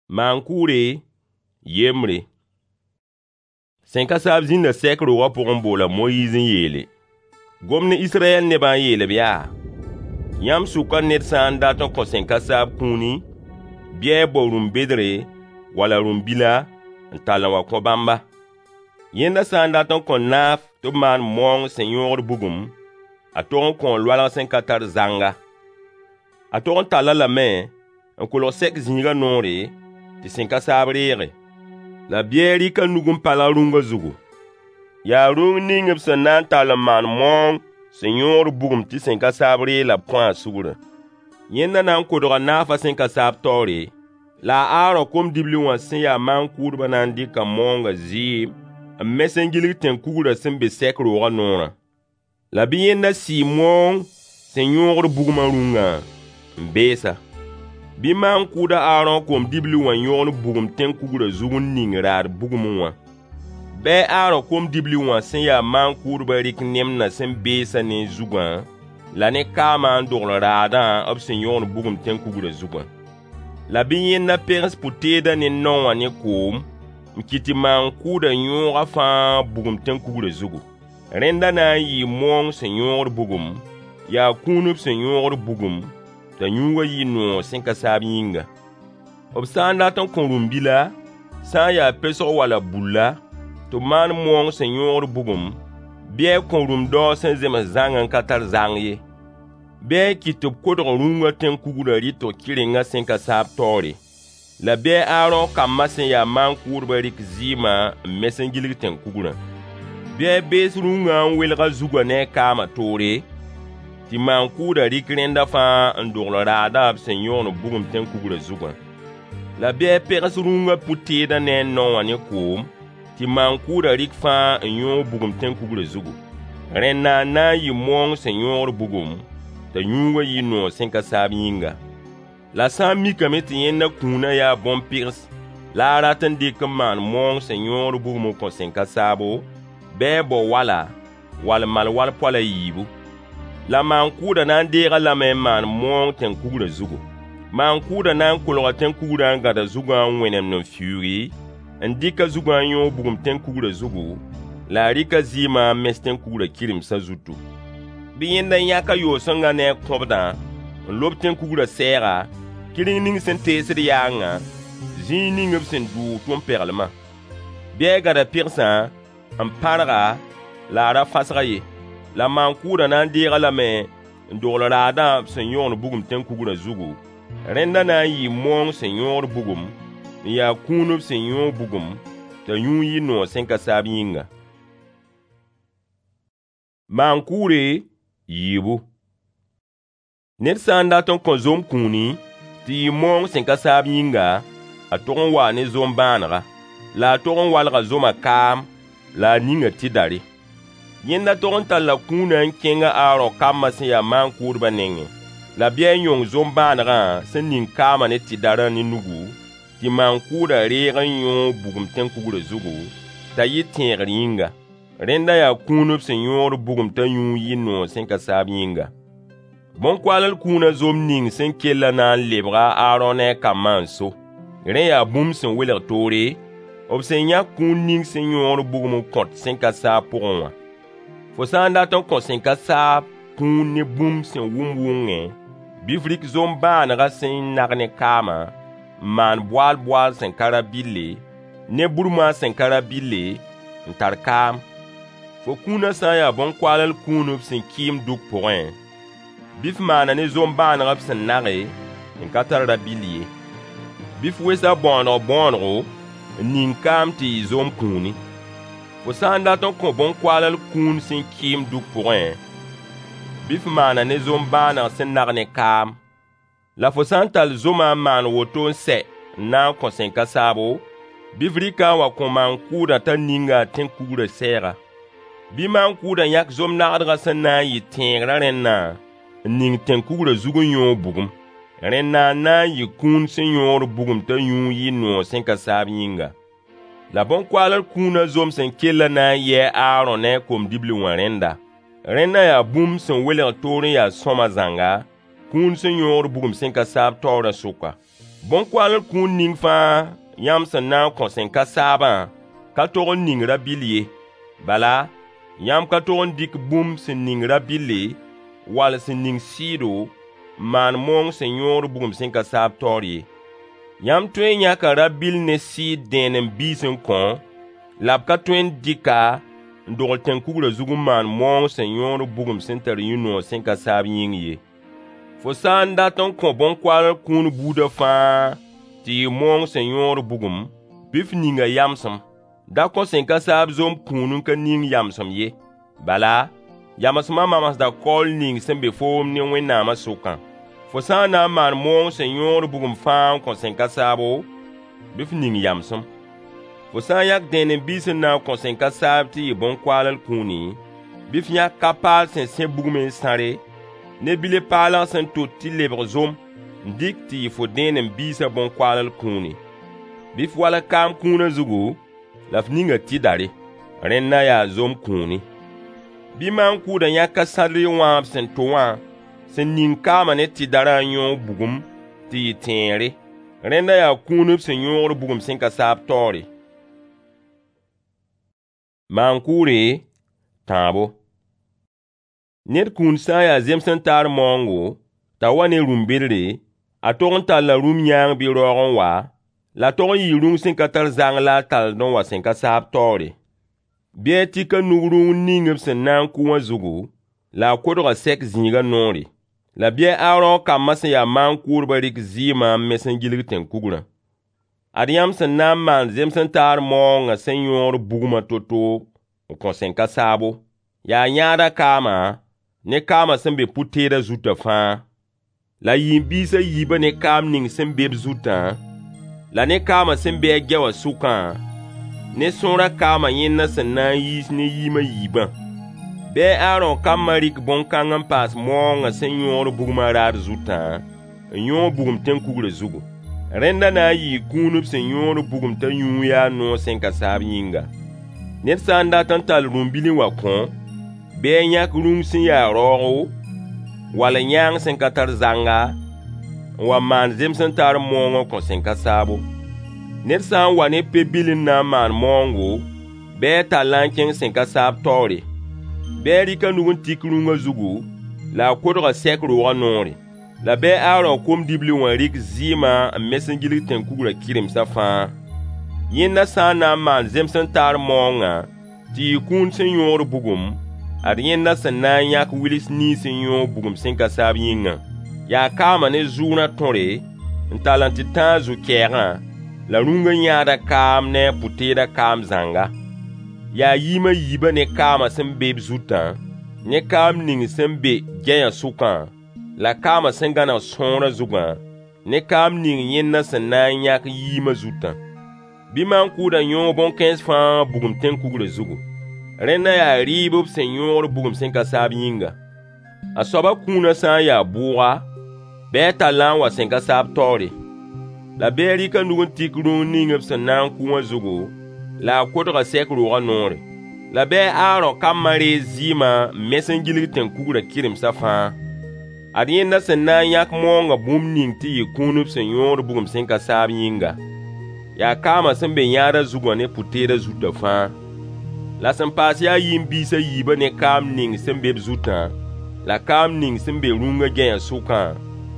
Maan-kʋʋre, yembre. Sẽn ka saab zĩnda sɛk roogã pʋg n bool a Moyiis n yeele: Gom ne Israyɛl nebã n yeel-b yaa: Yãmb sʋkã ned sã n dat n kõ sẽn ka saab kũuni, bɩ a bao rũm-bedre wala rũm-bila n tall n wa kõ bãmba. Yẽnda sã n dat n kõ naaf tɩ b maan maoong sẽn yõogd bugum, a tog n kõo loalg sẽn ka tar zãnga. A tog n tall-a lame n kolg sɛk zĩigã noore, tɩ sẽn ka saab reege. La bɩ a rɩk a nug n palg rũngã zugu. Yaa rũng ning b sẽn na n tall n maan maoong sẽn yõogd bugum tɩ sẽn ka saab reeg la b kõ a sugrã. Yẽnda na n kodga naafã sẽn ka saab taoore, la a Aarõ kom-dibli wã sẽn ya maan-kʋʋdbã na n dɩka maoongã zɩɩm n mes n gilg tẽn-kugrã sẽn be sɛk roogã noorã. La bɩ yẽnda sɩɩ maoong sẽn yõogd bugmã rũngã n bees-a. Bɩ maan-kʋʋd a Aarõ kom-dibli wã yõgen bugum tẽn-kugrã zug n ning raad bugmẽ wã. Bɩ a Aarõ kom-dibli wã sẽn ya maan-kʋʋdbã rɩk nemdã sẽn beesã ne a zugã la ne kaamã n dogl raadã b sẽn yõgen bugum tẽn-kugrã zugã. La bɩ yẽnda pegs pʋ-teedã ne nao wã ne koom n kɩt tɩ maan-kʋʋdã yõog a fãa bugum tẽn-kugrã zugu. Rẽnda na n yɩɩ maoong sẽn yõogd bugum, yaa kũun b sẽn yõogd bugum, t'a yũugã yɩ noog sẽn ka saab yĩnga. B sã n dat n kõ rũm-bila, sã n ya pesg wala bulla, tɩ b maan maoong sẽn yõogd bugum, bɩ a kõ rũm-daoog sẽn zems zãng n ka tar zãng ye. Bɩ a kɩt tɩ b kodg rũngã tẽn-kugrã rɩtg kɩrengã sẽn ka saab taoore. La bɩ a Aarõ kambã sẽn ya maan-kʋʋdbã rɩk zɩɩmã n mes n gilg tẽn-kugrã. Bɩ a bees rũngã n welg a zugã ne a kaamã toore, tɩ maan-kʋʋdã rɩk rẽnda fãa n dogl raadã b sẽn yõgen bugum tẽn-kugrã zugã. La bɩ a pegs rũngã pʋ-teedã ne a nao wã ne koom, tɩ maan-kʋʋdã rɩk fãa n yõog bugum tẽn-kugrã zugu. Rẽnna n na n yɩ maoong sẽn yõogd bugum, t'a yũugã yɩ noog sẽn ka saab yĩnga. La sã n mikame tɩ yẽnda kũunã yaa bõn-pɩgs la a rat n dɩk n maan maoong sẽn yõogd bugum n kõ sẽn ka saabo, bɩ a bao wala, wall malwal poal a yiibu. La maan-kʋʋdã na n deeg-a lame n maan maoong tẽn-kugrã zugu. Maan-kʋʋdã na n kolga tẽn-kugrã n gãd a zugã n wẽnemd n fiuugi, n dɩk a zugã n yõog bugum tẽn-kugrã zugu, la a rɩk a zɩɩmã n mes tẽn-kugrã kɩremsã zutu. Bɩ yẽnda yãk a yoos-sõngã ne a kõbdã n lob tẽn-kugrã sɛɛga, kɩreng ning sẽn teesd yaangã, zĩig ning b sẽn dʋʋg tʋm-peglmã. Bɩ a gãd a pɩgsã n pãrg-a la a ra fãsg-a ye. La maan-kʋʋdã na n deeg-a lame n dogl raadã b sẽn yõgen bugum tẽn-kugrã zugu. Rẽnda na n yɩɩ maoong sẽn yõogd bugum, n yaa kũun b sẽn yõog bugum, t'a yũud yɩ noog sẽn ka saab yĩnga. Maan-kʋʋre, yiibu. Ned sã n dat n kõ zom kũuni, tɩ yɩ maoong sẽn ka saab yĩnga, a tog n waa ne zom-bãanega. La a tog n walga zomã kaam, la a ning-a tɩdare. Yẽnda tog n talla kũunã n kẽng a Aarõ kambã sẽn ya maan-kʋʋdbã nengẽ. La bɩ a yõng zom-bãanegã sẽn ning kaamã ne tɩdarã ne nugu, tɩ maan-kʋʋdã reeg n yõog bugum tẽn-kugrã zugu, t'a yɩ tẽegr yĩnga. Rẽnda yaa kũun b sẽn yõogd bugum t'a yũud yɩ noog sẽn ka saab yĩnga. Bõn-koaall kũunã zom ning sẽn kellã na n lebga a Aarõ ne a kambã n so. Rẽ yaa bũmb sẽn welg toore, b sẽn yãk kũun ning sẽn yõogd bugum n kõt sẽn ka saab pʋgẽ wã. Fo sã n dat n kõ sẽn ka saab kũun ne bũmb sẽn wʋm wʋngẽ, bɩ f rɩk zom-bãanegã sẽn nag ne kaamã n maan boaal-boaal sẽn ka rabɩlle, ne burmoaas sẽn ka rabɩlle, n tar kaam. Fo kũunã sã n ya bõn-koaall kũun b sẽn kɩɩm dʋk pʋgẽ, bɩ f maan-a ne zom-bãaneg b sẽn nage n ka tar rabɩll ye. Bɩ f wes a bõoneg bõonego n ning kaam tɩ yɩ zom kũuni. Fo sã n dat n kõ bõn-koaall kũun sẽn kɩɩm dʋk pʋgẽ, bɩ f maan-a ne zom-bãaneg sẽn nag ne kaam. La fo sã n tall zomã n maan woto n sɛ n na n kõ sẽn ka saabo, bɩ f rɩk-a n wa kõ maan-kʋʋdã t'a ning-a tẽn-kugrã sɛɛga. Bɩ maan-kʋʋdã yãk zom-nagdgã sẽn na n yɩ tẽegrã rẽnnã n ning tẽn-kugrã zug n yõog bugum. Rẽnna n na n yɩ kũun sẽn yõogd bugum t'a yũud yɩ noog sẽn ka saab yĩnga. La bõn-koaalr kũunã zom sẽn kellã na n yɩ a Aarõ ne a kom-dibli wã rẽnda. Rẽnda yaa bũmb sẽn welg toor n ya sõama zãnga, kũun sẽn yõogd bugum sẽn ka saab taoorã sʋka. Bõn-koaal kũun ning fãa yãmb sẽn na n kõ sẽn ka saabã ka tog n ning rabɩll ye. Bala, yãmb ka tog n dɩk bũmb sẽn ning rabɩlle wall sẽn ning sɩɩdo n maan maoong sẽn yõod bugum sẽn ka saab taoor ye. Yãmb tõe n yãka rabɩll ne sɩɩd dẽenem-biis n kõ, la b ka tõe n dɩk-a n dogl tẽn-kugrã zug n maan maoong sẽn yõod bugum sẽn tar yũ-noog sẽn ka saab yĩng ye. Fo sã n dat n kõ bõn-koaal kũun buudã fãa tɩ yɩ maoong sẽn yõod bugum, bɩ f ning a yamsem. Da kõ sẽn ka saab zom kũun n ka ning yamsem ye. Bala, yamsmã mamsda kaool ning sẽn be foom ne Wẽnnaamã sʋkã. Fo sã n na n maan maoong sẽn yõod bugum fãa n kõ sẽn ka saabo, bɩ f ning yamsem. Fo sã n yãk dẽenem-biis n na n kõ sẽn ka saab tɩ yɩ bõn-koaall kũuni, bɩ f yãk ka-paal sẽn sẽ bugmẽ n sãre, ne bile-paalg sẽn tot tɩ lebg zom n dɩk tɩ yɩ fo dẽenem-biisã bõn-koaall kũuni. Bɩ f walg kaam kũunã zugu, la f ning-a tɩdare. Rẽnda yaa zom kũuni. Bɩ maan-kʋʋdã yãk ka-sãdr wãab sẽn to wã sẽn ning kaamã ne tɩdarã n yõog bugum tɩ yɩ tẽere. Rẽnda yaa kũun b sẽn yõogd bugum sẽn ka saab taoore. Maan-kʋʋre tãabo. Ned kũun sã n yaa zems n taar maoongo, t'a wa ne rũm-bɩdre, a tog n talla rũm-yãang bɩ raoog n wa, la a tog n yɩɩ rũng sẽn ka tar zang la a tald n wa sẽn ka saab taoore. Bɩ a tik a nug rũng ning b sẽn na n kʋ wã zugu, la a kodg-a sɛk zĩigã noore. La bɩ a Aarõ kambã sẽn ya maan-kʋʋdbã rɩk zɩɩmã n mes n gilg tẽn-kugrã. Ad yãmb sẽn na n maan zems n taar maoongã sẽn yõod bugmã to-to n kõ sẽn ka saabo. Yaa yãadã kaama ne kaamã sẽn be pʋ-teedã zutã fãa. La yĩn-biis a yiibã ne kaam ning sẽn be b zutã, la ne kaamã sẽn be a gɛwã sʋkã, ne sõorã kaamã yẽndã sẽn na n yiis ne yiim a yiibã. Bɩ a Aarõ kambã rɩk bõn-kãng n paas maoongã sẽn yõod bugmã raad zutã, n yõog bugum tẽn-kugrã zugu. Rẽnda na n yɩɩ kũun b sẽn yõod bugum t'a yũu yaa noog sẽn ka saab yĩnga. Ned sã n dat n tall rũm-bil n wa kõ, bɩ a yãk rũng sẽn ya raoogo, wall yãang sẽn ka tar zanga, n wa maan zems n taar maoong n kõ sẽn ka saabo. Ned sã n wa ne pe-bil n na n maan maoongo, bɩ a tall-a n kẽng sẽn ka saab taoore. Bɩ a rɩk a nug n tik rũngã zugu, la a kodg-a sɛk roogã noore. La bɩ a Aarõ kom-dibli wã rɩk zɩɩmã n mes n gilg tẽn-kugrã kɩremsã fãa. Yẽnda sã n na n maan zems n taar maoongã tɩ yɩ kũun sẽn yõod bugum, ad yẽnda sẽn na n yãk wils nins n yõog bugum sẽn ka saab yĩngã. Yaa kaamã ne zʋʋrã tõre n tall n tɩ tãag zu-kɛɛgã, la rũngã yãadã kaam ne a pʋ-teedã kaam zãnga. Yaa yiim a yiibã ne kaamã sẽn be b zutã, ne kaam ning sẽn be gɛyã sʋkã, la kaamã sẽn gãneg sõorã zugã, ne kaam ning yẽndã sẽn na n yãk yiimã zutã. Bɩ maan-kʋʋdã yõog bõn-kãens fãa bugum tẽn-kugrã zugu. Rẽnda yaa rɩɩb b sẽn yõod bugum sẽn ka saab yĩnga. A soabã kũunã sã n yaa bʋʋga, bɩ a tall-a n wa sẽn ka saab taoore. La bɩ a rɩk a nug n tik rũng ning b sẽn na n kʋ wã zugu, la a kodg-a sɛk roogã noore. La bɩ a Aarõ kambã reeg zɩɩmã n mes n gilg tẽn-kugrã kɩremsã fãa. Ad yẽnda sẽn na n yãk maoongã bũmb ning tɩ yɩ kũun b sẽn yõod bugum sẽn ka saab yĩnga. Yaa kaamã sẽn be yãadã zugã ne pʋ-teedã zutã fãa. La sẽn paas yaa yĩn-biis a yiibã ne kaam ning sẽn be b zutã, la kaam ning sẽn be rũngã gɛyã sʋkã,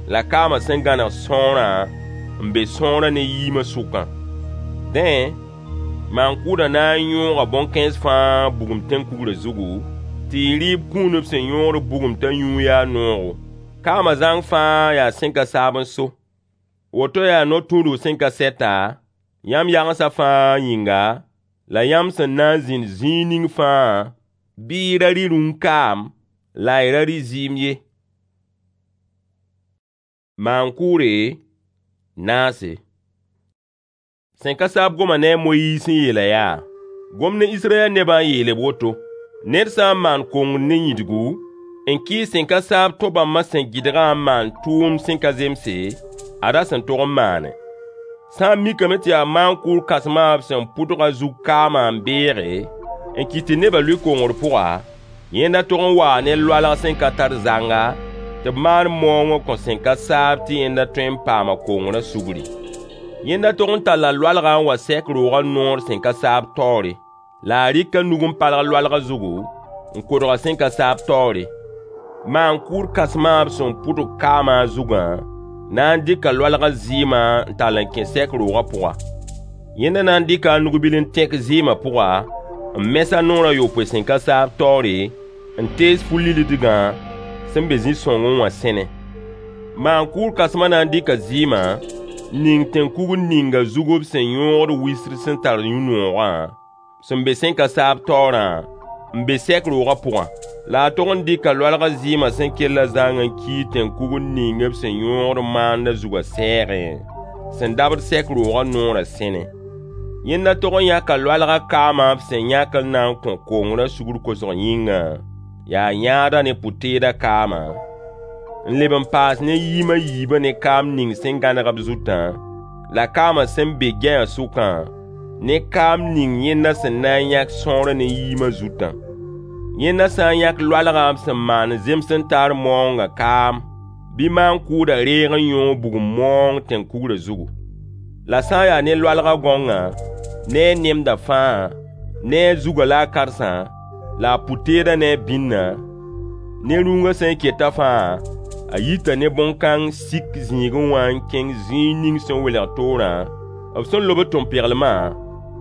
la kaamã sẽn gãneg sõorã n be sõorã ne yiimã sʋkã. Dẽ, maan-kʋʋdã na n yõoga bõn-kãens fãa bugum tẽn-kugrã zugu, tɩ yɩ rɩɩb kũun b sẽn yõod bugum t'a yũu yaa noogo. Kaamã zãng fãa yaa sẽn ka saab n so. Woto yaa no-tũudg sẽn ka sɛta, yãmb yagensa fãa yĩnga, la yãmb sẽn na n zĩnd zĩig ning fãa, bɩ y ra rɩ rũng-kaam la y ra rɩ zɩɩm ye. Maan-kʋʋre naase. Sẽn ka saab goma ne a Moyiis n yeela yaa: Gom ne Israyɛl nebã n yeel-b woto: Ned sã n maan kongr ne yĩdgu, n kɩɩs sẽn ka saab tõ-bãmbã sẽn gɩdgã n maan tʋʋmd sẽn ka zemse, ada sẽn tog n maane. Sã n mikame tɩ yaa maan-kʋʋr kãsmã b sẽn pʋdg a zug kaamã n beege, n kɩt tɩ nebã lʋɩ kongr pʋga, yẽnda tog n waa ne loalg sẽn ka tar zanga t'a tɩ b maan maoongã kõ sẽn ka saab tɩ yẽnda tõe n paama kongrã sugri. Yẽnda tog n talla loalgã n wa sɛk roogã noor sẽn ka saab taoore. La a rɩka nug n palg loalgã zugu, n kodg a sẽn ka saab taoore. Maan-kʋʋd kãsmã b sẽn pʋdg kaamã a zugã na n dɩka loalgã zɩɩmã n tall n kẽ sɛk roogã pʋga. Yẽnda na n dɩka a nug-bil n tẽk zɩɩmã pʋga, n mes a noor a yopoe sẽn ka saab taoore, n tees fu-lillidgã sẽn be zĩ-sõngẽ wã sẽne. Maan-kʋʋd kãsmã na n dɩka zɩɩmã n ning tẽn-kugr ninga zug b sẽn yõogd wisr sẽn tar yũ-noogã, sẽn be sẽn ka saab taoorã, n be sɛk roogã pʋgã. La a tog n dɩka loalgã zɩɩmã sẽn kellã zãng n kii tẽn-kugr ning b sẽn yõogd maandã zugã sɛɛgẽ, sẽn dabd sɛk roogã noorã sẽne. Yẽnda tog n yãka loalgã kaamã b sẽn yãk n na n kõ kongrã sugr kosg yĩngã, yaa yãadã ne pʋ-teedã kaamã, n leb n paas ne yiim a yiibã ne kaam ning sẽn gãneg b zutã, la kaamã sẽn be gɛyã sʋkã, ne kaam ning yẽnda sẽn na n yãk sõorã ne yiimã zutã. Yẽnda sã n yãk loalgã b sẽn maan zems n taar maoongã kaam, bɩ maan-kʋʋdã reeg n yõog bugum maoong tẽn-kugrã zugu. La sã n yaa ne loalgã gãongã, ne a nemdã fãa, ne a zugã la a karsã, la a pʋ-teedã ne a bĩnna, ne rũngã sẽn ketã fãa, a yita ne bõn-kãng sik zĩigẽ wã n kẽng zĩig ning sẽn welg toorã, b sẽn lobd tʋm-peglmã,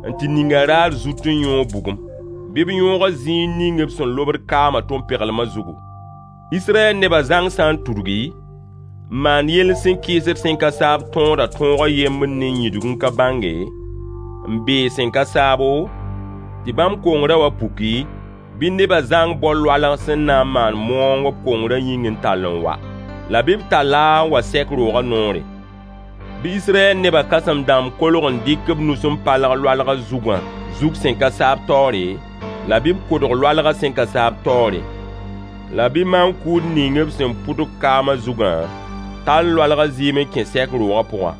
n tɩ ning a raar zut n yõog bugum. Bɩ b yõoga zĩig ning b sẽn lobd kaamã tʋm-peglmã zugu. Israyɛl nebã zãng sã n tudgi, n maan yell sẽn kɩɩsd sẽn ka saab tõodã tõog a yembr ne yĩdg n ka bãnge, n beeg sẽn ka saabo, tɩ bãmb kongrã wa puki, bɩ nebã zãng bao loalg sẽn na n maan maoong b kongrã yĩng n tall n wa. La bɩ b tall-a n wa sɛk roogã noore. Bɩ Israyɛl nebã kãsem-dãmb kolg n dɩk b nus n palg loalgã zugã zug sẽn ka saab taoore, la bɩ b kodg loalgã sẽn ka saab taoore. La bɩ maan-kʋʋd ning b sẽn pʋdg kaamã zugã tall loalgã zɩɩm n kẽ sɛk roogã pʋga.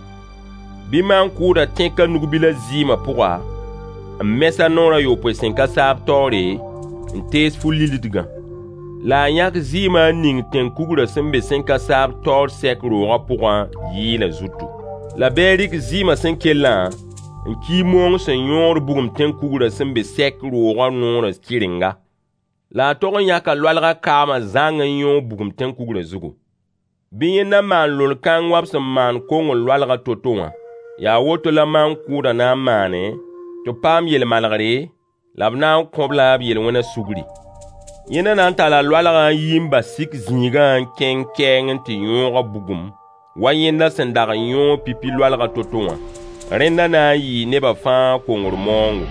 Bɩ maan-kʋʋdã tẽk a nug-bilã zɩɩmã pʋga, n mes a noor a yopoe sẽn ka saab taoore, n tees fu-lillidgã. La a yãk zɩɩmã n ning tẽn-kugrã sẽn be sẽn ka saab taoor sɛk roogã pʋgã yɩɩlã zutu. La bɩ a rɩk zɩɩmã sẽn kellã n kii maoong sẽn yõogd bugum tẽn-kugrã sẽn be sɛk roogã noorã kɩrenga. La a tog n yãka loalgã kaamã zãng n yõog bugum tẽn-kugrã zugu. Bɩ yẽnda maan lol-kãng wa b sẽn maan kongr loalgã to-to wã. Yaa woto la maan-kʋʋdã na n maane tɩ b paam yel-malgre, la b na n kõ-b-la b yel-wẽnã sugri. Yẽnda na n talla loalgã n yi n bas sik zĩigã n kẽng kɛɛng n tɩ yõog-a bugum, wa yẽnda sẽn dag n yõog pipi loalgã to-to wã. Rẽnda na n yɩɩ nebã fãa kongr maoongo.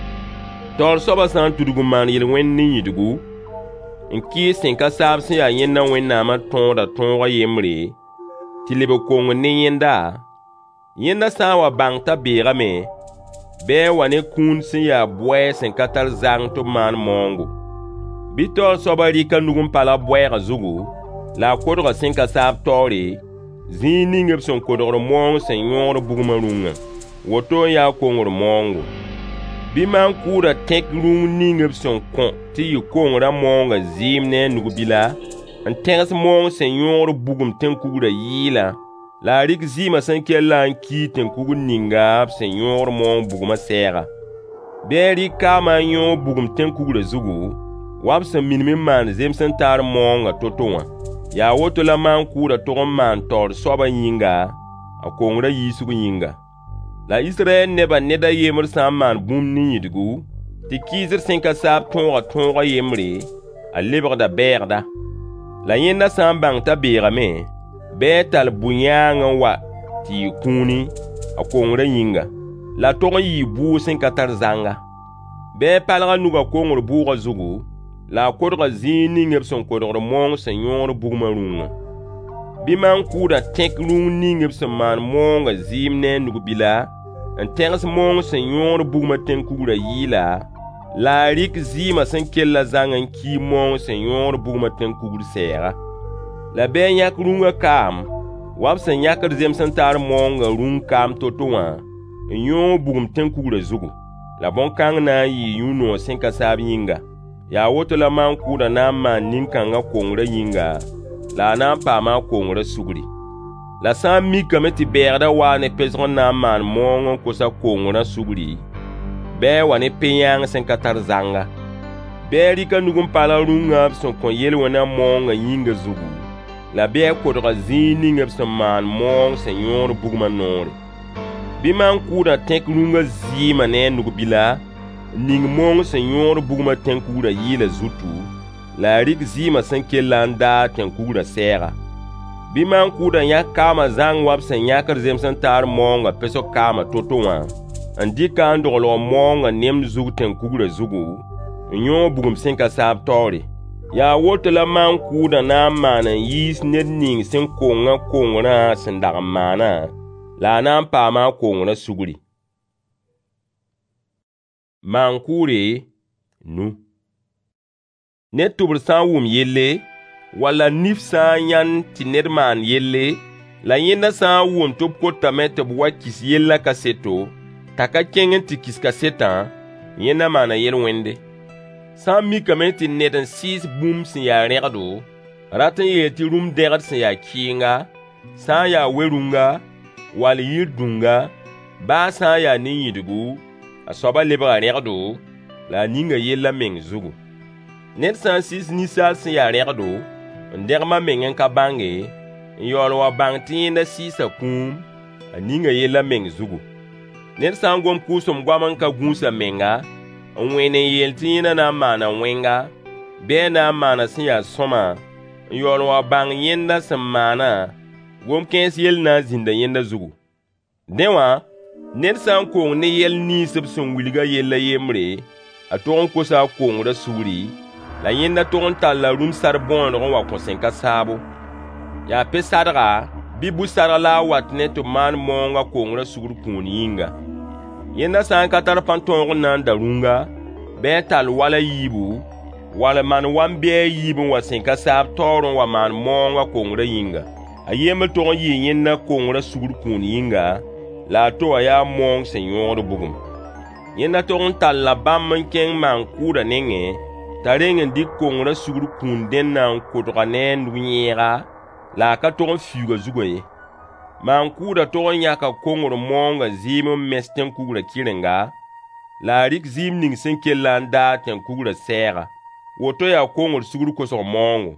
Taoor soabã sã n tudg n maan yel-wẽnd ne yĩdgu, n kɩɩs sẽn ka saab sẽn yaa yẽnda Wẽnnaamã tõodã tõog a yembre, tɩ lebg kongr ne yẽnda, yẽnda sã n wa bãng t'a beegame, bɩ a wa ne kũun sẽn yaa bʋɛɛg sẽn ka tar zang tɩ b maan maoongo. Bɩ taoor soabã rɩk a nug n palg bʋɛɛgã zugu, la a kodga sẽn ka saab taoore, zĩig ning b sẽn kodgd maoong sẽn yõogd bugmã rũngã. Woto n yaa kongr maoongo. Bɩ maan-kʋʋdã tẽk rũng ning b sẽn kõ tɩ yɩ kongrã maoongã zɩɩm ne a nug-bila, n tẽgs maoong sẽn yõogd bugum tẽn-kugrã yɩɩlã, la a rɩk zɩɩmã sẽn kellã n kii tẽn-kugr ninga b sẽn yõogd maoong bugmã sɛɛga. Bɩ a rɩk kaamã n yõog bugum tẽn-kugrã zugu, wa b sẽn minim n maan zems n taar maoongã to-to wã. Yaa woto la maan-kʋʋdã tog n maan taoor soabã yĩnga, a kongrã yiisg yĩnga. La Israyɛl nebã ned a yembr sã n maan bũmb ne yĩdgu, tɩ kɩɩsd sẽn ka saab tõogã tõog a yembre, a lebgda bɛɛgda. La yẽnda sã n bãng t'a beegame, bɩ a tall bʋ-yãang n wa tɩ yɩ kũuni, a kongrã yĩnga. La a tog n yɩɩ bʋʋg sẽn ka tar zãnga. Bɩ a palg a nugã kongr bʋʋgã zugu, la a kodga zĩig ning b sẽn kodgd maoong sẽn yõogd bugmã rũngã. Bɩ maan-kʋʋdã tẽk rũng ning b sẽn maan maoongã zɩɩm ne a nug-bila, n tẽgs maoong sẽn yõogd bugmã tẽn-kugrã yɩɩla, la a rɩk zɩɩmã sẽn kellã zãng n kii maoong sẽn yõogd bugmã tẽn-kugr sɛɛga. La bɩ a yãk rũngã kaam, wa b sẽn yãkd zems n taar maoongã rũng kaam to-to wã, n yõog bugum tẽn-kugrã zugu. La bõn-kãng na n yɩɩ yũ-noog sẽn ka saab yĩnga. Yaa woto la maan-kʋʋdã na n maan nin-kãngã kongrã yĩnga, la a na n paama a kongrã sugri. La sã n mikame tɩ bɛɛgdã waa ne pesg n na n maan maoong n kos a kongrã sugri, bɩ a wa ne pe-yãang sẽn ka tar zanga. Bɩ a rɩk a nug n palg rũngã b sẽn kõ yel-wẽnã maoongã yĩngã zugu, la bɩ a kodg-a zĩig ning b sẽn maan maoong sẽn yõod bugmã noore. Bɩ maan-kʋʋdã tẽk rũngã zɩɩmã ne a nug-bila n ning maoong sẽn yõod bugmã tẽn-kugrã yɩɩlã zutu, la a rɩk zɩɩmã sẽn kellã n daag tẽn-kugrã sɛɛga. Bɩ maan-kʋʋdã yãk kaamã zãng wa b sẽn yãkd zems-n-taar maoongã pesg kaamã to-to wã, n dɩk-a n doglg maoongã nemd zug tẽn-kugrã zugu, n yõog bugum sẽn ka saab taoore. Yaa woto la maan-kʋʋdã na n maan n yiis ned ning sẽn kongã kongrã sẽn dag n maanã, la a na n paama a kongrã sugri. Maan-kʋʋre nu. Ned tʋbr sã n wʋm yelle, walla nif sã n yãnd tɩ ned maan yelle, la yẽnda sã n wʋm tɩ b kotame tɩ b wa kis yellã kaseto, t'a ka kẽng n tɩ kis kasetã, yẽnda maana yel-wẽnde. Sã n mikame tɩ ned n sɩɩs bũmb sẽn ya rẽgdo, rat n yeel tɩ rũm-dẽgd sẽn ya kɩɩnga, sã n ya we-rũnga, wall yir dũnga, baa sã n yaa ne yĩdgu, a soabã lebga rẽgdo, la a ninga yell a meng zugu. Ned sã n sɩɩs ninsaal sẽn ya rẽgdo, n dẽgem a meng n ka bãnge, n yaool n wa bãng tɩ yẽnda sɩɩsa kũum, a ninga yell a meng zugu. Ned sã n gom kʋʋsem goam n ka gũus a menga, n wẽen n yeel tɩ yẽnda na n maana wẽnga, bɩ a na n maana sẽn ya sõama, n yaool n wa bãng yẽnda sẽn maana, gom-kãens yell na n zĩnda yẽnda zugu. Dẽ wã, ned sã n kong ne yɛl nins b sẽn wilg a yell a yembre, a tog n kosa a kongrã sugri, la yẽnda tog n talla rũm-sar bõoneg n wa kõ sẽn ka saabo. Yaa pe-sadga bɩ bu-sadg la a wat ne tɩ b maan maoong a kongrã sugr kũun yĩnga. Yẽnda sã n ka tar pãn-tõog n na n da rũnga, bɩ a tall wal a yiibu, wall maan wam-bi a yiib n wa sẽn ka saab taoor n wa maan maoong a kongrã yĩnga. A yembr tog n yɩɩ yẽnda kongrã sugr kũun yĩnga, la a to wã yaa maoong sẽn yõod bugum. Yẽnda tog n talla bãmb n kẽng maan-kʋʋdã nengẽ, t'a reng n dɩk kongrã sugr kũun dẽnna n kodg-a ne a nug-yẽega, la a ka tog n fiuug a zugã ye. Maan-kʋʋdã tog n yãka kongr maoongã zɩɩm n mes tẽn-kugrã kɩrenga, la a rɩk zɩɩm ning sẽn kellã n daag tẽn-kugrã sɛɛga. Woto yaa kongr sugr kosg maoongo.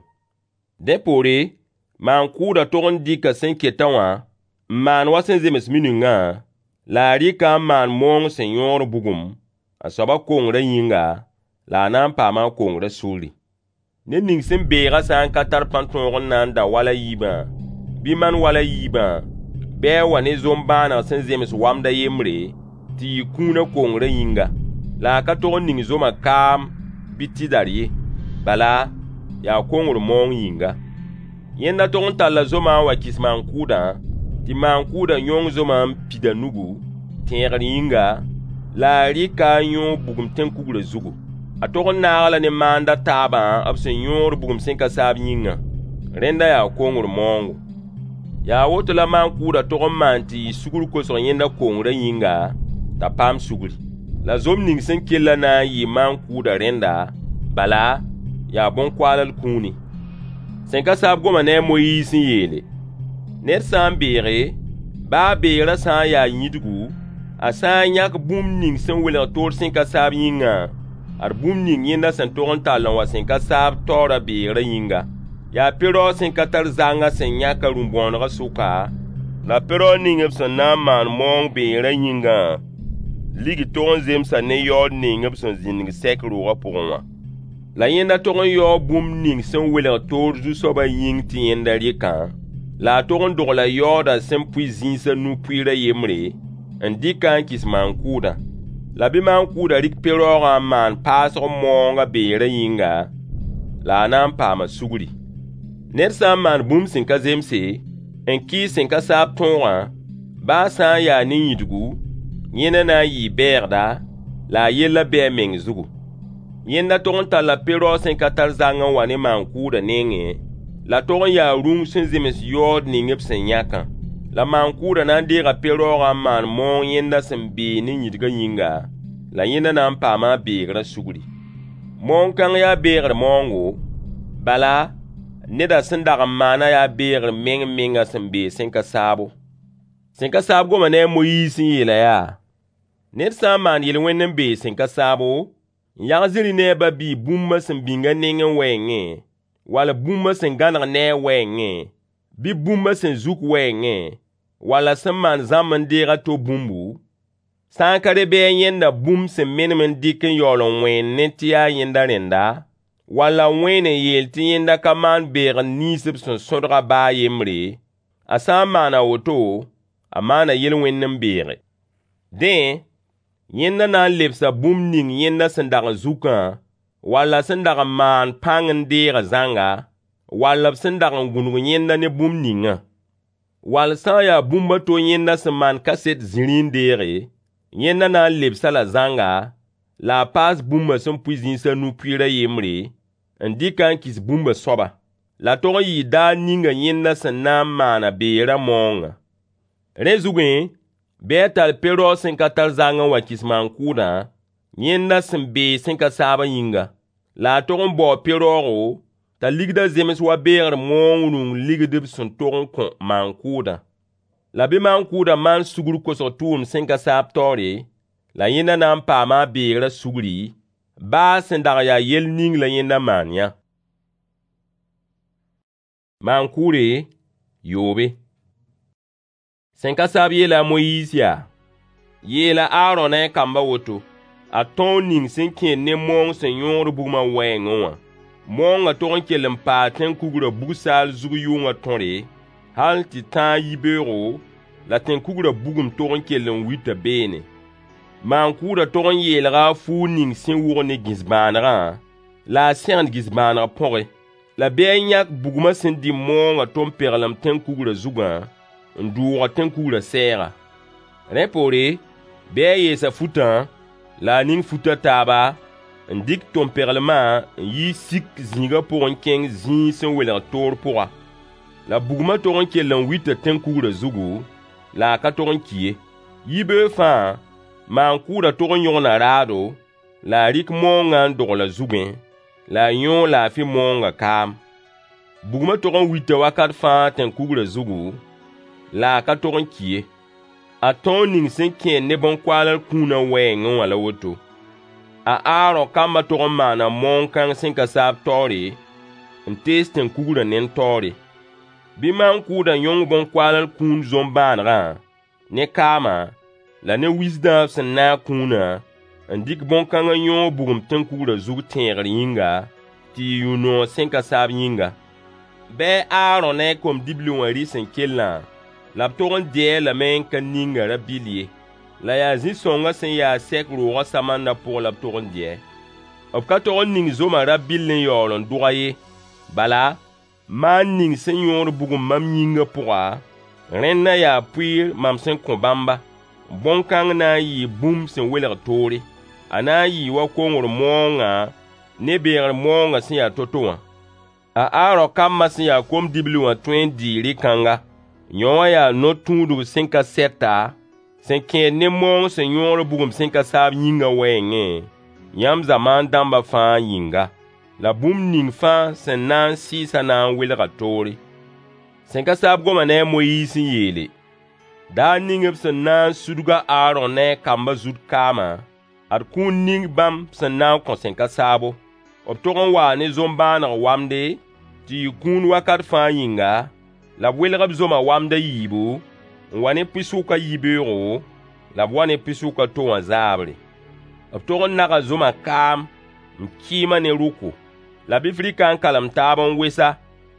Dẽ poore, maan-kʋʋdã tog n dɩka sẽn ketã wã n maan wa sẽn zems miningã, la a rɩka n maan maoong sẽn yõod bugum, a soabã kongrã yĩnga, la a na n paama a kongrã sugri. Ned ning sẽn beegã sã n ka tar pãn-tõog n na n da wal a yiibã, bɩ maan wal a yiibã, bɩ a wa ne zom-bãaneg sẽn zems wamd a yembre, tɩ yɩ kũunã kongrã yĩnga. La a ka tog n ning zomã kaam bɩ tɩdar ye. Bala, yaa kongr maoong yĩnga. Yẽnda tog n talla zomã n wa kɩs maan-kʋʋdã, tɩ maan-kʋʋdã yõng zomã n pid a nugu, tẽegr yĩnga, la a rɩka n yõog bugum tẽn-kugrã zugu. A tog n naag-a-la ne maand a taabã b sẽn yõod bugum sẽn ka saab yĩngã. Rẽnda yaa kongr maoongo. Yaa woto la maan-kʋʋdã tog n maan tɩ yɩ sugr kosg yẽnda kongrã yĩnga, t'a paam sugri. La zom ning sẽn kellã na n yɩɩ maan-kʋʋdã rẽnda, bala, yaa bõn-koaalal kũuni. Sẽn ka saab goma ne a Moyiis n yeele: Ned sã n beege, baa a beegrã sã n yaa yĩdgu, a sã n yãk bũmb ning sẽn welg toor sẽn ka saab yĩngã, ad bũmb ning yẽnda sẽn tog n tall n wa sẽn ka saab taoora beegrã yĩnga. Yaa pe-raoog sẽn ka tar zangã sẽn yãk a rũ-bõonegã sʋka, la pe-raoog ning b sẽn na n maan maoong beegrã yĩngã, ligi tog n zemsa ne yaood ning b sẽn zĩndg sɛk roogã pʋgẽ wã. La yẽnda tog n yaoo bũmb ning sẽn welg toor zu-soabã yĩng tɩ yẽnda rɩkã, la a tog n dogla yaoodã sẽn pʋɩ zĩis a nu-pʋɩɩr a yembre, n dɩk-a n kɩs maan-kʋʋdã. La bɩ maan-kʋʋdã rɩk pe-raoogã n maan paasg maoong a beegrã yĩnga, la a na n paama sugri. Ned sã n maan bũmb sẽn ka zemse, n kɩɩs sẽn ka saab tõogã, baa sã n yaa ne yĩdgu, yẽnda na n yɩɩ bɛɛgda, la a yellã bɩ a meng zugu. Yẽnda tog n talla pe-raoog sẽn ka tar zang n wa ne maan-kʋʋdã nengẽ, la tog n yaa rũng sẽn zems yaood ning b sẽn yãkã. La maan-kʋʋdã na n deega pe-raoogã n maan maoong yẽnda sẽn beeg ne yĩdgã yĩnga, la yẽnda na n paama a beegrã sugri. Maoong kãng yaa beegr maoongo, bala, Nedã sẽn dag n maana yaa beegr meng-menga sẽn beeg sẽn ka saabo. Sẽn ka saab goma ne a Moyiis n yeel-a yaa: Ned sã n maan yel-wẽnd n beeg sẽn ka saabo, n yag zĩri ne a ba-biig bũmbã sẽn bĩng a nengẽ wɛɛngẽ, wall bũmbã sẽn gãneg ne a wɛɛngẽ, bɩ bũmbã sẽn zuk wɛɛngẽ, wall a sẽn maan zãmb n deeg a to bũmbu, sã n ka re bɩ a yẽnda bũmb sẽn menem n dɩk n yaool n wẽen tɩ yaa yẽnda rẽnda, wall a wẽen n yeel tɩ yẽnda ka maan beegr nins b sẽn sõdg a ba a yembre, a sã n maan a woto, a maana yel-wẽnd n beege. Dẽ, yẽnda na n lebsa bũmb ning yẽnda sẽn dag n zukã, wall a sẽn dag n maan pãng n deegã zãnga, wall b sẽn dag n gũnug yẽnda ne bũmb ningã. Wall sã n yaa bũmb a to yẽnda sẽn maan kaset zĩri n deege, yẽnda na n lebs-a la zãnga, la a paas bũmbã sẽn pʋɩ zĩis a nu pʋɩɩr a yembre, n dɩk-a n kɩs bũmba soaba. La tog n yɩɩ daar ninga yẽnda sẽn na n maana beerã maoongã. Rẽ zugẽ, bɩ a tall pe-raoog sẽn ka tar zang n wa kɩs maan-kʋʋdã, yẽnda sẽn beeg sẽn ka saabã yĩnga. La a tog n baoo pe-raoogo t'a ligdã zems wa beegr maoong rũng ligd b sẽn tog n kõ maan-kʋʋdã. La bɩ maan-kʋʋdã maan sugr kosg tʋʋmd sẽn ka saab taoore, la yẽnda na n paama a beegrã sugri, baa a sẽn dag n yaa yell ning la yẽnda maan yã. Maan-kʋʋre yoobe. Sẽn ka saab yeela a Moyiis yaa: Yeela a Aarõ ne a kambã woto: Ad tõog ning sẽn kẽed ne maoong sẽn yõogd bugmã wɛɛngẽ wã. Maoongã tog n kell n paa tẽn-kugrã bug-saal zug yʋngã tõre, hal tɩ tãag yibeoogo, la tẽn-kugrã bugum tog n kell n wita beene. Maan-kʋʋdã tog n yeelga a fuug ning sẽn wʋgd ne gĩs-bãanegã, la a sẽgend gĩs-bãaneg põge. La bɩ a yãk bugmã sẽn dɩ maoongã tom-peglem tẽn-kugrã zugã, n dʋʋg tẽn-kugrã sɛɛga. Rẽ poore, bɩ a yees a futã, la a ning fut a taaba, n dɩk tom-peglmã n yi sik zĩigã pʋg n kẽng zĩig sẽn welg toor pʋga. La bugmã tog n kell n wita tẽn-kugrã zugu, la a ka tog n ki ye. Yibeoog fãa, maan-kʋʋdã tog n yõgna raado, la a rɩk maoongã n dogl a zugẽ, la a yõog laafɩ maoongã kaam. Bugmã tog n wita wakat fãa tẽn-kugrã zugu, la a ka tog n ki ye. A tõog ning sẽn kẽed ne bõn-koaalr kũunã wɛɛngẽ wã la woto. A Aarõ kambã tog n maana maoong kãng sẽn ka saab taoore, n tees tẽn-kugrã nend taoore. Bɩ maan-kʋʋdã yõng bõn-koaalr kũun zom-bãanegã, ne kaamã, la ne wisdã b sẽn naag kũunã, n dɩk bõn-kãng n yõog bugum tẽn-kugrã zug tẽegr yĩnga, tɩ yɩ yũ-noog sẽn ka saab yĩnga. Bɩ a Aarõ ne a kom-dibli wã rɩ sẽn kellã, la b tog n dɩ-a lame n ka ning-a rabɩll ye. La yaa zĩ-sõngã sẽn ya sɛk roogã samandã pʋgẽ la b tog n dɩ-a. B ka tog n ning zomã rabɩll n yaool n dʋg-a ye. Bala, maan ning sẽn yõod bugum mam yĩngã pʋga, rẽndã yaa pʋɩɩr mam sẽn kõ bãmba. Bõn-kãng na n yɩɩ bũmb sẽn welg toore. A na n yɩɩ wa kongr maoongã ne beegr maoongã sẽn ya to-to wã. A Aarõ kambã sẽn ya kom-dibli wã tõe n dɩɩ rɩ-kãnga. Yõ wã yaa no-tũudg sẽn ka sɛta, sẽn kẽed ne maoong sẽn yõod bugum sẽn ka saab yĩngã wɛɛngẽ, yãmb zamaan dãmbã fãa yĩnga. La bũmb ning fãa sẽn na n sɩɩsã na n welga toore. Sẽn ka saab goma ne a Moyiis n yeele: Daar ning b sẽn na n sudg a Aarõ ne a kambã zut kaamã, ad kũun ning bãmb sẽn na n kõ sẽn ka saabo. B tog n waa ne zom-bãaneg wamde, tɩ yɩ kũun wakat fãa yĩnga, la b welg b zomã wamd a yiibu, n wa ne pʋɩ-sʋk a yibeoogo, la b wa ne pʋɩ-sʋk a to wã zaabre. B tog n naga zomã kaam n kɩɩm-a ne rʋko. La bɩ f rɩk-a n kalem taab n wes-a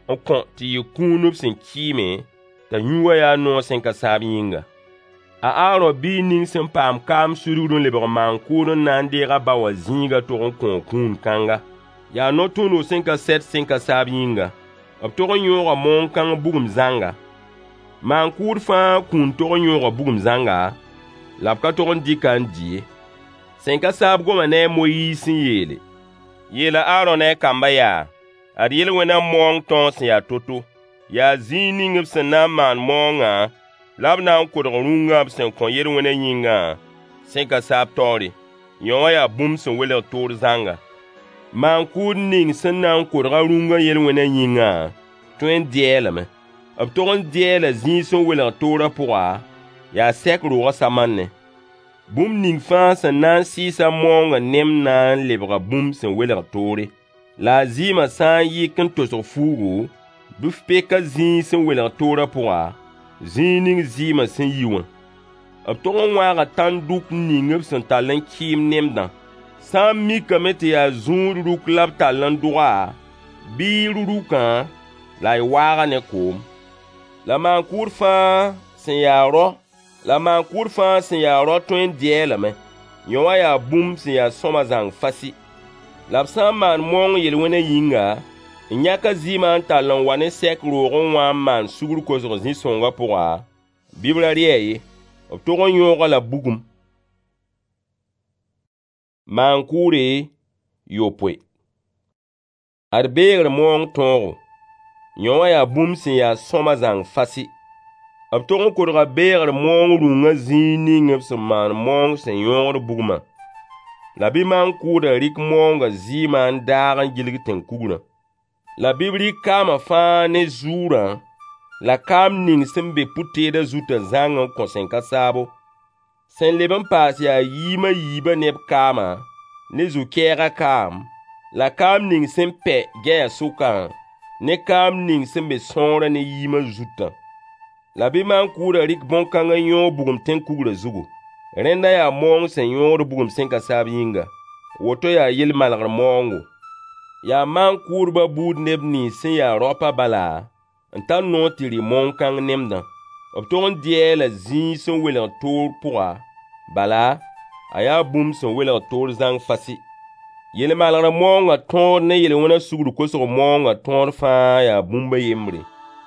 n kõ tɩ yɩ kũun b sẽn kɩɩme, t'a yũ wã yaa noog sẽn ka saab yĩnga. A Aarõ biig ning sẽn paam kaam sudgr n lebg maan-kʋʋd n na n deeg a ba wã zĩigã tog n kõo kũun kãnga. Yaa no-tũudg sẽn ka sɛt sẽn ka saab yĩnga. B tog n yõoga maoong kãng bugum zãnga. Maan-kʋʋd fãa kũun tog n yõoga bugum zãnga, la b ka tog n dɩk-a n dɩ ye. Sẽn ka saab goma ne a Moyiis n yeele: Yeela a Aarõ ne a kambã yaa: Ad yel-wẽnã maoong tõog sẽn ya to-to. Yaa zĩig ning b sẽn na n maan maoongã la b na n kodg rũngã b sẽn kõ yel-wẽnã yĩngã sẽn ka saab taoore. Yõ wã yaa bũmb sẽn welg toor zãnga. Maan-kʋʋd ning sẽn na n kodg-a rũngã yel-wẽnã yĩngã, Tõe n dɩ-a lame. B tog n dɩ-a la zĩig sẽn welg toorã pʋga, yaa sɛk roogã samannẽ. Bũmb ning fãa sẽn na n sɩɩs-a maoongã nemd na n lebga bũmb sẽn welg toore. La a zɩɩmã sã n yɩk n tosg fuugu, bɩ f pek-a zĩig sẽn welg toorã pʋga, zĩig ning zɩɩmã sẽn yi wã. B tog n wãaga tãn-dʋk ning b sẽn tall n kɩɩm nemdã. Sã n mikame tɩ yaa zũud ruk la b tall n dʋg-a, bɩ y rʋ rukã la y waag-a ne koom. La maan-kʋʋd fãa sẽn ya rao la maan-kʋʋd fãa sẽn ya rao tõe n dɩ-a lame. Yõ wã yaa bũmb sẽn ya sõama zãng fasɩ. La b sã n maan maoong yel-wẽnã yĩnga, n yãk a zɩɩmã n tall n wa ne sɛk roogẽ wã n maan sugr kosg zĩ-sõngã pʋga, bɩ b ra rɩ-a ye. B tog n yõog-a la bugum. Maan-kʋʋre yopoe. Ad beegr maoong tõogo. Yõ wã yaa bũmb sẽn ya sõama zãng fasɩ. B tog n kodga beegr maoong rũngã zĩig ning b sẽn maan maoong sẽn yõogd bugmã. La bɩ maan-kʋʋdã rɩk maoongã zɩɩmã n daag n gilg tẽn-kugrã. La bɩ b rɩk kaamã fãa ne zuurã la kaam ning sẽn be pʋ-teedã zutã zãng n kõ sẽn ka saabo. Sẽn leb n paas yaa yɩɩm a yiibã ne b kaamã, ne zu-kɛɛgã kaam, la kaam ning sẽn pɛ gɛyã sʋkã, ne kaam ning sẽn be sõorã ne yɩɩmã zutã. La bɩ maan-kʋʋdã rɩk bõn-kãng n yõog bugum tẽn-kugrã zugu. Rẽnda yaa maoong sẽn yõogd bugum sẽn ka saab yĩnga. Woto yaa yel-malgr maoongo. Yaa maan-kʋʋdbã buud neb nins sẽn ya raopã bala n tar noor tɩ rɩ maoong-kãng nemdã. B tog n dɩ-a la zĩig sẽn welg toor pʋga, bala, a yaa bũmb sẽn welg toor zãng fasɩ. Yel-malgr maoongã tõod ne yel-wẽnã sugr kosg maoongã tõod fãa yaa bũmb a yembre.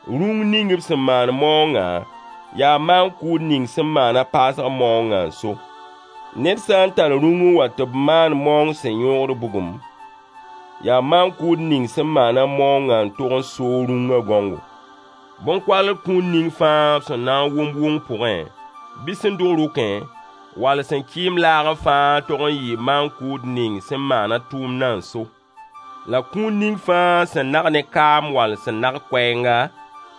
Rũng ning b sẽn maan maoongã yaa maan-kʋʋd ning sẽn maana paasg maoongã n so. Ned sã n tar rũng n wa tɩ b maan maoong sẽn yõogd bugum, yaa maan-kʋʋd ning sẽn maana maoongã n tog n soog rũngã gãongo. Bõn-koalg kũun ning fãa b sẽn na n wʋm wʋng pʋgẽ, bɩ sẽn dʋg rʋkẽ, wall sẽn kɩɩm laagẽ fãa tog n yɩɩ maan-kʋʋd ning sẽn maana tʋʋmdã n so. La kũun ning fãa sẽn nag ne kaam wall sẽn nag koɛɛnga,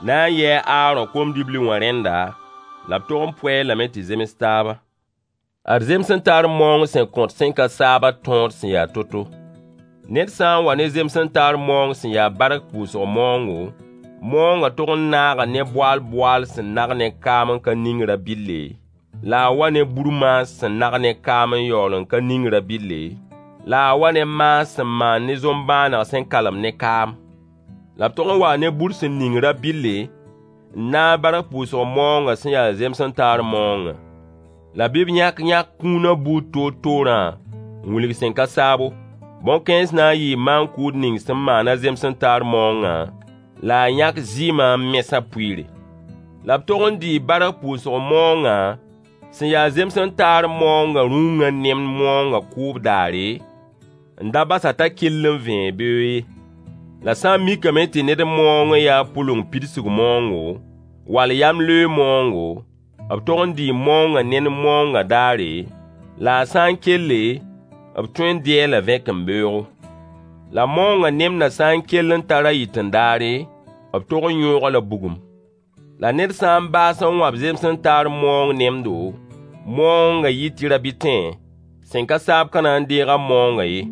na n yɩ a Aarõ kom-dibli wã rẽnda, la b tog n pʋɛ-a lame tɩ zems taaba. Ad zems n tar maoong sẽn kõt sẽn ka saabã tõod sẽn ya to-to. Ned sã n wa ne zems n tar maoong sẽn ya bark pʋʋsg maoongo, maoongã tog n naaga ne boaal-boaal sẽn nag ne kaam n ka ning rabɩlle, la a wa ne bur-maas sẽn nag ne kaam n yaool n ka ning rabɩlle, la a wa ne maas sẽn maan ne zom-bãaneg sẽn kalem ne kaam. La b tog n waa ne bur sẽn ning rabɩlle n naag bark pʋʋsg maoongã sẽn yaa zems n taar maoongã. La bɩ b yãk yãk kũunã buud toor-toorã n wilg sẽn ka saabo. Bõn-kãens na n yɩɩ maan-kʋʋd ning sẽn maana zems n taar maoongã, la a yãk zɩɩmã n mes a pʋɩɩre. La b tog n dɩɩ bark pʋʋsg maoongã sẽn yaa zems n taar maoongã rũngã nemd maoongã kʋʋb daare, n da bas-a t'a kell n vẽeg beoog ye. La sã n mikame tɩ ned maoong n yaa pʋleng pidsg maoongo, wall yamleoog maoongo, b tog n dɩɩ maoongã nend maoongã daare, la a sã n kelle, b tõe n dɩ-a la vẽkembeoogo. La maoongã nemdã sã n kell n tar a yɩt-n-daare, b tog n yõog-a la bugum. La ned sã n baas n wãb zems n taar maoong nemdo, maoongã yɩ tɩ rabɩtẽ, sẽn ka saab ka na n deeg a maoongã ye,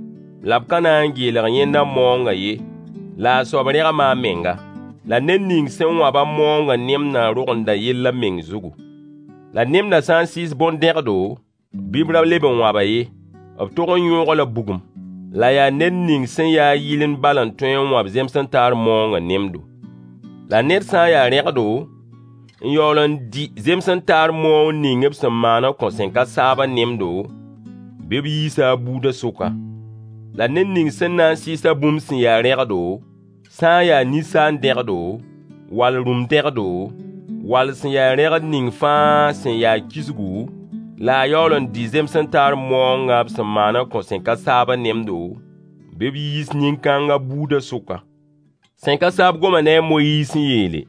la b ka na n geelg yẽnda maoongã ye, la a soab rẽgma a menga. La ned ning sẽn wãb-a maoongã nemdã rogenda yell a meng zugu. La nemdã sã n sɩɩs bõn-dẽgdo, bɩ b ra leb n wãb-a ye, b tog n yõog-a la bugum. La yaa ned ning sẽn ya yɩlemd bal n tõe n wãb zems n taar maoongã nemdo. La ned sã n yaa rẽgdo, n yaool n dɩ zems n taar maoong ning b sẽn maan n kõ sẽn ka saabã nemdo, bɩ b yiisa a buudã sʋka. La ned ning sẽn na n sɩɩs-a bũmb sẽn ya rẽgdo, sã n yaa ninsaan-dẽgdo, wall rũm-dẽgdo, wall sẽn ya rẽgd ning fãa sẽn ya kisgu, la a yaool n dɩ zems n taar maoongã b sẽn maan n kõ sẽn ka saabã nemdo, bɩ b yiis nin-kãngã buudã sʋka. Sẽn ka saab goma ne a Moyiis n yeele: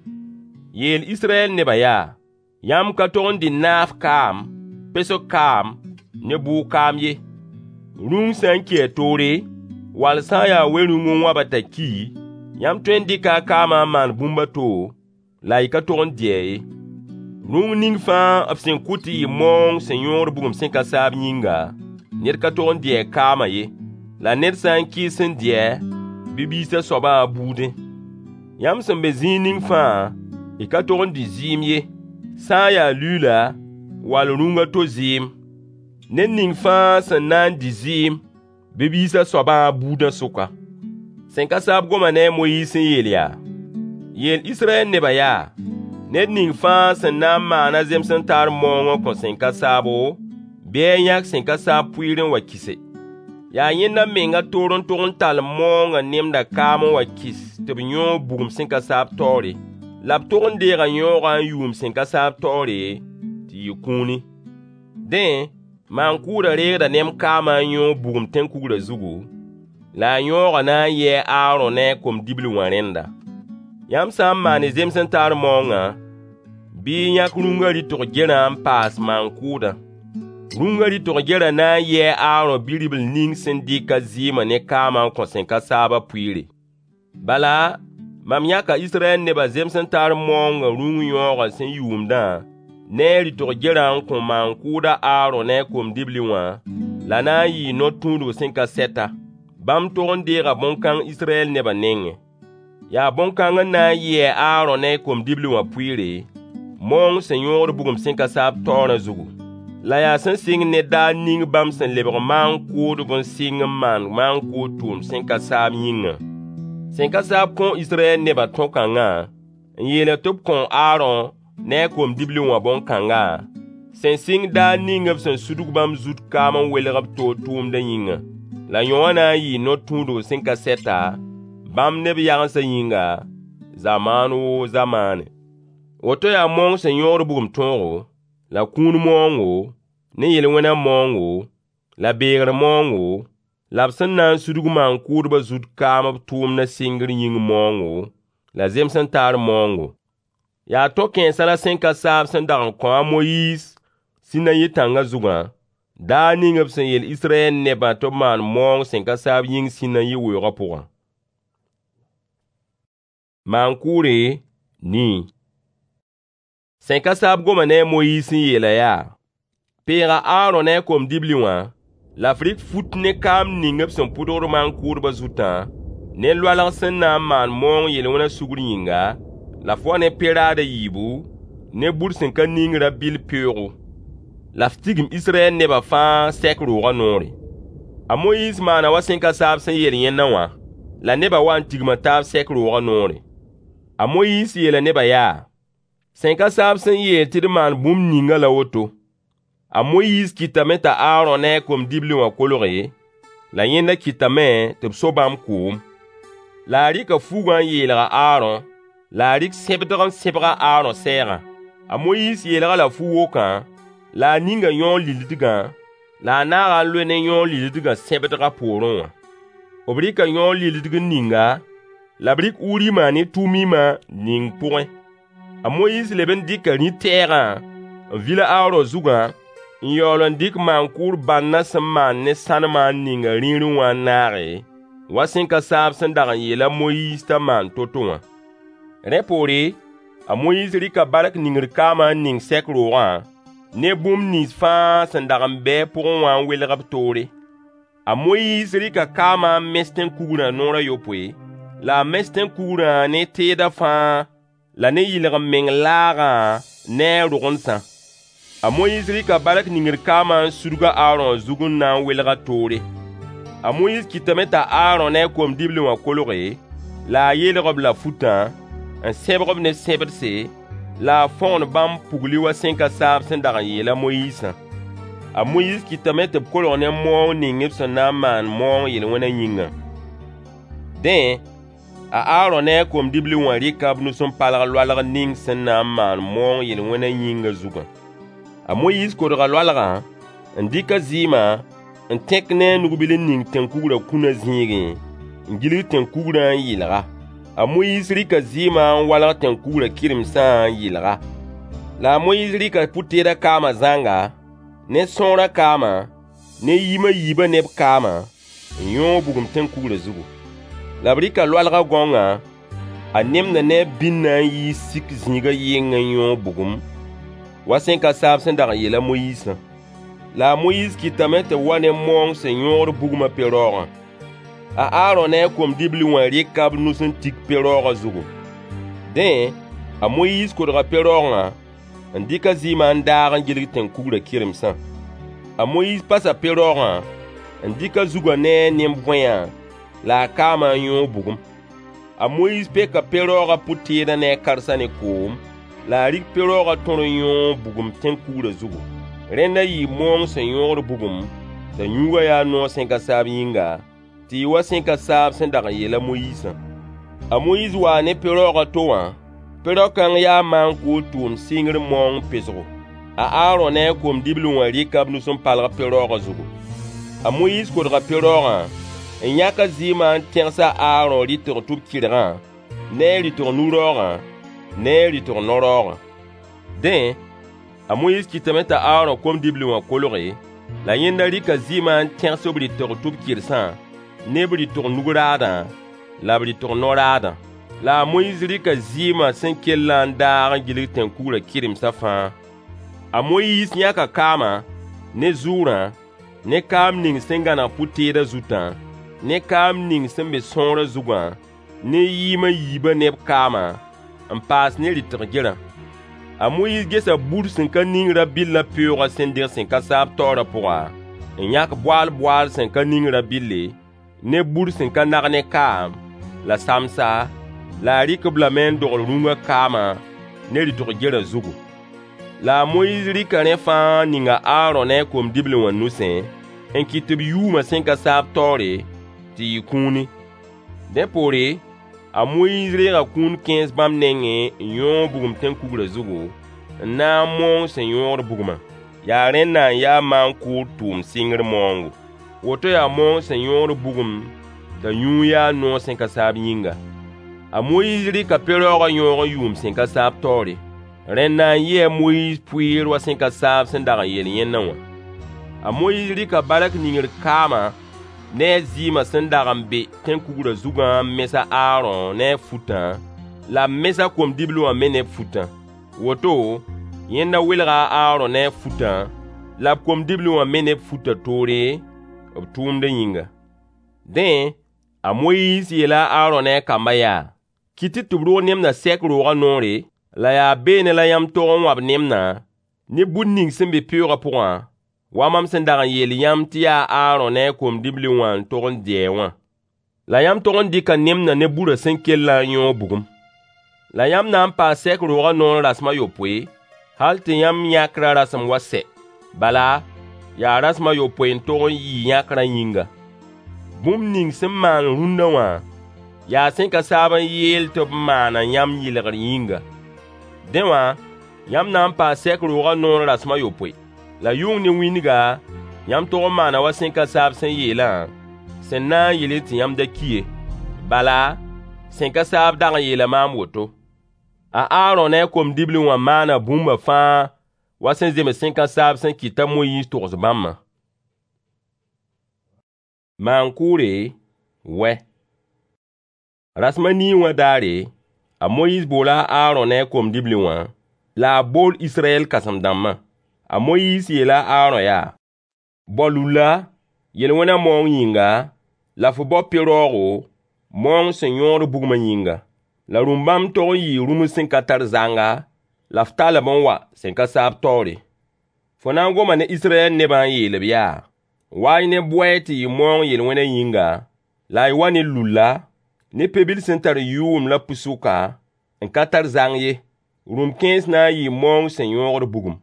Yeel Israyɛl nebã yaa: Yãmb ka tog n dɩ naaf kaam, pesg kaam, ne bʋʋg kaam ye. Rũng sã n ki a toore, wall sã n yaa we-rũng n wãb-a t'a ki, Yãmb tõe n dɩka a kaamã n maan bũmb a to, la y ka tog n dɩ-a ye. Rũng ning fãa b sẽn kʋ tɩ yɩ maoong sẽn yõod bugum sẽn ka saab yĩnga, ned ka tog n dɩ a kaamã ye. La ned sã n kɩɩs n dɩ-a, bɩ biis a soabã a buudẽ. Yãmb sẽn be zĩig ning fãa, y ka tog n dɩ zɩɩm ye, sã n ya luuila wall rũng a to zɩɩm. Ned ning fãa sẽn na n dɩ zɩɩm, bɩ biis a soabã a buudã sʋka. Sẽn ka saab goma ne a Moyiis n yeel yaa: Yeel Israyɛl nebã yaa: Ned ning fãa sẽn na n maan a zems n taar maoong n kõ sẽn ka saabo, bɩ a yãk sẽn ka saab pʋɩɩr n wa kɩse. Yaa yẽnda menga toor n tog n tall maoongã nemdã kaam n wa kɩs tɩ b yõog bugum sẽn ka saab taoore. La b tog n deega yõogã n yʋʋm sẽn ka saab taoore tɩ yɩ kũuni. Dẽ, maan-kʋʋdã reegda nem kaamã n yõog bugum tẽn-kugrã zugu, la a yõogã na n yɩ a Aaron ne a kom-dibli wã rẽnda. Yãmb sã n maan y zems n taar maoongã, bɩ y yãk rũngã rɩtg-gerã n paas maan-kʋʋdã. Rũngã rɩtg-gerã na n yɩ a Aaron bi-ribl ning sẽn dɩk a zɩɩmã ne kaamã n kõ sẽn ka saabã pʋɩɩre. Bala, mam yãka Israyɛl nebã zems n taar maoongã rũng yõogã sẽn yʋʋmdã ne a rɩtg-gerã n kõ maan-kʋʋd a Aaron ne a kom-dibli wã, la na n yɩɩ no-tũudg sẽn ka sɛta. Bãmb tog n deega bõn-kãng Israyɛl nebã nengẽ. Yaa bõn-kãng n na n yɩ a Aaron ne a kom-dibli wã pʋɩɩre, maoong sẽn yõod bugum sẽn ka saab taoorã zugu. La yaa sẽn sɩng ne daar ning bãmb sẽn lebg maan-kʋʋdb n sɩng n maan maan-kʋʋd tʋʋmd sẽn ka saab yĩngã. Sẽn ka saab kõo Israyɛl nebã tõog-kãngã n yeel tɩ b kõo Aaron ne a kom-dibli wã bõn-kãnga, sẽn sɩng daar ning b sẽn sudg bãmb zut kaam n welg b toor tʋʋmdã yĩnga. La yõwã na n yɩɩ no-tũudg sẽn ka sɛta, bãmb ne b yagensã yĩnga, zamaan woo zamaane. Woto yaa maoong sẽn yõod bugum tõogo, la kũun maoongo, ne yel-wẽnã maoongo, la beegr maoongo, la b sẽn na n sudg maan-kʋʋdbã zut kaam b tʋʋmdã sɩngr yĩng maoongo, la zems n taar maoongo. Yaa to-kãensã la sẽn ka saab sẽn dag n kõ a Moyiis Sinayi tãngã zugã, daar ning b sẽn yeel Israyɛl nebã tɩ b maan maoong sẽn ka saab yĩng Sinayi weoogã pʋgã. Maan-kʋʋre nii. Sẽn ka saab goma ne a Moyiis n yeela yaa: Peega a Aaron ne a kom-dibli wã, la f rɩk fut ne kaam ning b sẽn pʋdgd maan-kʋʋdbã zutã, ne loalg sẽn na n maan maoong yel-wẽnã sugr yĩnga, la f wa ne pe-raad a yiibu, ne bur sẽn ka ning rã-bɩll peoogo. La f tigim Israyɛl nebã fãa sɛk roogã noore. A Moyiis maana wa sẽn ka saab sẽn yeel yẽndã wã, la nebã wa n tigma taab sɛk roogã noore. A Moyiis yeela nebã yaa: Sẽn ka saab sẽn yeel tɩ d maan bũmb ningã la woto. A Moyiis kɩtame t'a Aaron ne a kom-dibli wã kolge, la yẽnda kɩtame tɩ b so bãmb koom. La a rɩka fugã n yeelg a Aaron, la a rɩk sẽbdg n sẽbg a Aaron sɛɛgã. A Moyiis yeelg-a-la fu-wokã, la a ninga yõog lilidgã, la a naaga n loe ne yõog lilidgã sẽbdgã poorẽ wã. B rɩka yõog lilidg n ning-a, la b rɩk Urimã ne Tumimã ning pʋgẽ. A Moyiis leb n dɩka rĩ-tɛɛgã n vil a Aaron zugã n yaool n dɩk maan-kʋʋd bãndã sẽn maan ne sãnemã n ning a rĩirẽ wã n naage, wa sẽn ka saab sẽn dag n yeel a Moyiis t'a maan to-to wã. Rẽ poore, a Moyiis rɩka bark ningr kaamã n ning sɛk roogã, ne bũmb nins fãa sẽn dag n be a pʋgẽ wã n welg b toore. A Moyiis rɩka kaamã n mes tẽn-kugrã noor a yopoe, la a mes tẽn-kugrã ne teedã fãa la ne yɩlg-m-meng laagã ne a rogendsã. A Moyiis rɩka bark ningr kaamã n sudg a Aaron zug n na n welg a toore. A Moyiis kɩtame t'a Aaron ne a kom-dibli wã kolge, la a yeelg-b la futã, n sẽbg-b ne sẽbdse, la a fõgen bãmb pugli wa sẽn ka saab sẽn dag n yeel a Moyiisã. A Moyiis kɩtame tɩ b kolg ne maoong ning b sẽn na n maan maoong yel-wẽnã yĩngã. Dẽ, a Aaron ne a kom-dibli wã rɩka b nus n palg loalg ning sẽn na n maan maoong yel-wẽnã yĩngã zugã. A Moyiis kodga loalgã n dɩk a zɩɩmã n tẽk ne a nug-bil n ning tẽn-kugrã kũnã zĩigẽ, n gilg tẽn-kugrã n yɩlg-a. A Moyiis rɩka zɩɩmã n walg tẽn-kugrã kɩremsã n yɩlg-a. La a Moyiis rɩka pʋ-teedã kaamã zãnga, ne sõorã kaamã, ne yim a yiibã ne b kaamã, n yõog bugum tẽn-kugrã zugu. La b rɩka loalgã gãongã a nemdã ne a bĩnã n yiis sik zĩigã yɩngẽ n yõog bugum, wa sẽn ka saab sẽn dag n yeel a Moyiisã. La a Moyiis kɩtame tɩ b wa ne maoong sẽn yõogd bugmã pe-raoogã. A Aarõ ne a kom-dibli wã rɩka b nus n tik pe-raoogã zugu. Dẽ, a Moyiis kodga pe-raoogã n dɩk a zɩɩmã n daag n gilg tẽn-kugrã kɩremsã. A Moyiis pasa pe-raoogã n dɩk a zugã ne a nemb-võeyã la a kaamã n yõog bugum. A Moyiis peka pe-raoogã pʋ-teedã ne a karsã ne koom, la a rik pe-raoogã tõr n yõog bugum tẽn-kugrã zugu. Rẽnda yɩɩ maoong sẽn yõogd bugum, t'a yũugã yaa noog sẽn ka saab yĩnga, tɩ yɩ wa sẽn ka saab sẽn dag n yeel a Moyiisã. A Moyiis waa ne pe-raoog a to wã, pe-rao-kãng yaa maan-kʋʋd tʋʋmd sɩngr maoong pesgo. A Aarõ ne a kom-dibli wã rɩka b nus n palg pe-raoogã zugu. A Moyiis kodga pe-raoogã n yãk a zɩɩmã n tẽgs a Aarõ rɩtg tʋb-kɩrgã ne a rɩtg nu-raoogã ne a rɩtg no-raoogã. Dẽ, a Moyiis kɩtame t'a Aarõ kom-dibli wã kolge, la yẽnda rɩka zɩɩmã n tẽgs b rɩtg tʋb-kɩrsã ne b rɩtg nug-raadã la b rɩtg no-raadã. La a Moyiis rɩka zɩɩmã sẽn kellã n daag n gilg tẽn-kugrã kɩremsã fãa. A Moyiis yãka kaamã, ne zʋʋrã, ne kaam ning sẽn gãneg pʋ-teedã zutã, ne kaam ning sẽn be sõorã zugã, ne yɩɩm a yiibã ne b kaamã, n paas ne rɩtg gerã. A Moyiis gesa bur sẽn ka ning rã-bɩllã peoogã sẽn deg sẽn ka saab taoorã pʋga, n yãk boaal-boaal sẽn ka ning rã-bɩlle, ne bur sẽn ka nag ne kaam, la samsa, la a rɩk-b lame n dogl rũngã kaamã ne rɩtg gerã zugu. La a Moyiis rɩka rẽ fãa n ning a Aarõ ne a kom-dibli wã nusẽ, n kɩt tɩ b yʋʋmã sẽn ka saab taoore, tɩ yɩ kũuni. Dẽ poore, a Moyiis reega kũun kẽes bãmb nengẽ n yõog bugum tẽn-kugrã zugu, n naag maoong sẽn yõogd bugmã. Yaa rẽnda n ya maan-kʋʋd tʋʋmd sɩngr maoongo. Woto yaa maoong sẽn yõogd bugum t'a yũud yaa noog sẽn ka saab yĩnga. A Moyiis rɩka pe-raoogã yõog n yʋʋm sẽn ka saab taoore. Rẽnda n yɩ a Moyiis pʋɩɩr wa sẽn ka saab sẽn dag n yeel yẽndã wã. A Moyiis rɩka bark ningr kaamã ne a zɩɩmã sẽn dag n be tẽn-kugrã zugã n mes a Aarõ ne a futã, la b mes a kom-dibli wã me ne b futã. Woto, yẽnda welga a Aarõ ne a futã, la b kom-dibli wã me ne b futã toore, b tʋʋmdã yĩnga. Dẽ, a Moyiis yeela a Aarõ ne a kambã yaa: Kɩt-y tɩ b rog nemdã sɛk roogã noore, la yaa beene la yãmb tog n wãb nemdã ne bur ning sẽn be peoogã pʋgã, wa mam sẽn dag n yeel yãmb tɩ yaa a Aarõ ne a kom-dibli wã n tog n dɩ-a wã. La yãmb tog n dɩka nemdã ne burã sẽn kellã n yõog bugum. La yãmb na n paa sɛk roogã noor rasem a yopoe, hal tɩ yãmb yãkrã rasem wa sɛ. Bala, yaa rasem a yopoe n tog n yɩ yãkrã yĩnga. Bũmb ning sẽn maan rũndã wã, yaa sẽn ka saab n yeel tɩ b maana yãmb yɩlgr yĩnga. Dẽ wã, yãmb na n paa sɛk roogã noor rasem a yopoe. La yʋng ne wĩndga, yãmb tog n maana wa sẽn ka saab sẽn yeelã, sẽn na n yɩlẽ tɩ yãmb da ki ye. Bala, sẽn ka saab dag n yeela maam woto. A Aarõ ne a kom-dibli wã maana bũmba fãa wa sẽn zems sẽn ka saab sẽn kɩt t'a Moyiis togs bãmbã. Maan-kʋʋre, wɛ. Rasem a nii wã daare, a Moyiis boola a Aarõ ne a kom-dibli wã, la a bool Israyɛl kãsem-dãmbã. A Moyiis yeela a Aarõ yaa: Bao lulla, yel-wẽnã maoong yĩnga, la fo bao pe-raoogo, maoong sẽn yõogd bugmã yĩnga. La rũm-bãmb tog n yɩɩ rũms sẽn ka tar zanga, la f tall-b n wa sẽn ka saab taoore. Fo na n goma ne Israyɛl nebã n yeel-b yaa: Wa-y ne bʋɛɛ tɩ yɩ maoong yel-wẽnã yĩnga, la y wa ne lulla, ne pe-bil sẽn tar yʋʋm la pʋ-sʋka, n ka tar zang ye. Rũm kẽes na n yɩɩ maoong sẽn yõogd bugum.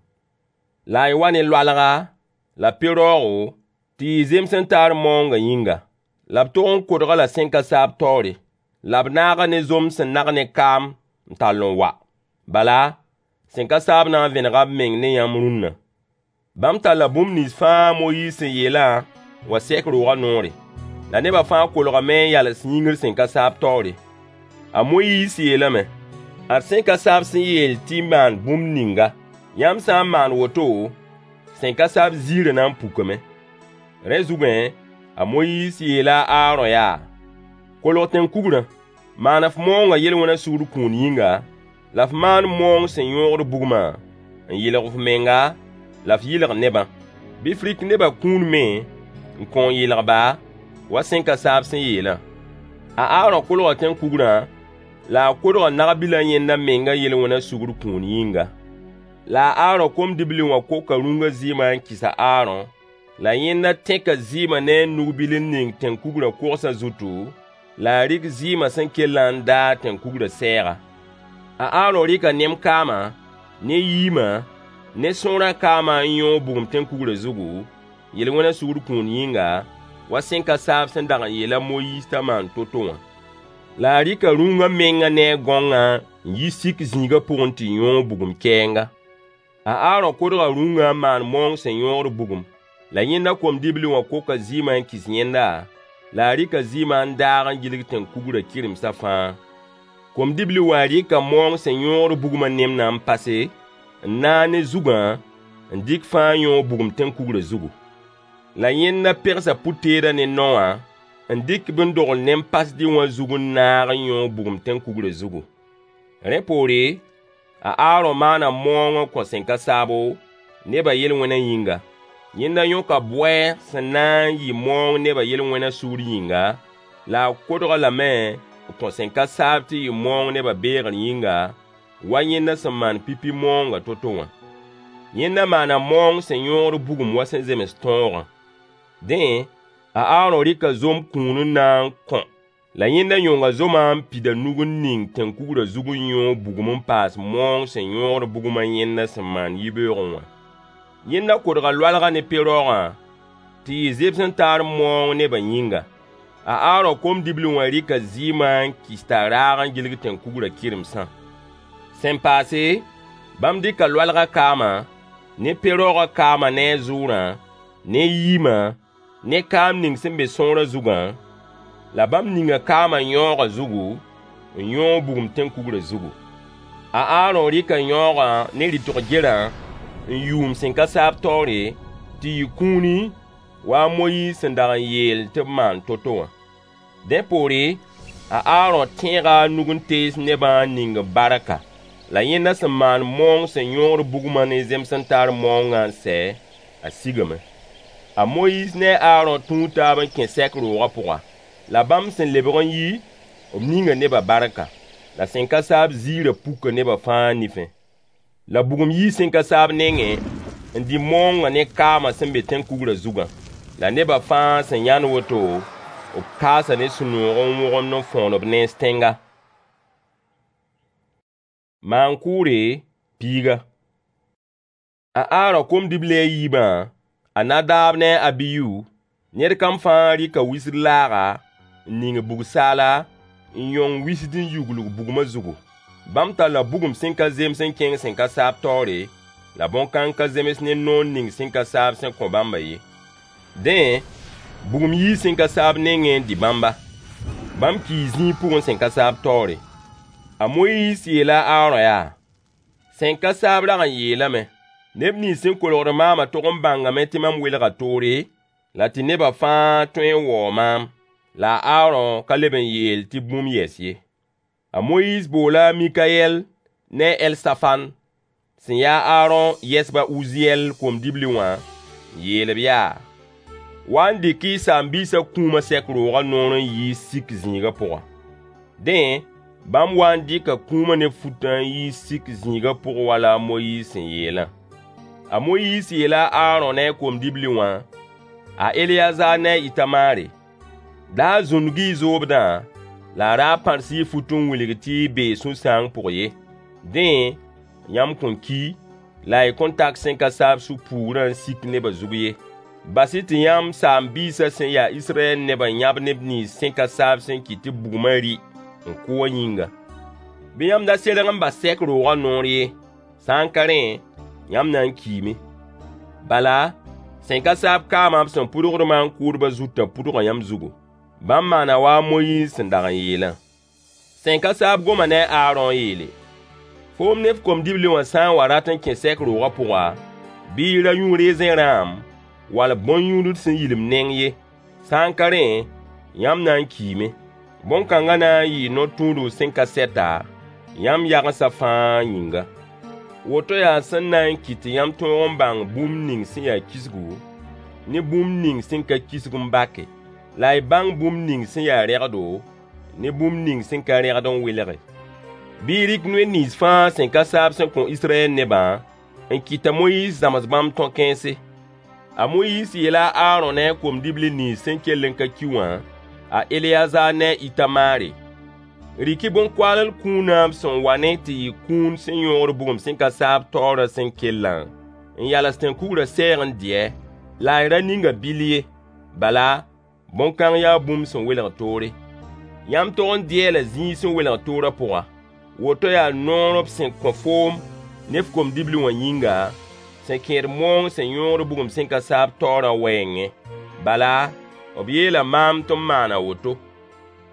La y wa ne loalga, la pe-raoogo, tɩ yɩ zems n taar maoongã yĩnga. La b tog n kodg-a la sẽn ka saab taoore. La b naag-a ne zom sẽn nag ne kaam n tall n wa. Bala, sẽn ka saab na n vẽnega b meng ne yãmb rũnna. Bãmb talla bũmb nins fãa a Moyiis sẽn yeelã n wa sɛk roogã noore. La nebã fãa kolgame n yals yĩngr sẽn ka saab taoore. A Moyiis yeelame: Ad sẽn ka saab sẽn yeel tɩ y maan bũmb ninga. Yãmb sã n maan woto, sẽn ka saab ziirã na n pukame. Rẽ zugẽ, a Moyiis yeela a Aarõ yaa: Kolg tẽn-kugrã. Maan f maoongã yel-wẽnã sugr kũun yĩnga, la f maan maoong sẽn yõogd bugmã n yɩlg f menga la f yɩlg nebã. Bɩ f rɩk nebã kũun me n kõ n yɩlg-ba, wa sẽn-ka-saab sẽn yeelã. A Aarõ kolga tẽn-kugrã la a kodga nag-bilã yẽnda mengã yel-wẽnã sugr kũun yĩnga. La a Aarõ kom-dibli wã koka rũngã zɩɩmã n kɩs a Aarõ, la yẽnda tẽka zɩɩmã ne a nug-bil n ning tẽn-kugrã kogsã zutu, la a rɩk zɩɩmã sẽn kellã n daag tẽn-kugrã sɛɛga. A Aarõ rɩka nem-kaamã, ne yiimã, ne sõorã kaamã n yõog bugum tẽn-kugrã zugu, yel-wẽnã sugr kũun yĩnga, wa sẽn-ka-saab sẽn dag n yeel a Moyiis t'a maan to-to wã. La a rɩka rũngã mengã ne a gãongã n yi sik zĩigã pʋgẽ tɩ yõog bugum kɛɛnga. A Aarõ kodga rũngã n maan maoong sẽn yõogd bugum. La yẽnda kom-dibli wã koka zɩɩmã n kɩs yẽnda, la a rɩka zɩɩmã n daag n gilg tẽn-kugrã kɩremsã fãa. Kom-dibli wã rɩka maoong sẽn yõogd bugmã nemdã n pase, n naag ne zugã n dɩk fãa yõog bugum tẽn-kugrã zugu. La yẽnda pegsa pʋ-teedã ne nao wã n dɩk-b n dogl nem-pasdɩ wã zug n naag n yõog bugum tẽn-kugrã zugu. Rẽ poore, a Aarõ maana maoong n kõ sẽn-ka-saabo, nebã yel-wẽnã yĩnga. Yẽnda yõka bʋɛɛg sẽn na n yɩ maoong nebã yel-wẽnã sugr yĩnga, la a kodg-a lame n kõ sẽn-ka-saab tɩ yɩ maoong nebã beegr yĩnga, wa yẽnda sẽn maan pipi maoongã to-to wã. Yẽnda maana maoong sẽn yõogd bugum wa sẽn zems tõogã. Dẽ, a Aarõ rɩka zom kũun n na n kõ, la yẽnda yõnga zomã n pid a nug n ning tẽn-kugrã zug n yõog bugum n paas maoong sẽn yõogd bugmã yẽnda sẽn maan yibeoogẽ wã. Yẽnda kodga loalgã ne pe-raoogã tɩ yɩ zems-n-taar maoong nebã yĩnga. A Aarõ kom-dibli wã rɩka zɩɩmã n kɩs t'a raag n gilg tẽn-kugrã kɩremsã. Sẽn paase, bãmb dɩka loalgã kaamã, ne pe-raoogã kaamã ne a zʋʋrã, ne yiimã, ne kaam ning sẽn be sõorã zugã, la bãmb ninga kaamã yãoogã zugu, n yõog bugum tẽn-kugrã zugu. A Aarõ rɩka yãoogã ne rɩtg-gerã n yʋʋm sẽn-ka-saab taoore, tɩ yɩ kũuni, wa a Moyiis sẽn dag n yeel tɩ b maan to-to wã. Dẽ poore, a Aarõ tẽega a nug n tees nebã n ning-b barka. La yẽnda sẽn maan maoong sẽn yõogd bugmã ne zems-n-taar maoongã n sɛ, a sigame. A Moyiis ne a Aarõ tũu taab n kẽ sɛk roogã pʋga. La bãmb sẽn lebg n yi, b ninga nebã barka. La sẽn-ka-saab ziirã puka nebã fãa nifẽ. La bugum yii sẽn-ka-saab nengẽ n dɩ maoongã ne kaamã sẽn be tẽn-kugrã zugã. La nebã fãa sẽn yãnd woto, b kaasa ne sũ-noog n wõgemd n fõgen b nens tẽnga. Maan-kʋʋre piiga. A Aarõ kom-dibli a yiibã, a Nadaab ne a Abiyu, ned kam fãa rɩka wisd laaga n ning bug-saala n yõng wisd n yuglg bugmã zugu. Bãmb talla bugum sẽn ka zems n kẽng sẽn-ka-saab taoore, la bõn-kãng ka zems ne noor ning sẽn-ka-saab sẽn kõ bãmbã ye. Dẽ, bugum yii sẽn-ka-saab nengẽ n dɩ bãmba. Bãmb kii zĩig pʋgẽ sẽn-ka-saab taoore. A Moyiis yeela a Aarõ yaa: Sẽn-ka-saab rag n yeelame: Neb nins sẽn kolgd maamã tog n bãngame tɩ mam welga toore, la tɩ nebã fãa tõe n waoog maam. La a Aarõ ka leb n yeel tɩ bũmb yɛs ye. A Moyiis boola a Mikayɛl ne a Elsafan sẽn ya a Aarõ yɛsb a Uziyɛl kom-dibli wã, n yeel-b yaa: Wa n dɩk y saam-biisã kũumã sɛk roogã noor n yiis sik zĩigã pʋga. Dẽ, bãmb wa n dɩka kũumã ne futã n yiis sik zĩigã pʋgẽ wala a Moyiis sẽn yeelã. A Moyiis yeela a Aarõ ne a kom-dibli wã, a Eleyazaar ne a Ɩtamaare: Da zũndg-y y zoobdã, la a ra pãrs y fut n wilg tɩ y bee sũ-sãang pʋg ye. Dẽ, yãmb kõn ki, la y kõn tak sẽn-ka-saab sũ-puugrã n sik nebã zug ye. Bas-y tɩ yãmb saam-biisã sẽn ya Israyɛl nebã yãb neb nins sẽn-ka-saab sẽn kɩt tɩ bugmã rɩ n kʋ wã yĩnga. Bɩ yãmb da serg n bas sɛk roogã noor ye. Sã n ka rẽ, yãmb na n kiime. Bala, sẽn-ka-saab kaamã b sẽn pʋdgd maan-kʋʋdbã zutã pʋdga yãmb zugu. Bãmb maana wa a Moyiis sẽn dag n yeelã. Sẽn-ka-saab goma ne a Aarõ n yeele: Foom ne f kom-dibli wã sã n wa rat n kẽ sɛk roogã pʋga, bɩ y ra yũ rezẽ rãam wall bõn-yũudl sẽn yilimd neng ye. Sã n ka rẽ, yãmb na n kiime. Bõn-kãngã na n yɩɩ no-tũudg sẽn ka sɛta, yãmb yagensa fãa yĩnga. Woto yaa sẽn na n kɩt tɩ yãmb tõog n bãng bũmb ning sẽn ya kisgu ne bũmb ning sẽn ka kisg n bake, la y bãng bũmb ning sẽn ya rẽgdo ne bũmb ning sẽn ka rẽgd n welge. Bɩ y rɩk noy nins fãa sẽn ka saab sẽn kõ Israyɛl nebã n kɩt t'a Moyiis zãms bãmb tõ-kãense. A Moyiis yeela a Aarõ ne a kom-dibli nins sẽn kell n ka ki wã, a Eleyazaar ne a Ɩtamaare: Rɩk-y bõn-koaaled kũunã b sẽn wa ne tɩ yɩ kũun sẽn yõogd bugum sẽn ka saab taoorã sẽn kellã, n yals tẽn-kugrã sɛɛg n dɩ-a, la y ra ning a bill ye, bala, bõn-kãng yaa bũmb sẽn welg toore. Yãmb tog n dɩ-a la zĩig sẽn welg toorã pʋga. Woto yaa noor b sẽn kõ foom ne f kom-dibli wã yĩnga, sẽn kẽed moong sẽn yõogd bugum sẽn ka saab taoorã wɛɛngẽ. Bala, b yeela maam tɩ m maan a woto.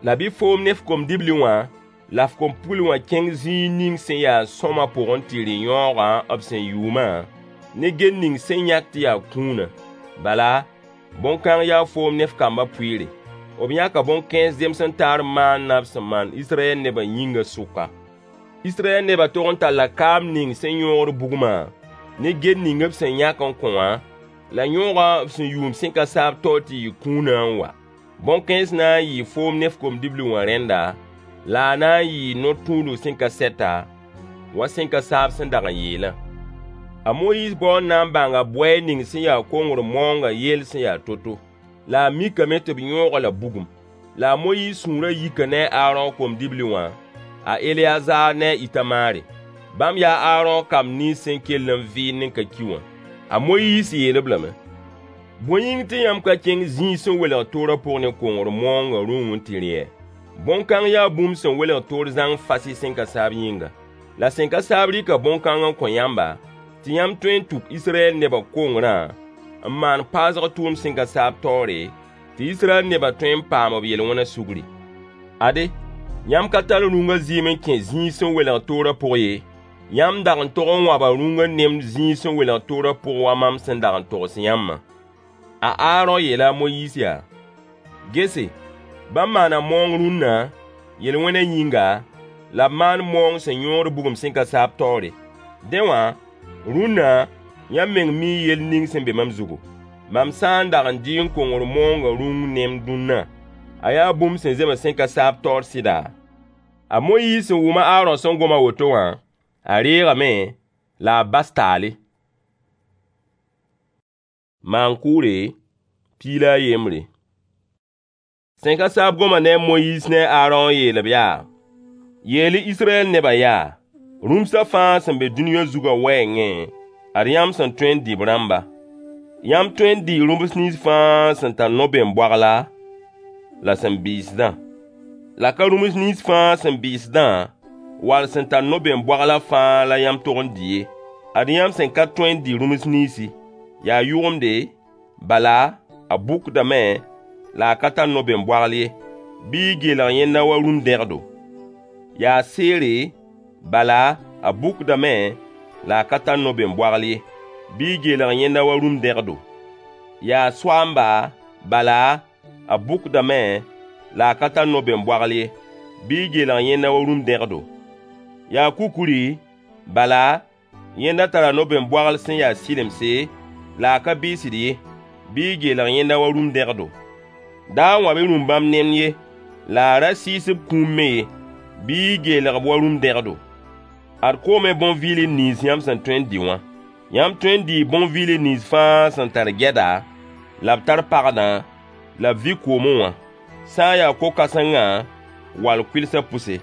La bɩ foom ne f kom-dibli wã la f kom-pugl wã kẽng zĩig ning sẽn ya sõama pʋgẽ tɩ rɩ yãoogã b sẽn yʋʋmã ne gel ning sẽn yãk tɩ yaa kũunã. Bala, bõn-kãng yaa foom ne f kambã pʋɩɩre. B yãka bõn-kãens zems n taar maanã b sẽn maan Israyɛl nebã yĩngã sʋka. Israyɛl nebã tog n talla kaam ning sẽn yõogd bugmã ne gel ning b sẽn yãk n kõ wã, la yõogã b sẽn yʋʋm sẽn ka saab taoor tɩ yɩ kũunã n wa. Bõn-kãens na n yɩɩ foom ne f kom-dibli wã rẽnda, la a na n yɩɩ no-tũudg sẽn ka sɛta, wa sẽn ka saab sẽn dag n yeelã. A Moyiis bao n na n bãnga bʋɛɛg ning sẽn ya kongr maoongã yell sẽn ya to-to. La a mikame tɩ b yõog-a la bugum. La a Moyiis sũurã yika ne a Aarõ kom-dibli wã, a Eleyazaar ne a Ɩtamaare. Bãmb yaa a Aarõ kamb nins sẽn kell n vɩɩnd n ka ki wã. A Moyiis yeel-b lame: Bõe yĩng tɩ yãmb ka kẽng zĩig sẽn welg toorã pʋg ne kongr maoongã rũng n tɩ rɩ-yɛ? Bõn-kãng yaa bũmb sẽn welg toor zãng fasɩ sẽn ka saab yĩnga. La sẽn ka saab rɩka bõn-kãng n kõ yãmba, tɩ yãmb tõe n tuk Israyɛl nebã kongrã n maan paasg tʋʋmd sẽn ka saab taoore, tɩ Israyɛl nebã tõe n paam b yel-wẽnã sugri. Ade, yãmb ka tar rũngã zɩɩm n kẽ zĩig sẽn welg toorã pʋg ye, yãmb dag n tog n wãba rũngã nemd zĩig sẽn welg toorã pʋg wa mam sẽn dag n togs yãmbã. A Aarõ yeela a Moyiis yaa: Gese, bãmb maana maoong rũnna, yel-wẽnã yĩnga, la b maan maoong sẽn yõod bugum sẽn ka saab taoore. Dẽ wã, rũnna, yãmb meng mii yell ning sẽn be mam zugu. Mam sã n dag n dɩ n kongr maoongã rũng nemd dũnna, a yaa bũmb sẽn zems sẽn ka saab taoor sɩda? A Moyiis sẽn wʋm a Aarõ sẽn gom a woto wã, a reegame la a bas taale. Maan-kʋʋre 13. Sẽn ka saab goma ne a Moyiis ne a Aarõ n yeel-b yaa: Yeel-y Israyɛl nebã yaa, rũmsã fãa sẽn be dũniyã zugã wɛɛngẽ, ad yãmb sẽn tõe n dɩ b rãmba. Yãmb tõe n dɩɩ rũms nins fãa sẽn tar no-bem-boagla la sẽn bɩɩsdã. La ka rũms nins fãa sẽn bɩɩsdã wall sẽn tar no-bem-boaglã fãa la yãmb tog n dɩ ye. Ad yãmb sẽn ka tõe n dɩ rũms ninsi. Yaa yʋgemde, bala, a bʋkdame la a ka tar no-bem-boagl ye, bɩ y geelg yẽnda wa rũm-dẽgdo. Yaa seere, bala, a bʋkdame la a ka tar no-bem-boagl ye, bɩ y geelg yẽnda wa rũm-dẽgdo. Yaa soaamba, bala, a bʋkdame la a ka tar no-bem-boagl ye, bɩ y geelg yẽnda wa rũm-dẽgdo. Yaa kukuri, bala, yẽnda tara no-bem-boagl sẽn ya sɩlemse, la a ka bɩɩsd ye, bɩ y geelg yẽnda wa rũm-dẽgdo. Da wãb-y rũm-bãmb nemd ye, la a ra sɩɩs b kũum me ye, bɩ y geelg-b wa rũm-dẽgdo. Ad koomẽ bõn-vɩɩlr nins yãmb sẽn tõe n dɩ wã. Yãmb tõe n dɩɩ bõn-vɩɩlr nins fãa sẽn tar gɛda, la b tar pagdã, la b vɩ koomẽ wã, sã n yaa ko-kãsengã wall kʋɩlsã pʋse.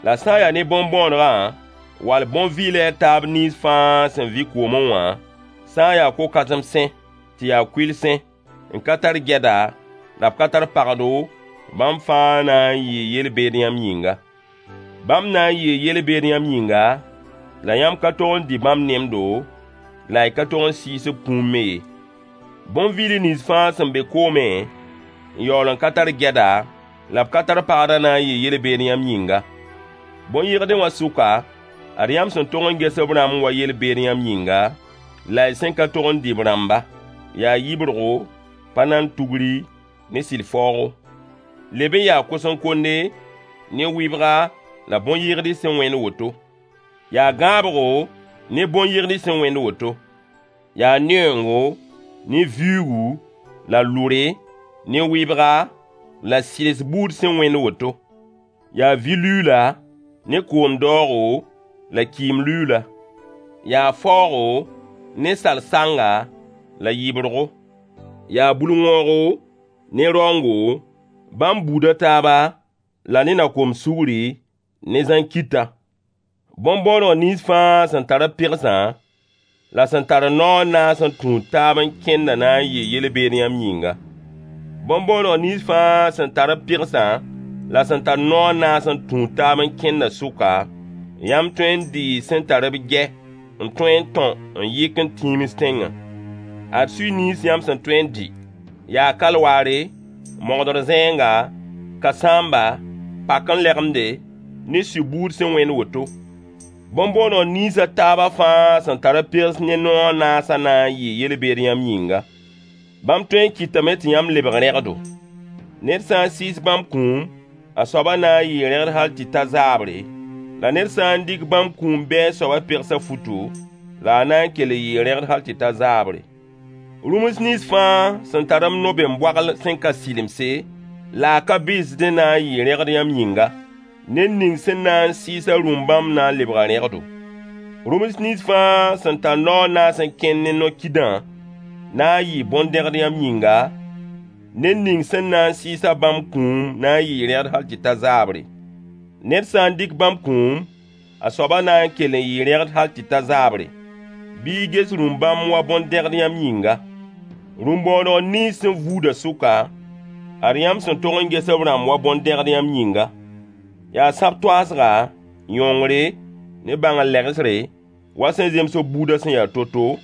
La sã n yaa ne bõn-bõonegã wall bõn-vɩɩlã a taab nins fãa sẽn vɩ koomẽ wã, sã n yaa ko-kãsemsẽ tɩ yaa kʋɩlsẽ, n ka tar gɛda, la b ka tar pagdo, bãmb fãa na n yɩɩ yel-beed yãmb yĩnga. Bãmb na n yɩɩ yel-beed yãmb yĩnga, la yãmb ka tog n dɩ bãmb nemdo, la y ka tog n sɩɩs b kũum me ye. Bõn-vɩɩlr nins fãa sẽn be koomẽ n yaool n ka tar gɛda, la b ka tar pagdã na n yɩɩ yel-beed yãmb yĩnga. Bõn-yɩgdẽ wã sʋka, ad yãmb sẽn tog n ges b rãmb wa yel-beed yãmb yĩnga, la y sẽn ka tog n dɩ b rãmba. Yaa yibrgo, pa-nan-tugri ne sɩl-faoogo. Leb n yaa kos-n-konde, ne wɩbga la bõn-yɩgd sẽn wẽnd woto. Yaa gãabgo ne bõn-yɩgd sẽn wẽnd woto. Yaa neoongo, ne viuugu, la lʋre, ne wɩbga, la sɩls buud sẽn wẽnd woto. Yaa vi-luuula, ne koom daoogo, la kɩɩm-luuula. Yaa faoogo, ne sal-sanga, la yɩbrgo. Yaa bul-wõogo, ne raoongo, bãmb buud a taaba, la ne nakom-sugri, ne zãn-kɩta. Bõn-bõoneg nins fãa sẽn tar b pegsã, la sẽn tar nao a naas n tũud taab n kẽndã na n yɩɩ yel-beed yãmb yĩnga. Bõn-bõoneg nins fãa sẽn tar b pegsã la sẽn tar nao a naas n tũud taab n kẽndã sʋka, yãmb tõe n dɩɩ sẽn tar b gɛ n tõe n tõ n yɩk n tims tẽngã. Ad sui nins yãmb sẽn tõe n dɩ: yaa kalwaare, mogdr zẽenga, kãsãamba, pak-n-lɛgemde, ne sui-buud sẽn wẽnd woto. Bõn-bõoneg nins a taabã fãa sẽn tar b pegs ne nao a naasã na n yɩɩ yel-beed yãmb yĩnga. Bãmb tõe n kɩtame tɩ yãmb lebg rẽgdo. Ned sã n sɩɩs bãmb kũum, a soabã na n yɩɩ rẽgd hal tɩ ta zaabre, la ned sã n dɩk bãmb kũum bɩ a soabã pegs a futu, la a na n kell n yɩɩ rẽgd hal tɩ ta zaabre. Rũms nins fãa sẽn tar b no-bem-boagl sẽn ka sɩlemse, la a ka bɩsdẽ na n yɩɩ rẽgd yãmb yĩnga. Ned ning sẽn na n sɩɩs-a rũm-bãmb na n lebga rẽgdo. Rũms nins fãa sẽn tar nao a naas n kẽnd ne no-kidã na n yɩɩ bõn-dẽgd yãmb yĩnga. Ned ning sẽn na n sɩɩs-a bãmb kũum na n yɩɩ rẽgd hal tɩ ta zaabre. Ned sã n dɩk bãmb kũum, a soabã na n kell n yɩɩ rẽgd hal tɩ ta zaabre. Bɩ y ges rũm-bãmb wa bõn-dẽgd yãmb yĩnga. Rũm-bõoneg nins sẽn vuudã sʋka, ad yãmb sẽn tog n ges b rãmb wa bõn-dẽgd yãmb yĩnga. Yaa sãb-toaasga, yõngre, ne bãng-legsre, wa sẽn zems b buudã sẽn ya to-to,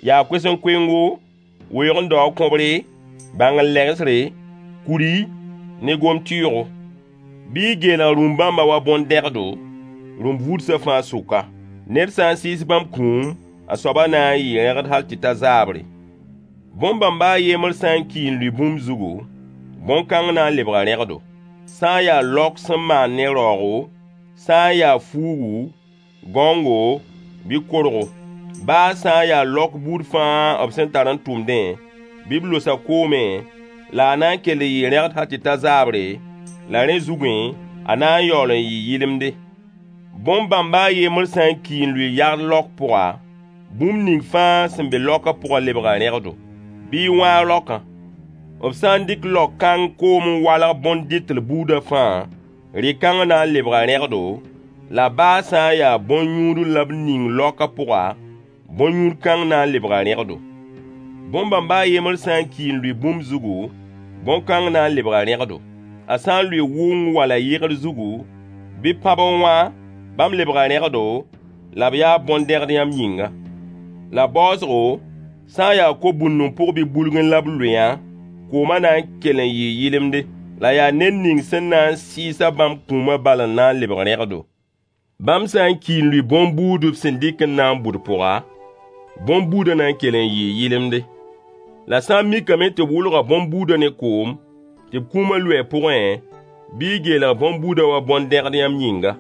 yaa koes-n-koengo, weoog-n-daoog kõbre, bãng-legsre, kuri, ne gom-tɩɩgo. Bɩ y geelg rũm-bãmbã wa bõn-dẽgdo, rũm-vuudsã fãa sʋka. Ned sã n sɩɩs bãmb kũum, a soabã na n yɩɩ rẽgd hal tɩ ta zaabre. Bõn-bãmba a yembr sã n ki n lʋɩ bũmb zugu, bõn-kãng na n lebga rẽgdo. Sã n yaa laok sẽn maan ne raoogo, sã n yaa fuugu, gãongo, bɩ korgo. Baa sã n yaa laok buud fãa b sẽn tar n tʋmdẽ, bɩ b losa koomẽ, la a na n kell n yɩɩ rẽgd hal tɩ ta zaabre, la rẽ zugẽ, a na n yaool n yɩ yɩlemde. Bõn-bãmba a yembr sã n ki n lʋɩ yagd laok pʋga, bũmb ning fãa sẽn be laokã pʋgã lebga rẽgdo, bɩ y wãag laokã. B sã n dɩk laok kãng koom n walg bõn-dɩtl buudã fãa, rɩ-kãng na n lebga rẽgdo, la baa sã n yaa bõn-yũudl la b ning laokã pʋga, bõn-yũud kãng na n lebga rẽgdo. Bõn-bãmba a yembr sã n ki n lʋɩ bũmb zugu, bõn-kãng na n lebga rẽgdo. A sã n lʋɩ wʋng wala yɩgr zugu, bɩ pãb n wã, bãmb lebga rẽgdo, la b yaa bõn-dẽgd yãmb yĩnga. La baoosgo, sã n yaa ko-bũndẽ pʋg bɩ bulgẽ la b lʋɩ-yã, koomã na n kell n yɩɩ yɩlemde, la yaa ned ning sẽn na n sɩɩs-a bãmb kũumã bal n na n lebg rẽgdo. Bãmb sã n ki n lʋɩ bõn-buud b sẽn dɩk n na n bʋd pʋga, bõn-buudã na n kell n yɩɩ yɩlemde. La sã n mikame tɩ b wʋlga bõn-buudã ne koom, tɩ b kũumã lʋɩ a pʋgẽ, bɩ y geelg bõn-buudã wa bõn-dẽgd yãmb yĩnga.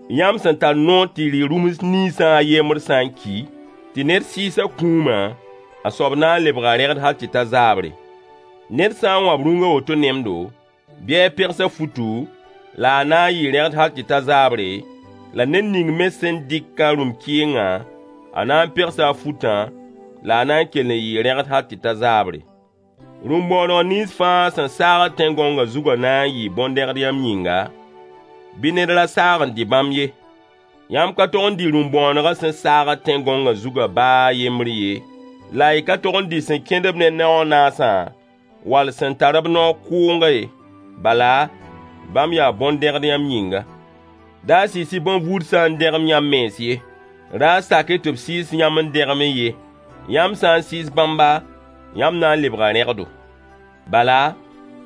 Yãmb sẽn tar noor tɩ y rɩ rũms ninsã a yembr sã n ki, tɩ ned sɩɩs a kũumã, a soab na n lebga rẽgd hal tɩ ta zaabre. Ned sã n wãb rũng a woto nemdo, bɩ a pegs a futu, la a na n yɩɩ rẽgd hal tɩ ta zaabre, la ned ning me sẽn dɩk a rũm-kɩɩngã, a na n pegsa a futã, la a na n kell n yɩɩ rẽgd hal tɩ ta zaabre. Rũm-bõoneg nins fãa sẽn saagd tẽn-gõngã zugã na n yɩɩ bõn-dẽgd yãmb yĩnga, bɩ ned ra saag n dɩ bãmb ye. Yãmb ka tog n dɩ rũm-bõonegã sẽn saagd tẽn-gõngã zugã baa a yembr ye, la y ka tog n dɩ sẽn kẽnd-b ne nao a naasã, wall sẽn tar b nao kʋʋngã ye. Bala, bãmb yaa bõn-dẽgd yãmb yĩnga. Da sɩɩs-y bõn-vuudsã n dẽgem yãmb mens ye. Ra sak-y tɩ b sɩɩs yãmb n dẽgem ye. Yãmb sã n sɩɩs bãmba, yãmb na n lebga rẽgdo. Bala,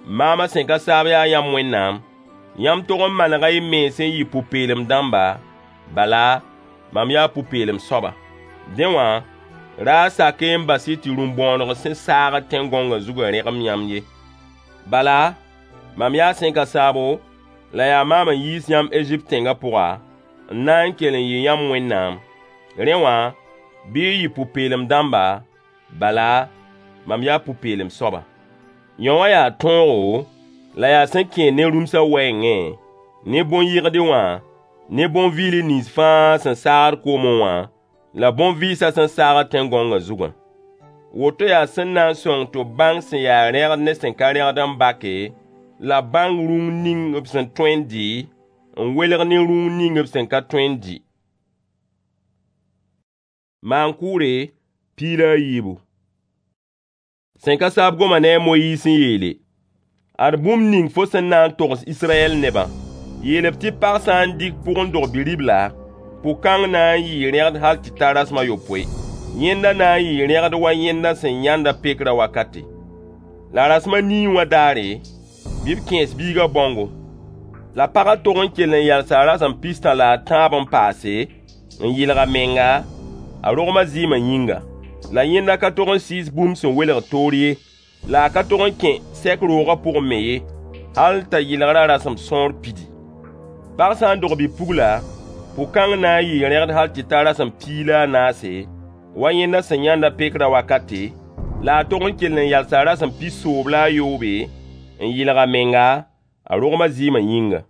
maamã sẽn ka saab yaa yãmb Wẽnnaam. Yãmb tog n manega y mens n yɩ pʋ-peelem dãmba, bala, mam yaa pʋ-peelem soaba. Dẽ wã, ra sak-y n bas-y tɩ rũm-bõoneg sẽn saagd tẽn-gõngã zugã rẽgem yãmb ye. Bala, Mam yaa sẽn ka saabo, la yaa maam n yiis yãmb Ezipt tẽngã pʋga, n na n kell n yɩ yãmb Wẽnnaam. Rẽ wã, bɩ y yɩ pʋ-peelem dãmba, bala, mam yaa pʋ-peelem soaba. Yão wã yaa tõogo, la yaa sẽn kẽed ne rũmsã wɛɛngẽ, ne bõn-yɩgde wã, ne bõn-vɩɩl nins fãa sẽn saagd koomẽ wã, la bõn-vɩɩsã sẽn saagd tẽn-gãongã zugã. Woto yaa sẽn na n sõng tɩ b bãng sẽn ya rẽgd ne sẽn ka rẽgd n bake, la b bãng rũng ning b sẽn tõe n dɩ, n welg ne rũng ning b sẽn ka tõe n dɩ. Maan-kʋʋre 14. Sẽn ka saab goma ne a Moyiis n yeele: Ad bũmb ning fo sẽn na n togs Israyɛl nebã. Yeel-b tɩ pag sã n dɩk pʋg n dog bi-ribla, pʋg-kãng na n yɩɩ rẽgd hal tɩ ta rasem a yopoe. Yẽnda na n yɩɩ rẽgd wa yẽnda sẽn yãnd a pekrã wakate. La rasem a nii wã daare, bɩ b kẽes biigã bãongo. La pagã tog n kell n yalsa rasem pistã la a tãab n paase, n yɩlg a menga, a rogmã zɩɩmã yĩnga. La yẽnda ka tog n sɩɩs bũmb sẽn welgd toor ye, la a ka tog n kẽ sɛk roogã pʋgẽ me ye, hal t'a yɩlgrã rasem sõor pidi. Pag sã n dog bi-pugla, pʋg-kãng na n yɩɩ rẽgd hal tɩ ta rasem piig la a naase, wa yẽnda sẽn yãnd a pekrã wakate, la a tog n kell n yalsa rasem pisoob la a yoobe, n yɩlg a menga, a rogmã zɩɩmã yĩnga.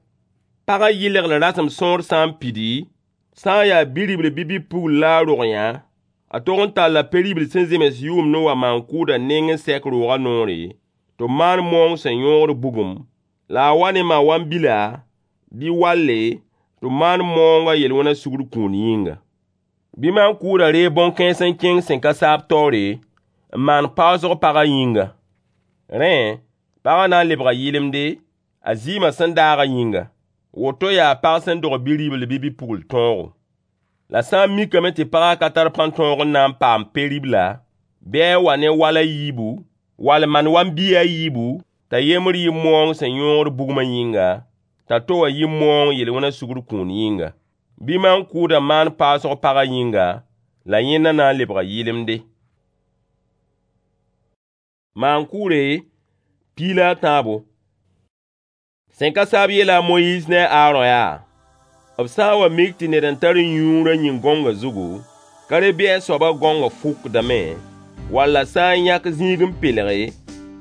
Pagã yɩlgr rasem sõor sã n pidi, sã n yaa bi-ribl bɩ bi-pugl la a rog yã, a tog n talla pe-ribl sẽn zems yʋʋmd n wa maan-kʋʋdã nengẽ sɛk roogã noore, tɩ b maan moong sẽn yõogd bugum, la a wa ne ma-wãn-bila bɩ walle tɩ b maan moongã yel-wẽna sugr kũun yĩnga. Bɩ maan-kʋʋdã reeg bõn-kãens n kẽng sẽn ka saab taoore n maan paoosg pagã yĩnga. Rẽ, pagã na n lebga yɩlemde, a zɩɩmã sẽn daagã yĩnga. Woto yaa pag sẽn dog bi-ribl bɩ bi-pugl tõogo. La sã n mikame tɩ pagã ka tar pãn-tõog n na n paam pe-ribla, bɩ a wa ne wal a yiibu, wall man-wam-biig a yiibu, t'a yembr yɩ moong sẽn yõogd bugmã yĩnga, t'a to wã yɩ moong yel-wẽna sugr kũun yĩnga. Bɩ maan-kʋʋdã maan paoosg pagã yĩnga, la yẽnda na n lebga yɩlemde. Maan-kʋʋre 13. Sẽn ka saab yeela a Moyiis ne a Aarõ yaa: B sã n wa mik tɩ ned n tar yũurã yĩn-gãongã zugu, ka re bɩ a soabã gãongã fʋkdame, walla sã n yãk zĩig n pelge,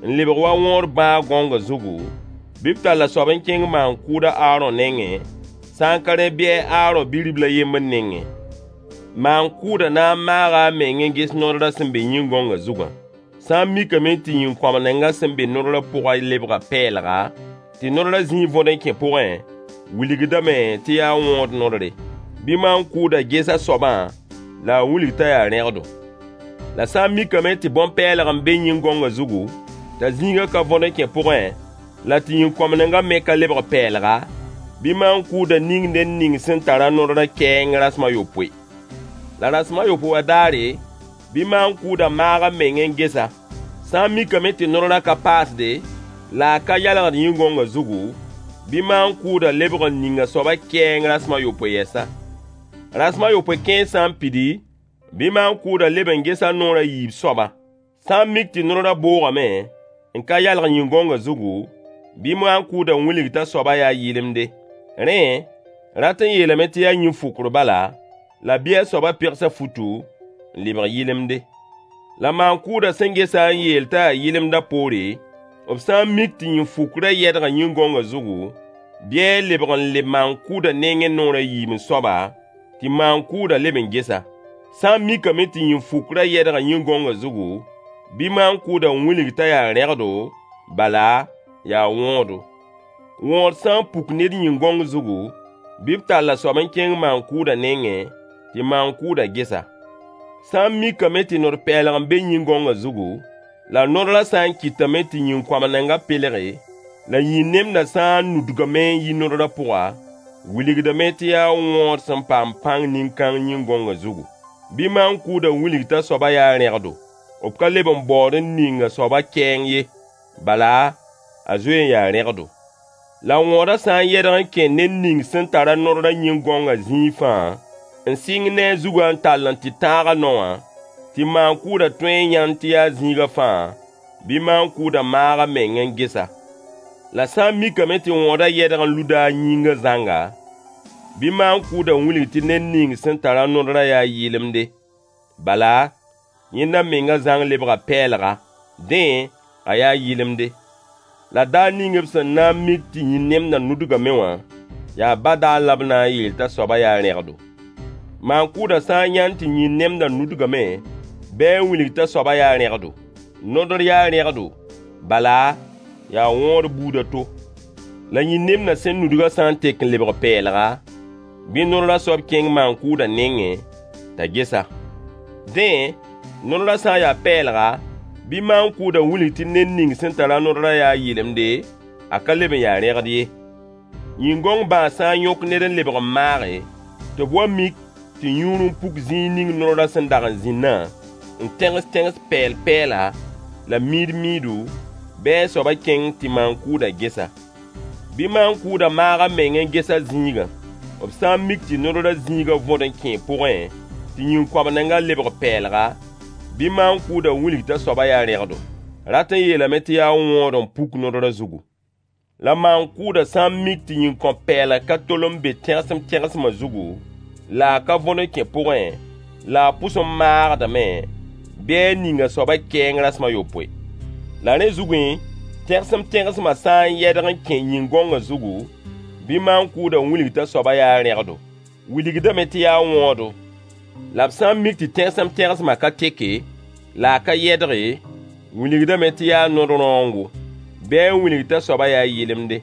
n lebg wa wõod bãag gãongã zugu, bɩ b tall a soab n kẽng maan-kʋʋd a Aarõ nengẽ, sã n ka rẽ bɩ a Aarõ bi-ribl a yembr nengẽ. Maan-kʋʋdã na n maaga a meng n ges nodrã sẽn be yĩn-gãongã zugã. Sã n mikame tɩ yĩn-kõamnengã sẽn be nodrã pʋgã lebga pɛɛlga, tɩ nodrã zĩig võd n kẽ pʋgẽ, wilgdame tɩ yaa wõod nodre. Bɩ maan-kʋʋdã ges a soabã la a wilg t'a yaa rẽgdo. La sã n mikame tɩ bõn-pɛɛlg n be yĩn-gãongã zugu, t'a zĩigã ka võd n kẽ pʋgẽ, la tɩ yĩn-kõamnengã me ka lebg pɛɛlga, bɩ maan-kʋʋdã ning ned ning sẽn tar a nodrã kɛɛng rasem a yopoe. La rasem a yopoe wã daare, bɩ maan-kʋʋdã maag a meng n ges-a. Sã n mikame tɩ nodrã ka paasde, la a ka yalgd yĩn-gãongã zugu, bɩ maan-kʋʋdã lebg n ning a soabã kɛɛng rasem a yopoe yɛsa. Rasem a yopoe kẽer sã n pidi, bɩ maan-kʋʋdã leb n ges a noor a yiib soabã. Sã n mik tɩ nodrã boogame n ka yalg yĩn-gãongã zugu, bɩ maan-kʋʋdã wilg t'a soabã yaa yɩlemde. Rẽ, rat n yeelame tɩ yaa yĩn-fʋkr bala, la bɩ a soabã pegs a futu n lebg yɩlemde. La maan-kʋʋdã sẽn ges-a n yeel t'a yaa yɩlemdã poore, b sã n mik tɩ yĩn-fukrã yɛdga yĩn-gãongã zugu, bɩ a lebg n leb maan-kʋʋdã nengẽ noor a yiib n soaba, tɩ maan-kʋʋdã leb n ges-a. Sã n mikame tɩ yĩn-fukrã yɛdga yĩn-gãongã zugu, bɩ maan-kʋʋdã wilg t'a yaa rẽgdo, bala, yaa wõodo. Wõod sã n puk ned yĩn-gãong zugu, bɩ b tall a soab n kẽng maan-kʋʋdã nengẽ, tɩ maan-kʋʋdã ges-a. Sã n mikame tɩ nod-pɛɛlg n be yĩn-gãongã zugu, la nodrã sã n kɩtame tɩ yĩn-kõamnengã pelge, la yĩn-nemdã sã n nudgame n yi nodrã pʋga, wilgdame tɩ yaa wõod sẽn paam pãng nin-kãng yĩn-gãongã zugu. Bɩ maan-kʋʋdã wilg t'a soabã yaa rẽgdo. B ka leb n baood n ning a soabã kɛɛng ye, bala, a zoe n yaa rẽgdo. La wõodã sã n yɛdg n kẽ ned ning sẽn tar a nodrã yĩn-gãongã zĩig fãa, n sɩng ne a zugã n tall n tɩ tãag a nao wã, tɩ maan-kʋʋdã tõe n yãnd tɩ yaa zĩigã fãa, bɩ maan-kʋʋdã maag a meng n ges-a. La sã n mikame tɩ wõodã yɛdg n luda a yĩngã zãnga, bɩ maan-kʋʋdã wilg tɩ ned ning sẽn tar-a nodrã yaa yɩlemde. Bala, yẽnda menga zãng lebga pɛɛlga, dẽ, a yaa yɩlemde. La daar ning b sẽn na n mik tɩ yĩn-nemdã nudgame wã, yaa badaar la b na n yeel t'a soabã yaa rẽgdo. Maan-kʋʋdã sã n yãnd tɩ yĩn-nemdã nudgame, bɩ a wilg t'a soabã yaa rẽgdo. Nodr yaa rẽgdo, bala, yaa wõod buud a to. La yĩn-nemdã sẽn nudgã sã n tek n lebg pɛɛlga, bɩ nodrã soab kẽng maan-kʋʋdã nengẽ t'a ges-a. Dẽ, nodrã sã n ya pɛɛlga, bɩ maan-kʋʋdã wilg tɩ ned ning sẽn tar-a nodrã yaa yɩlemde, a ka leb n ya rẽgd ye. Yĩn-gõng bãas sã n yõk ned n lebg n maage, tɩ b wa mik tɩ yũur n puk zĩig ning nodrã sẽn dag n zĩnnã, n tẽgs-tẽgs pɛɛl-pɛɛla la miid-miidu, bɩ a soabã kẽng tɩ maan-kʋʋdã ges-a. Bɩ maan-kʋʋdã maag a meng n ges a zĩigã. B sã n mik tɩ nodrã zĩigã võd n kẽe pʋgẽ, tɩ yĩn-koabnengã lebg pɛɛlga, bɩ maan-kʋʋdã wilg t'a soabã yaa rẽgdo. Rat n yeelame tɩ yaa wõod n puk nodrã zugu. La maan-kʋʋdã sã n mik tɩ yĩn-kõp-pɛɛlg ka tol n be tẽgsem-tẽgsmã zugu, la a ka võd n kẽ pʋgẽ, la a pʋs n maagdame, bɩ a ning a soabã kɛɛng rasem a yopoe. La rẽ zugẽ, tẽgsem-tẽgsmã sã n yɛdg n kẽ yĩn-gõngã zugu, bɩ maan-kʋʋdã wilg t'a soabã yaa rẽgdo. Wilgdame tɩ yaa wõodo. La b sã n mik tɩ tẽgsem-tẽgsmã ka teke, la a ka yɛdge, wilgdame tɩ yaa nod-rãoongo. Bɩ a wilg t'a soabã yaa yɩlemde.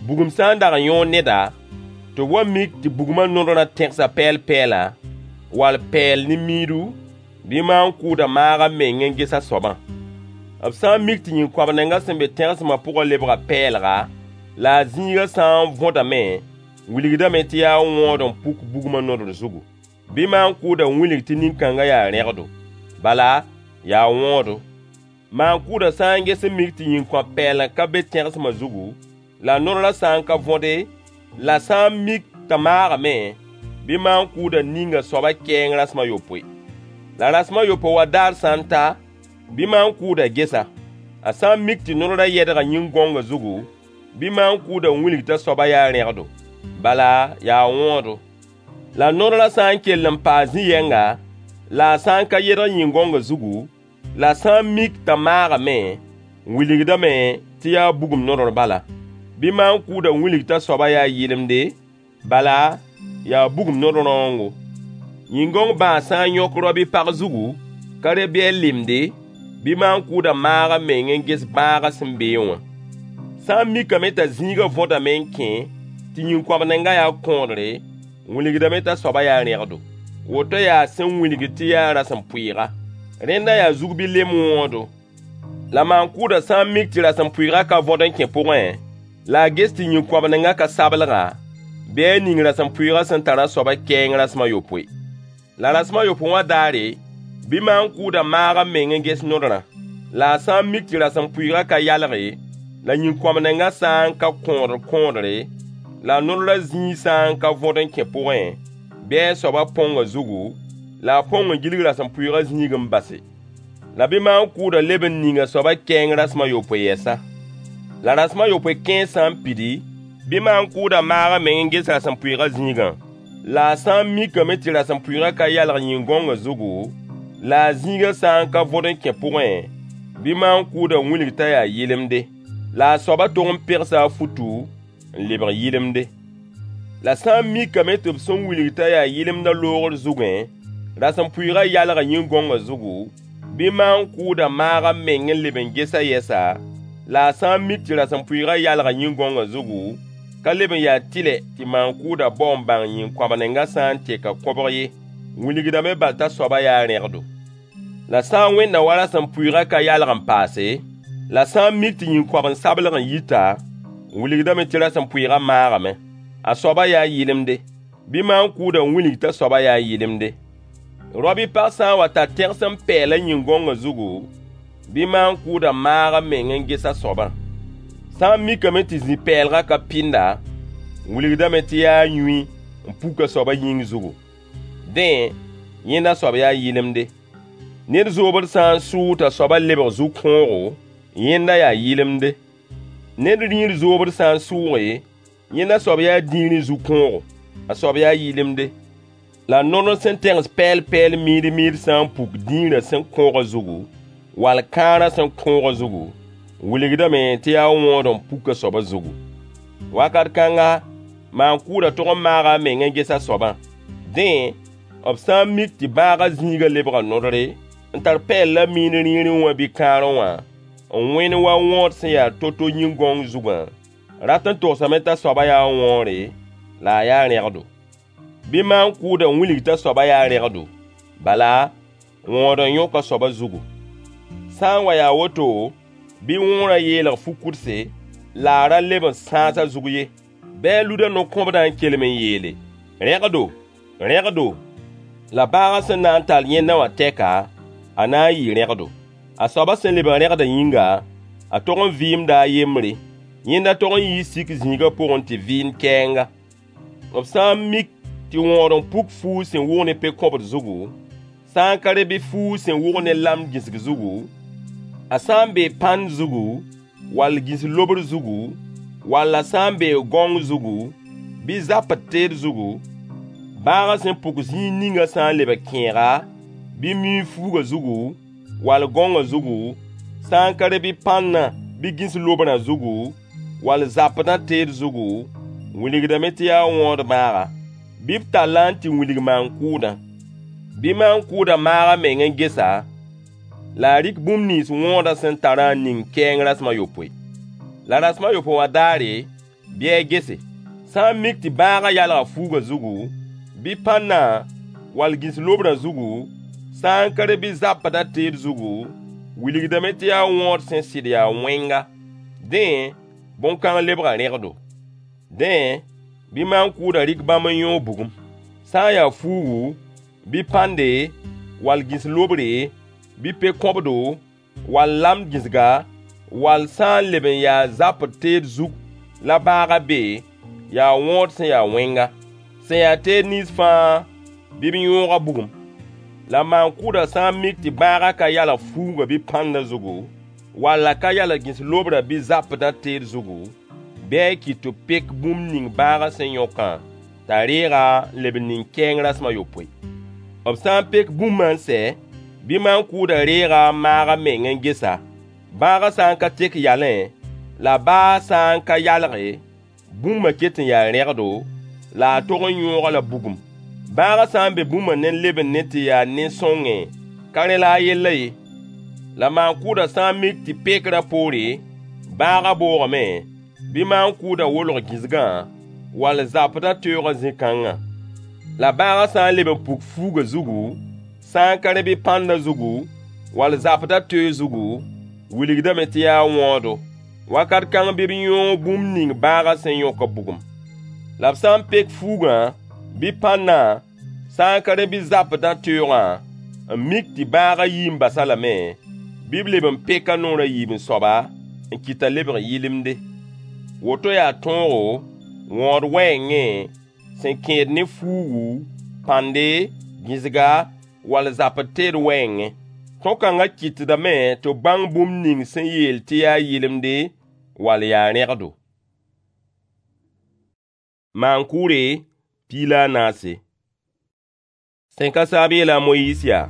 Bugum sã n dag n yõod neda, tɩ b wa mik tɩ bugmã nodrã tẽgsa pɛɛl-pɛɛla, wall pɛɛl ne miidu, bɩ maan-kʋʋdã maag a meng n ges a soabã. B sã n mik tɩ yĩn-koabnengã sẽn be tẽgsmã pʋgã lebga pɛɛlga, la a zĩigã sã n võdame, wilgdame tɩ yaa wõod n puk bugmã nodr zugu. Bɩ maan-kʋʋdã wilg tɩ nin-kãngã yaa rẽgdo. Bala, yaa wõodo. Maan-kʋʋdã sã n ges n mik tɩ yĩn-kõap-pɛɛlg ka be tẽgsmã zugu, la nodrã sã n ka võde, la sã n mik t'a maagame, bɩ maan-kʋʋdã ning a soabã kɛɛng rasem a yopoe. La rasem a yopoe wã daar sã n ta, bɩ maan-kʋʋdã ges-a. A sã n mik tɩ nodrã yɛdga yĩn-gõngã zugu, bɩ maan-kʋʋdã wilg t'a soabã yaa rẽgdo. Bala, yaa wõodo. La nodrã sã n kell n paa zĩ-yɛnga, la a sã n ka yedg yĩn-gõngã zugu, la sã n mik t'a maagame, wilgdame tɩ yaa bugum nodr bala. Bɩ maan-kʋʋdã wilg t'a soabã yaa yɩlemde, bala, yaa bugum nod-rãoongo. Yĩn-gõng bãas sã n yõk rao-bi-pag zugu, ka re bɩ a lemde, bɩ maan-kʋʋdã maag a meng n ges bãagã sẽn beẽ wã. Sã n mikame t'a zĩigã võdame n kẽ, tɩ yĩn-koabnengã yaa kõodre, wilgdame t'a soabã yaa rẽgdo. Woto yaa sẽn wilg tɩ yaa rasem-pʋɩɩga. Rẽnda yaa zug bɩ lem wõodo. La maan-kʋʋdã sã n mik tɩ rasem-pʋɩɩgã ka võd n kẽ pʋgẽ, la a ges tɩ yĩn-koabnengã ka sablga, bɩ a ning rasem-pʋɩɩgã sẽn tar a soabã kɛɛng rasem a yopoe. La rasem a yopoe wã daare, bɩ maan-kʋʋdã maag a meng n ges nodrã. La a sã n mik tɩ rasem-pʋɩɩgã ka yalge, la yĩn-koabnengã sã n ka kõodr kõodre, la nodrã zĩig sã n ka võd n kẽ pʋgẽ, bɩ a soabã põng a zugu, la a põng n gilg rasem-pʋɩɩgã zĩig n base. La bɩ maan-kʋʋdã leb n ning a soabã kɛɛng rasem a yopoe yɛsa. La rasem a yopoe kẽer sã n pidi, bɩ maan-kʋʋdã maag a meng n ges rasem-pʋɩɩgã zĩigã. La a sã n mikame tɩ rasem-pʋɩɩgã ka yalg yĩn-gõngã zugu, la a zĩigã sã n ka võd n kẽ pʋgẽ, bɩ maan-kʋʋdã wilg t'a yaa yɩlemde. La a soabã tog n pegsa a futu n lebg yɩlemde. La sã n mikame tɩ b sẽn wilg t'a yaa yɩlemdã loogr zugẽ, rasem-pʋɩɩgã yalga yĩn-gõngã zugu, bɩ maan-kʋʋdã maag a meng n leb n ges-a yɛsa, la a sã n mik tɩ rasem-pʋɩɩgã yalga yĩn-gõngã zugu, ka leb n yaa tɩlɛ tɩ maan-kʋʋdã bao n bãng yĩn-koabnengã sã n teka kõbg ye, wilgdame bal t'a soabã yaa rẽgdo. La sã n wẽnda wa rasem-pʋɩɩgã ka yalg n paase, la sã n mik tɩ yĩn-koabn-sablg n yita, wilgdame tɩ rasem-pʋɩɩgã maagame. A soabã yaa yɩlemde. Bɩ maan-kʋʋdã wilg t'a soabã yaa yɩlemde. Rao-bi-pag sã n wa tar tẽgsem pɛɛla yĩn-gõngã zugu, bɩ maan-kʋʋdã maag a meng n ges a soabã. Sã n mikame tɩ zĩ-pɛɛlgã ka pɩnda, wilgdame tɩ yaa yũy n puk a soabã yĩng zugu. Dẽ, yẽnda soab yaa yɩlemde. Ned zoobd sã n sʋʋg t'a soabã lebg zu-kõogo, yẽnda yaa yɩlemde. Ned rĩir zoobd sã n sʋʋge, yẽnda soab yaa dĩirẽ zu-kõogo. A soab yaa yɩlemde. La nodr sẽn tẽgs pɛɛl-pɛɛl miid-miid sã n puk dĩirã sẽn kõogã zugu, wall kãarã sẽn kõogã zugu, wilgdame tɩ yaa wõod n puk a soabã zugu. Wakat kãnga, maan-kʋʋdã tog n maaga a meng n ges a soabã. Dẽ, b sã n mik tɩ bãagã zĩigã lebga nodre, n tar pɛɛl la miid rĩirẽ wã bɩ kãarẽ wã, n wẽnd wa wõod sẽn ya to-to yĩn-gãong zugã, rat n togsame t'a soabã yaa wõore, la a yaa rẽgdo. Bɩ maan-kʋʋdã wilg t'a soabã yaa rẽgdo, bala, wõod n yõk a soabã zugu. Sã n wa yaa woto, bɩ wõorã yeelg fu-kʋdse, la a ra leb n sãas a zug ye. Bɩ a lud a no-kõbdã n kelem n yeele: Rẽgdo, rẽgdo! La bãagã sẽn na n tall yẽndã wã tɛka, a na n yɩɩ rẽgdo. A soabã sẽn lebg rẽgdã yĩnga, a tog n vɩɩmda a yembre. Yẽnda tog n yii sik zĩigã pʋgẽ tɩ vɩɩnd kɛɛnga. B sã n mik tɩ wõod n puk fuug sẽn wʋg ne pe-kõbd zugu, sã n ka rẽ bɩ fuug sẽn wʋg ne lamd gĩsg zugu, a sã n bee pãnd zugu, wall gĩs-lobr zugu, wall a sã n bee gãong zugu, bɩ zapd teed zugu, bãagã sẽn puk zĩig ninga sã n lebg kẽega, bɩ miuug fuugã zugu, wall gãongã zugu, sã n ka rẽ bɩ pãndã bɩ gĩs-lobrã zugu, wall zapdã teed zugu, wilgdame tɩ yaa wõod bãaga. Bɩ b tall-a n tɩ wilg maan-kʋʋdã. Bɩ maan-kʋʋdã maag a meng n ges-a, la a rɩk bũmb nins wõodã sẽn tarã n ning kɛɛng rasem a yopoe. La rasem a yopoe wã daare, bɩ a gese. Sã n mik tɩ bãagã yalga fuugã zugu, bɩ pãndã, wall gĩs-lobrã zugu, sã n ka rẽ bɩ zapdã teed zugu, wilgdame tɩ yaa wõod sẽn sɩd yaa wẽnga. Dẽ, bõn-kãng lebga rẽgdo. Dẽ, bɩ maan-kʋʋdã rɩk bãmb n yõog bugum. Sã n yaa fuugu, bɩ pãnde, wall gĩs-lobre, bɩ pe-kõbdo, wall lamd gĩsga, wall sã n leb n yaa zapd teed zug la bãagã be, yaa wõod sẽn ya wẽnga. Sẽn ya teed nins fãa, bɩ b yõog-a bugum. La maan-kʋʋdã sã n mik tɩ bãagã ka yalg fuugã bɩ pãndã zugu, wall a ka yalg gĩs-lobrã bɩ zapdã teed zugu, bɩ a kɩt tɩ b pek bũmb ning bãagã sẽn yõkã, t'a reeg-a n leb n ning kɛɛng rasem a yopoe. B sã n pek bũmbã n sɛ, bɩ maan-kʋʋdã reeg-a n maag a meng n ges-a. Bãagã sã n ka tek yalẽ, la baa sã n ka yalge, bũmbã ket n yaa rẽgdo, la a tog n yõog-a la bugum. Bãagã sã n be bũmbã ne n lebend ne tɩ yaa nin-sõngẽ, ka rẽ la a yellã ye. La maan-kʋʋdã sã n mik tɩ pekrã poore, bãagã boogame, bɩ maan-kʋʋdã wolg gĩsgã, wall zapdã teoogã zĩ-kãngã. La bãagã sã n leb n puk fuugã zugu, sã n ka rẽ bɩ pãndã zugu, wall zapdã teoog zugu, wilgdame tɩ yaa wõodo. Wakat kãng bɩ b yõog bũmb ning bãagã sẽn yõkã bugum. La b sã n pek fuugã, bɩ pãndã, sã n ka rẽ bɩ zapdã teoogã, n mik tɩ bãagã yii n bas-a lame, bɩ b leb n pek a noor a yiib n soaba, n kɩt t'a lebg yɩlemde. Woto yaa tõogo, wõod wɛɛngẽ, sẽn kẽed ne fuugu, pãnde, gĩsga, wall zapd teed wɛɛngẽ. Tõog-kãngã kɩtdame tɩ b bãng bũmb ning sẽn yeel tɩ yaa yɩlemde wall yaa rẽgdo. Maan-kʋʋre 14. Sẽn ka saab yeela a Moyiis yaa: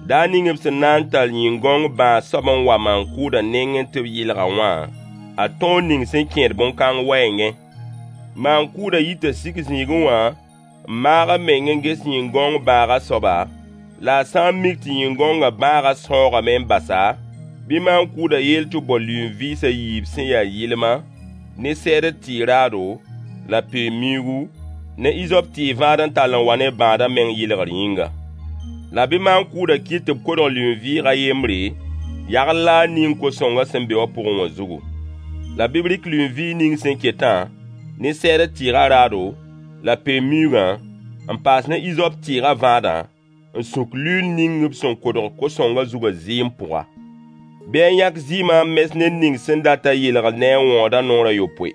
Daar ning b sẽn na n tall yĩn-gãong bãas soab n wa maan-kʋʋdã nengẽ tɩ b yɩlg-a wã, a tõog ning sẽn kẽed bõn-kãng wɛɛngẽ. Maan-kʋʋdã yita sik zĩigẽ wã n maag a meng n ges yĩn-gãong bãagã soaba, la a sã n mik tɩ yĩn-gãongã bãagã sãoogame n basa, bɩ maan-kʋʋdã yeel tɩ b bao lʋɩn-vɩɩs a yiib sẽn ya yɩlma, ne sɛɛdr tɩɩg raado, la peen-miuugu, ne izop tɩɩg vãad n tall n wa ne bãadã meng yɩlgr yĩnga. La bɩ maan-kʋʋdã kɩt tɩ b kodg lʋɩn-vɩɩg a yembre, yagl la a ning ko-sõngã sẽn be wã pʋgẽ wã zugu. La bɩ b rɩk lʋɩn-vɩɩg ning sẽn ketã, ne sɛɛdr tɩɩgã raado, la peen-miuugã, n paas ne izop tɩɩgã vãadã, n sũk luiil ning b sẽn kodg ko-sõngã zugã zɩɩm pʋga. Bɩ a yãk zɩɩmã n mes ned ning sẽn dat a yelgr ne a wõodã noor a yopoe.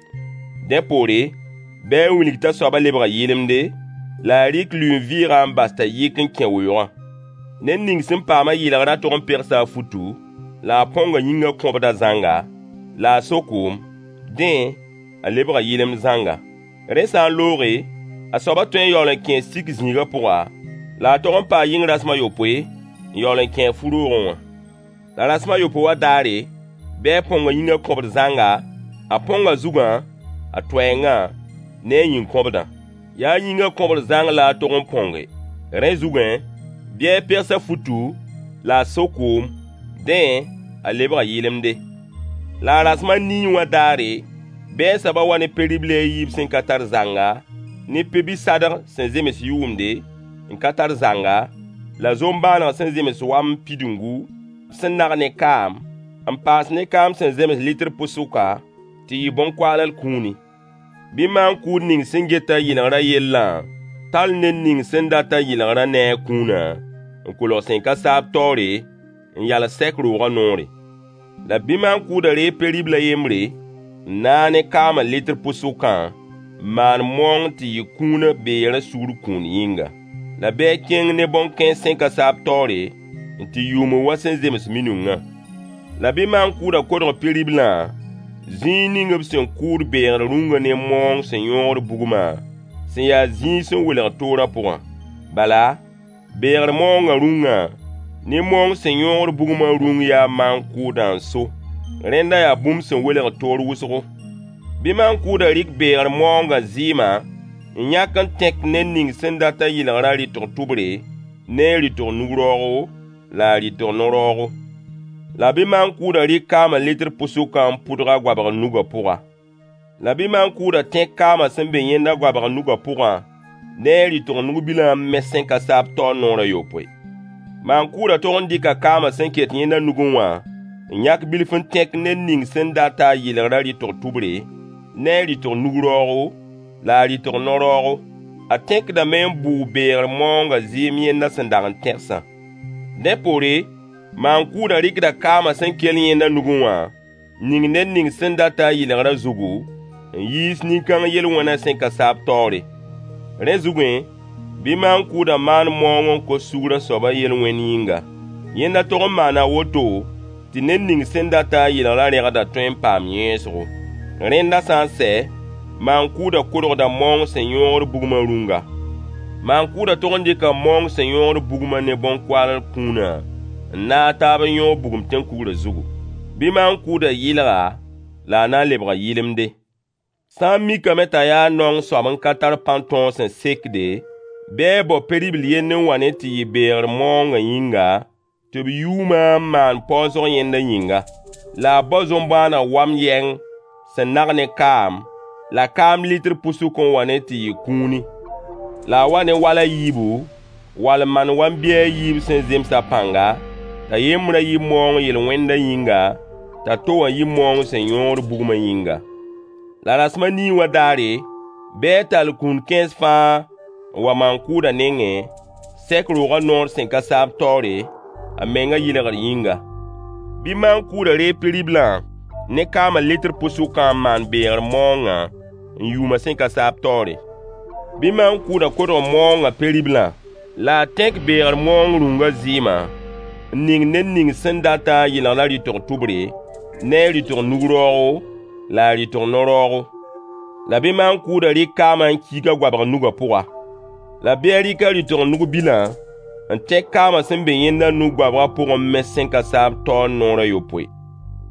Dẽ poore, bɩ a wilg t'a soabã lebga yɩlemde, la a rɩk lʋɩn-vɩɩgã n bas t'a yɩk n kẽ weoogã. Ned ning sẽn paam a yɩlgrã tog n pegsa a futu, la a põnga yĩngã kõbdã zãnga, la a so koom, Dẽ, a lebga yɩlemd zãnga. Rẽ sã n looge, a soabã tõe n yaool n kẽe sik zĩigã pʋga, la a tog n paa yɩng rasem a yopoe n yaool n kẽ a fu-roogẽ wã. La rasem a yopoe wã daare, bɩ a põng a yĩngã kõbd zãnga, a põng a zugã, a toɛɛngã, ne a yĩn-kõbdã. Yaa yĩngã kõbr zãng la a tog n põnge. Rẽ zugẽ, bɩ a pegs a futu la a so koom. Dẽ, a lebga yɩlemde. La a rasem a nii wã daare, bɩ a soabã wa ne pe-ribli a yiib sẽn ka tar zanga, ne pe-bi-sadg sẽn zems yʋʋmde, n ka tar zanga, la zoom-bãaneg sẽn zems wam pidungu, sẽn nag ne kaam, n paas ne kaam sẽn zems litr pʋsʋka, tɩ yɩ bõn-koaall kũuni. Bɩ maan-kʋʋd ning sẽn get a yɩlgrã yellã tall ned ning sẽn dat a yɩlgrã ne a kũunã n kolg sẽn ka saab taoore n yals sɛk roogã noore. La bɩ maan-kʋʋdã reeg pe-ribl a yembre n naag ne kaamã litr pʋsʋkã n maan maoong tɩ yɩ kũunã beerã sugr kũun yĩnga. La bɩ a kẽng ne bõn-kẽens sẽn ka saab taoore n tɩ yʋʋm wa sẽn zems minungã. La bɩ maan-kʋʋdã kodg pe-riblã zĩig ning b sẽn kʋʋd beegr rũngã ne maoong sẽn yõogd bugmã, sẽn ya zĩig sẽn welg toorã pʋgã. Bala, beegr maoongã rũngã ne maoong sẽn yõogd bugmã rũng yaa maan-kʋʋdã n so. Rẽnda yaa bũmb sẽn welg toor wʋsgo. Bɩ maan-kʋʋdã rɩk beegr maoongã zɩɩmã n yãk n tẽk ned ning sẽn dat a yɩlgrã rɩtg tʋbre, ne a rɩtg nug-raoogo la a rɩtg no-raoogo. La bɩ maan-kʋʋdã rɩk kaamã litr pʋsʋkã n pʋdg a goabg nugã pʋga. La bɩ maan-kʋʋdã tẽk kaamã sẽn be yẽnda goabg nugã pʋgã ne a rɩtg nug-bilã n mes sẽn ka saab taoor noor a yopoe. Maan-kʋʋdã tog n dɩka kaamã sẽn ket yẽnda nugẽ wã n yãk bilf n tẽk ned ning sẽn dat a yɩlgrã rɩtg tʋbre, ne a rɩtg nug-raoogo la a rɩtg no-raoogo. A tẽkdame n bʋʋg beegr maoongã zɩɩm yẽnda sẽn dag n tẽgsã. Dẽ poore, maan-kʋʋdã rɩkda kaamã sẽn kell yẽnda nugẽ wã n ning ned ning sẽn dat a yɩlgrã zugu, n yiis nin-kãng yel-wẽnã sẽn ka saab taoore. Rẽ zugẽ, bɩ maan-kʋʋdã maan maoong n kos sugr a soabã yel-wẽnd yĩnga. Yẽnda tog n maana woto tɩ ned ning sẽn dat a yɩlgrã rẽgdã tõe n paam yẽesgo. Rẽnda sã n sɛ, maan-kʋʋdã kodgda maoong sẽn yõogd bugmã rũnga. Maan-kʋʋdã tog n dɩka maoong sẽn yõogd bugmã ne bõn-koaall kũunã n naag taab n yõog bugum tẽn-kugrã zugu. Bɩ maan-kʋʋdã yɩlg-a, la a na n lebga yɩlemde. Sã n mikame t'a yaa naong soab n ka tar pãn-tõog sẽn sekde, bɩ a bao pe-ribl yend n wa ne tɩ yɩ beegr maoongã yĩnga, tɩ b yʋʋmã n maan paoosg yẽnda yĩnga. La a bao zoom-bãaneg wam yɛng sẽn nag ne kaam, la kaam litr pʋsʋk n wa ne tɩ yɩ kũuni. La a wa ne wal a yiibu, wall maan wam-biy a yiib sẽn zems a pãnga, t'a yembrã yɩ maoong yel-wẽndã yĩnga, t'a to wã yɩ maoong sẽn yõogd bugmã yĩnga. La rasem a nii wã daare, bɩ a tall kũun-kẽens fãa n wa maan-kʋʋdã nengẽ, sɛk roogã noor sẽn ka saab taoore, a mengã yɩlgr yĩnga. Bɩ maan-kʋʋdã reeg pe-riblã ne kaamã litr pʋsʋkã n maan beegr maoongã n yʋʋmã sẽn ka saab taoore. Bɩ maan-kʋʋdã kodg maoongã pe-riblã, la a tẽk beegr maoong rũngã zɩɩmã n ning ned ning sẽn dat a yɩlgrã rɩtg tʋbre, ne a rɩtg nug-raoogo la a rɩtg no-raoogo. La bɩ maan-kʋʋdã rɩk kaamã n kiig a goabg nugã pʋga. La bɩ a rɩk a rɩtg nug-bilã n tẽk kaamã sẽn be yẽnda nug-goabgã pʋgẽ n mes sẽn ka saab taoor noor a yopoe.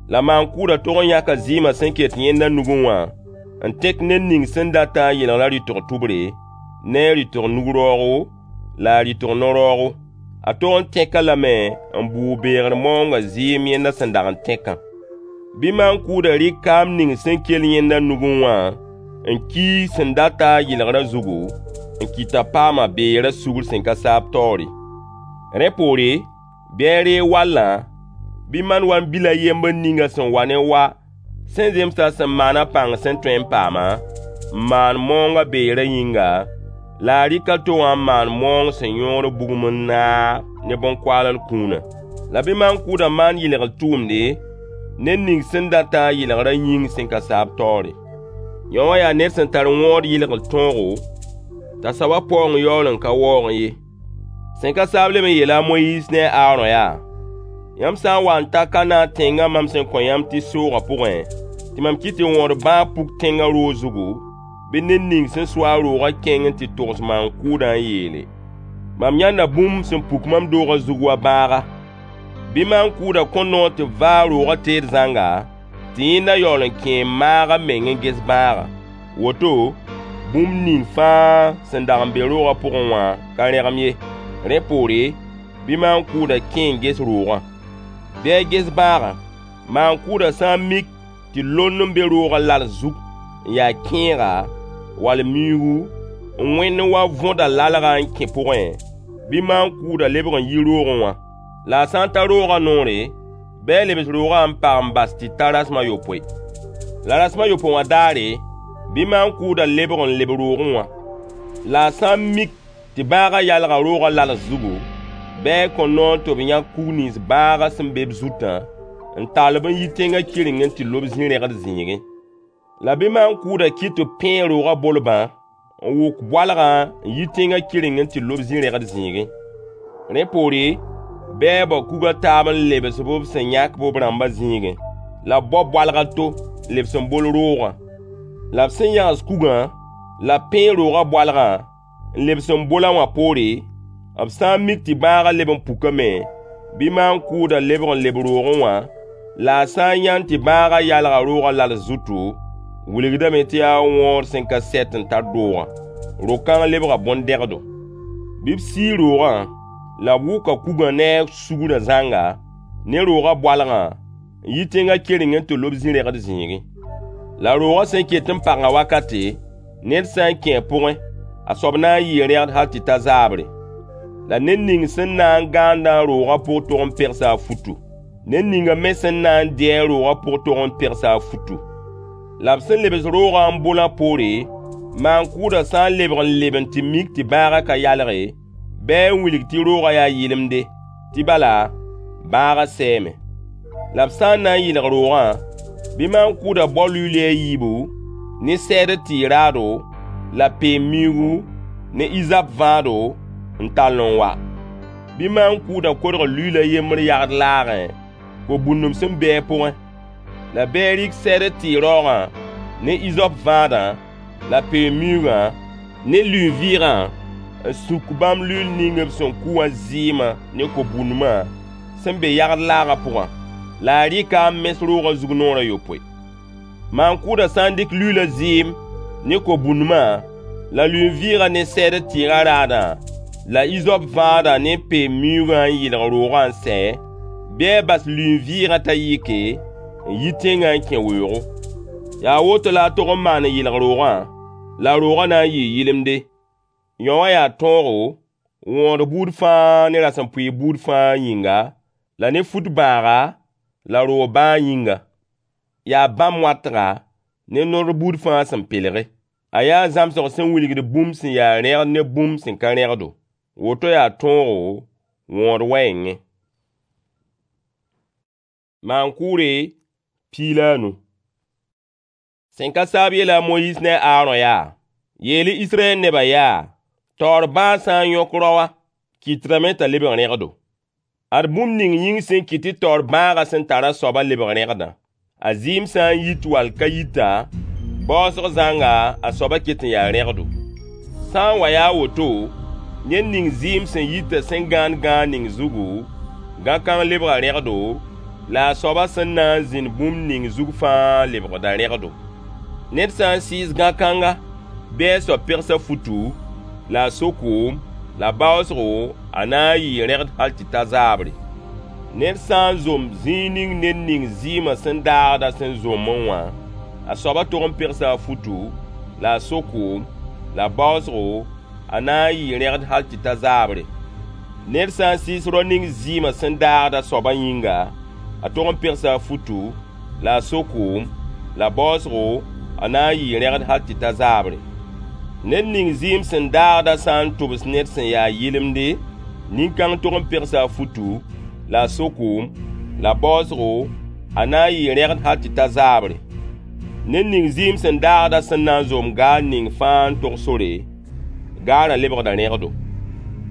La maan-kʋʋdã tog n yãka zɩɩmã sẽn ket yẽnda nugẽ wã n tẽk ned ning sẽn dat a yɩlgrã rɩtg tʋbre, ne a rɩtg nug-raoogo la a rɩtg no-raoogo. A tog n tẽk-a lame n bʋʋg beegr maoongã zɩɩm yẽnda sẽn dag n tẽkã. Bɩ maan-kʋʋdã rɩk kaam ning sẽn kell yẽnda nugẽ wã n kiig sẽn dat a yɩlgrã zugu, n kɩt t'a paama beerã sugr sẽn ka saab taoore. Rẽ poore, bɩ a reeg wallã, bɩ maan wam-bil a yembr ninga sẽn wa ne wa sẽn zemsã sẽn maan a pãng sẽn tõe n paama, n maan maoongã beerã yĩnga, la a rɩk a to wã n maan maoong sẽn yõogd bugum n naag ne bõn-koaall kũunã. La bɩ maan-kʋʋdã maan yɩlgr tʋʋmde ned ning sẽn dat a yɩlgrã yĩng sẽn ka saab taoore. Yõ wã yaa ned sẽn tar wõod yɩlgr tõogo, t'a soabã paoong yaool n ka waoogẽ ye. Sẽn ka saab leb n yeela a Moyiis ne a Aarõ yaa: Yãmb sã n wa n ta Kanaan tẽngã mam sẽn kõ yãmb tɩ y soogã pʋgẽ, tɩ tɩ mam kɩt tɩ wõod bãag puk tẽngã roog zugu, bɩ ned ning sẽn so-a roogã kẽng n tɩ togs maan-kʋʋdã n yeele: Mam yãnda bũmb sẽn puk mam doogã zug wa bãaga. Bɩ maan-kʋʋdã kõ noor tɩ b vaag roogã teed zãnga, tɩ yẽnda yaool n kẽ n maag a meng n ges bãagã. Woto, bũmb ning fãa sẽn dag n be roogã pʋgẽ wã ka rẽgem ye. Rẽ poore, bɩ maan-kʋʋdã kẽ n ges roogã. Bɩ a ges bãagã. Maan-kʋʋdã sã n mik tɩ lond n be roogã lals zug n yaa kẽega wall miuugu n wẽnd wa võda lalgã n kẽ pʋgẽ, bɩ maan-kʋʋdã lebg n yi roogẽ wã. La a sã n ta roogã noore, bɩ a lebs roogã n pag n bas tɩ ta rasem a yopoe. La rasem a yopoe wã daare, bɩ maan-kʋʋdã lebg n leb roogẽ wã. La a sã n mik tɩ bãagã yalga roogã lals zugu, bɩ a kõ noor tɩ b yãk kug nins bãagã sẽn be b zutã n tall-b n yi tẽngã kɩrengẽ n tɩ lob zĩ-rẽgd zĩigẽ. La bɩ maan-kʋʋdã kɩt tɩ b pẽeg roogã bolbã n wʋk boalgã n yi tẽngã kɩrengẽ n tɩ lob zĩ-rẽgd zĩigẽ. Rẽ poore, bɩ a bao kug a taab n lebs-b b sẽn yãk-b b rãmbã zĩigẽ, la b bao boalg a to n lebs n bol roogã. La b sẽn yãgs kugã la b pẽeg roogã boalgã n lebs n bol-a wã poore, b sã n mik tɩ bãagã leb n pukame, bɩ maan-kʋʋdã lebg n leb roogẽ wã, la a sã n yãnd tɩ bãagã yalga roogã lals zutu, wilgdame tɩ yaa wõod sẽn ka sɛt n tar doogã. Ro-kãng lebga bõn-dẽgdo. Bɩ b sii roogã la b wʋka kugã ne a sugrã zãnga ne roogã boalgã n yi tẽngã kɩrengẽ n tɩ lob zĩ-rẽgd zĩigẽ. La roogã sẽn ket n pagã wakate, ned sã n kẽ a pʋgẽ, a soab na n yɩɩ rẽgd hal tɩ ta zaabre. La ned ning sẽn na n gãandã roogã pʋg tog n pegsa a futu. Ned ninga me sẽn na n dɩ-a roogã pʋg tog n pegsa a futu. La b sẽn lebs roogã n bolã poore, maan-kʋʋdã sã n lebg n leb n tɩ mik tɩ bãagã ka yalge, bɩ a wilg tɩ roogã yaa yɩlemde, tɩ bala, bãagã sɛɛme. La b sã n na n yɩlg roogã, bɩ maan-kʋʋdã bao luiili a yiibu ne sɛɛdr tɩɩg raado la peem-miuugu ne izap vãado n tall n wa. Bɩ maan-kʋʋdã kodg luiil a yembr yagd laagẽ, ko-bũndem sẽn be a pʋgẽ. La bɩ a rɩk sɛɛdr tɩɩg raoogã ne izop vãadã la peem-miuugã ne lui-vɩɩgã n suk bãmb luiil ning b sẽn kʋ wã zɩɩmã ne ko-bũndmã sẽn be yagd laagã pʋgã. La a rɩka n mes roogã zug noor a yopoe. Maan-kʋʋdã sã n dɩk luiilã zɩɩm ne ko-bũndmã la lui-vɩɩgã ne sɛɛdr tɩɩgã raadã la izop vãadã ne peem-miuugã n yɩlg roogã n sɛ, bɩ a bas lui-vɩɩgã t'a yɩke n yi tẽngã n kẽ weoogo. Yaa woto la a tog n maan n yɩlg roogã, la roogã na n yɩɩ yɩlemde. Yõ wã yaa tõogo, wõod buud fãa ne rasem-pʋɩɩr buud fãa yĩnga, la ne fut bãaga la roog bãag yĩnga. Yaa bãmb-wãtga ne nord buud fãa sẽn pelge. A yaa zãmsg sẽn wilgd bũmb sẽn yaa rẽgd ne bũmb sẽn ka rẽgdo. Woto yaa tõogo wõod wɛɛngẽ. Maan-kʋʋre 15. Sẽn ka saab yeela a Moyiis ne a Aarõ yaa: Yeel-y Israyɛl nebã yaa, taoor bãag sã n yõk raoã, kɩtdame t'a lebg rẽgdo. Ad bũmb ning yĩng sẽn kɩt tɩ taoor bãagã sẽn tar a soabã lebg rẽgdã. A zɩɩm sã n yit wall ka yita, baoosg zãnga a soabã ket n yaa rẽgdo. Sã n wa yaa woto, ned ning zɩɩm sẽn yitã sẽn gãand gãag ning zugu, gã-kãng lebga rẽgdo, la a soabã sẽn na n zĩnd bũmb ning zug fãa lebgda rẽgdo. Ned sã n sɩɩs gã-kãnga, bɩ a soab pegsa futu, la a so koom, la baoosgo a na n yɩɩ rẽgd hal tɩ ta zaabre. Ned sã n zom zĩig ning ned ning zɩɩmã sẽn daagda sẽn zomẽ wã, a soabã tog n pegsa a futu, la a so koom, la baoosgo a na n yɩɩ rẽgd hal tɩ ta zaabre. Ned sã n sɩɩs rao ning zɩɩmã sẽn daagda soabã yĩnga, a tog n pegsa a futu, la a so koom, la baoosgo a na n yɩɩ rẽgd hal tɩ ta zaabre. Ned ning zɩɩm sẽn daagda sã n tʋbs ned sẽn yaa yɩlemde, nin-kãng tog n pegsa a futu, la a so koom, la baoosgo a na n yɩɩ rẽgd hal tɩ ta zaabre. Ned ning zɩɩm sẽn daagda sẽn na n zom gaar ning fãa n tog sore, gaarã lebgda rẽgdo.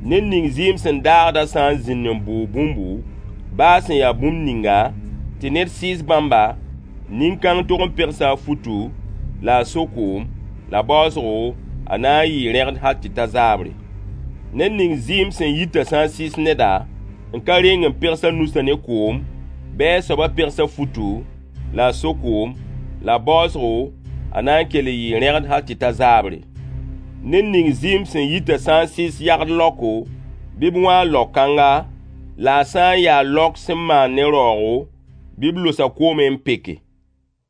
Ned ning zɩɩm sẽn daagda sã n zĩnd n bʋʋg bũmbu, baa sẽn yaa bũmb ninga, tɩ ned sɩɩs bãmba, Nin-kãng tog n pegsa a futu la a so koom, la baoosgo a na n yɩɩ rẽgd hal tɩ ta zaabre. Ned ning zɩɩm sẽn yitã sã n sɩs neda n ka reng n pegs a nusã ne koom, bɩ a soabã pegs a futu la a so koom, la baoosgo a na n kell n yɩɩ rẽgd hal tɩ ta zaabre. Ned ning zɩɩm sẽn yitã sã n sɩs yagd laoko, bɩ b wãag lao-kãnga, la a sã n ya laok sẽn maan ne raoogo, bɩ b los-a koomẽ n peke.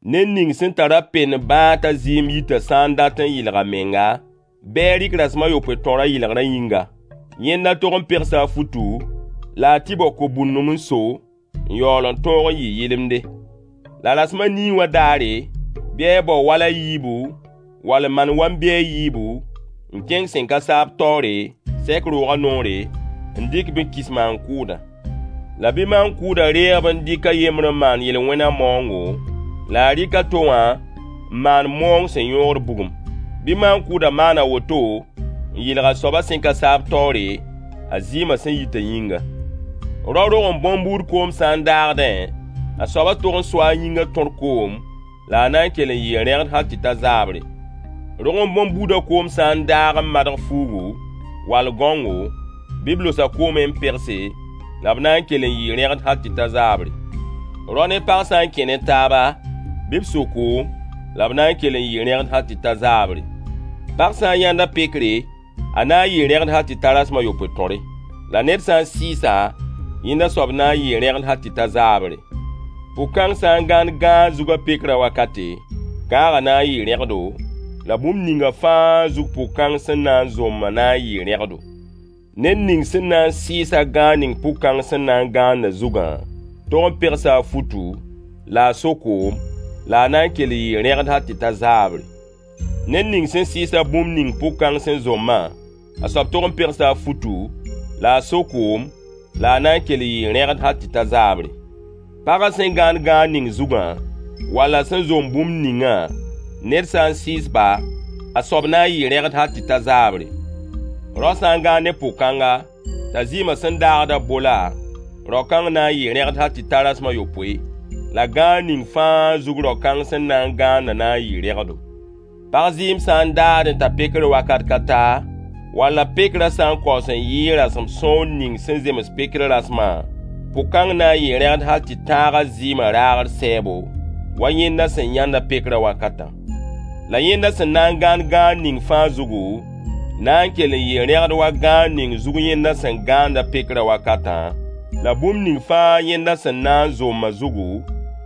Ned ning sẽn tar-a pend bãag t'a zɩɩm yitã sã n dat n yɩlg a menga, bɩ a rɩk rasem a yopoe tõrã yɩlgrã yĩnga. Yẽnda tog n pegsa a futu la a tɩ bao ko-bũndum n so, n yaool n tõog n yɩ yɩlemde. La rasem a nii wã daare, bɩ a bao wal a yiibu wall n maan wam-bi a yiibu n kẽng sẽn ka saab taoore, sɛk roogã noore, n dɩk-b n kis maan-kʋʋdã. La bɩ maan-kʋʋdã reeg-b n dɩk a yembr n maan yel-wẽnã maoongo, la a rɩk a to wã n maan maoong sẽn yõogd bugum. Bɩ maan-kʋʋdã maan a woto n yɩlg a soabã sẽn ka saab taoore, a zɩɩmã sẽn yitã yĩnga. Rao rog n bõn-buud koom sã n daagdẽ, a soabã tog n soa a yĩngã tõr koom, la a na n kell n yɩɩ rẽgd hal tɩ ta zaabre. Rog n bõn-buudã koom sã n daag n madg fuugu, wall gãongo, bɩ b los-a koomẽ n pegse, la b na n kell n yɩɩ rẽgd hal tɩ ta zaabre. Rao ne pag sã n kẽ ne taaba, bɩ b so koom, la b na n kell n yɩɩ rẽgd hal tɩ ta zaabre. Pag sã n yãnd a pekre, a na n yɩɩ rẽgd hal tɩ ta rasem a yopoe tõre. La ned sã n sɩɩsa, yẽnda soab na n yɩɩ rẽgd hal tɩ ta zaabre. Pʋg-kãng sã n gãand gãag zug a pekrã wakate, gãagã na n yɩɩ rẽgdo, la bũmb ninga fãa zug pʋg-kãng sẽn na n zombã na n yɩɩ rẽgdo. Ned ning sẽn na n sɩɩs-a gãag ning pʋg-kãng sẽn na n gãandã zugã, tog n pegsa a futu la a so koom, la a na n kell n yɩɩ rẽgd hal tɩ ta zaabre. Ned ning sẽn sɩɩs-a bũmb ning pʋg-kãng sẽn zombã, a soab tog n pegsa a futu la a so koom, la a na n kell n yɩɩ rẽgd hal tɩ ta zaabre. Pagã sẽn gãand gãag ning zugã, walla sẽn zomb bũmb ningã, ned sã n sɩɩs-ba, a soab na n yɩɩ rẽgd hal tɩ ta zaabre. Rao sã n gãand ne pʋg-kãnga, t'a zɩɩmã sẽn daagdã bola, rao-kãng na n yɩɩ rẽgd hal tɩ ta rasem a yopoe. La gãag ning fãa zug rao-kãng sẽn na n gãandã na n yɩɩ rẽgdo. Pag zɩɩm sã n daagdẽ t'a pekr wakat ka ta, walla pekrã sã n kaoos n yɩɩ rasem sõor ning sẽn zems pekr rasmã, pʋg-kãng na n yɩɩ rẽgd hal tɩ tãag a zɩɩmã raagr sɛɛbo, wa yẽnda sẽn yãnda pekrã wakatã. La yẽnda sẽn na n gãand gãag ning fãa zugu, na n kell n yɩɩ rẽgd wa gãag ning zug yẽnda sẽn gãanda pekrã wakatã, la bũmb ning fãa yẽnda sẽn na n zombã zugu,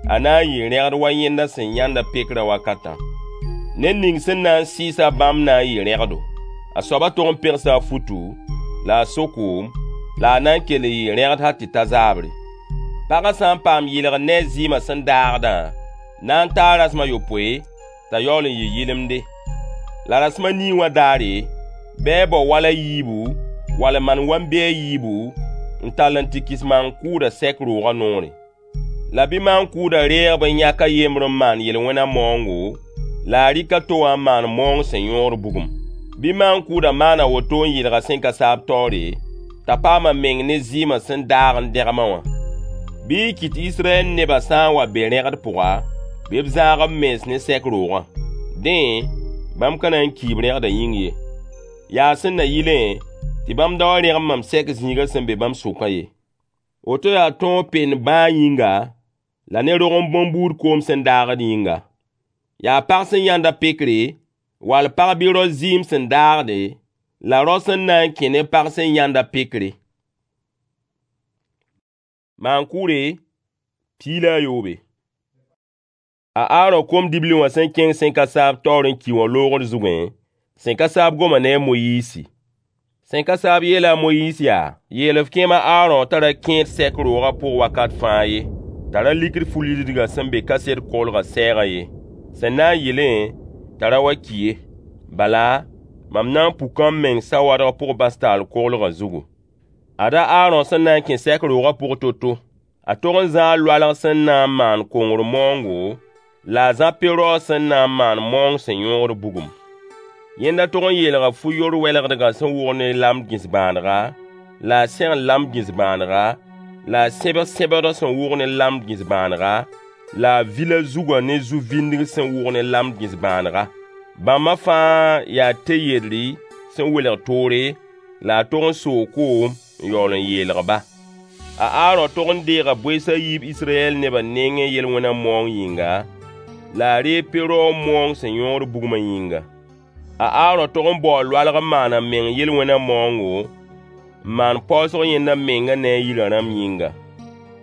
a na n yɩɩ rẽgd wa yẽnda sẽn yãnda pekrã wakatã. Ned ning sẽn na n sɩɩs-a bãmb na n yɩɩ rẽgdo. A soabã tog n pegsa a futu la a so koom, la a na n kell n yɩɩ rẽgd hal tɩ ta zaabre. Pagã sã n paam yɩlgr ne a zɩɩmã sẽn daagdã, na n taa rasem a yopoe, t'a yaool n yɩ yɩlemde. La rasem a nii wã daare, bɩ a bao wal a yiibu, wall n maan wam-bi a yiibu, n tall n tɩ kis maan-kʋʋdã sɛk roogã noore. La bɩ maan-kʋʋdã reeg-b n yãk a yembr n maan yel-wẽnã maoongo, la a rɩk a to wã n maan maoong sẽn yõod bugum. Bɩ maan-kʋʋdã maan a woto n yɩlg a sẽn ka saab taoore, t'a paam a meng ne zɩɩmã sẽn daag n dẽgmã wã. Bɩ y kɩt Israyɛl nebã sã n wa be rẽgd pʋga, bɩ b zãag b mens ne sɛk roogã. Dẽ, bãmb ka na n kiib rẽgdã yĩng ye. Yaa sẽn na yɩlẽ tɩ bãmb da wa rẽgem mam sɛk zĩigã sẽn be bãmb sʋkã ye. Woto yaa tõog pend bãag yĩnga, la ne rog n bõn-buud koom sẽn daagd yĩnga. Yaa pag sẽn yãnda pekre, wall pag bɩ rao zɩɩm sẽn daagde, la rao sẽn na n kẽ ne pag sẽn yãnda pekre. Maan-kʋʋre 17. A Aaron kom-dibli wã sẽn kẽng sẽn ka saab taoor n ki wã loogr zugẽ, sẽn ka saab goma ne a Moyiisi. Sẽn ka saab yeela a Moyiis yaa: Yeel f kẽem a Aaron t'a ra kẽed sɛk roogã pʋg wakat fãa ye, t'a ra likd fu-lidgã sẽn be kaset koglgã sɛɛgã ye, sẽn na n yɩlẽ t'a ra wa ki ye. Bala, mam na n puka m meng sawadg pʋg bas-taal koglgã zugu. Ada Aaron sẽn na n kẽ sɛk roogã pʋg to-to. A tog n zãa loalg sẽn na n maan kongr maoongo, la a zã pe-raoog sẽn na n maan maoong sẽn yõogd bugum. Yẽnda tog n yeelga fu-yor wɛlgdgã sẽn wʋgd ne lamd gĩs-bãadga, la a segl lamd gĩs-bãadga, la a sẽbg sẽbdg sẽn wʋgd ne lamd gĩs-bãadga, la a vil a zugã ne zu-vĩndg sẽn wʋg ne lamd gĩs-bãanega. Bãmba fãa yaa te-yedri sẽn welg toore, la a tog n soo koom n yaool n yeelg-ba. A Aarõ tog n deega bʋees a yiib Israyɛl nebã nengẽ yel-wẽna maoong yĩnga, la a reeg pe-raoog maoong sẽn yõod bugmã yĩnga. A Aarõ tog n baoo loalg n maan a meng yel-wẽna maoongo, n maan paoosg yẽnda menga ne a yirã rãmb yĩnga.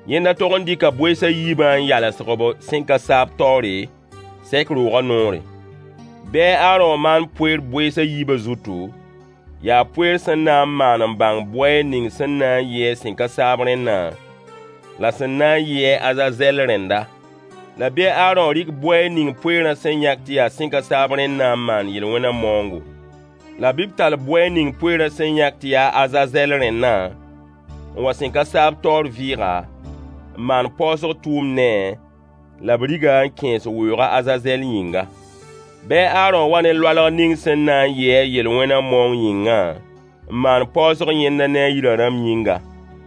Yẽnda tog n dɩka bʋees a yiibã n yalsg b sẽn-ka-saab taoore, sɛk roogã noore. Bɩ a Aarõ maan poeer bʋees a yiibã zutu, yaa poeer sẽn na n maan n bãng bʋɛɛg ning sẽn na n yɩ a sẽn-ka-saab rẽnnã, la sẽn na n yɩ a Azazɛl rẽnda. La bɩ a Aarõ rɩk bʋɛɛg ning poeerã sẽn yãk tɩ yaa sẽn-ka-saab rẽnnã n maan yel-wẽna maoongo. La bɩ b tall bʋɛɛg ning poeerã sẽn yãk tɩ yaa Azazɛl rẽnnã n wa sẽn-ka-saab taoor vɩɩga, n maan paoosg tʋʋmd ne-a, la b rig-a n kẽes weoog a Azazɛl yĩnga. Bɩ a Aarõ wa ne loalg ning sẽn na n yɩ a yel-wẽna maoong yĩngã n maan paoosg yẽnda ne a yirã rãmb yĩnga.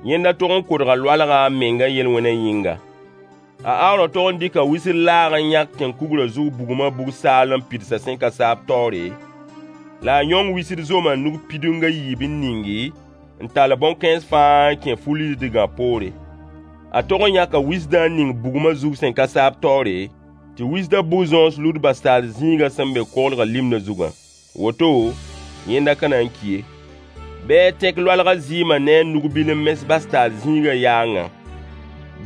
Yẽnda tog n kodga loalgã a menga yel-wẽnã yĩnga. A Aarõ tog n dɩka wisr laag n yãk tẽn-kugrã zug bugmã bug-saal n pids a sẽn-ka-saab taoore, la a yõng wisd zomã nug pidung a yiib n ningi n tall bõn-kãens fãa n kẽ fu-lisdgã poore. A tog n yãka wisdã n ning bugmã zug sẽn-ka-saab taoore, tɩ wisdã bu-zõos lud bastaal zĩigã sẽn be koglgã limdã zugã. Woto, yẽnda ka na n ki ye. Bɩ a tẽk loalgã zɩɩmã ne a nug-bil n mes bastaal zĩigã yaangã.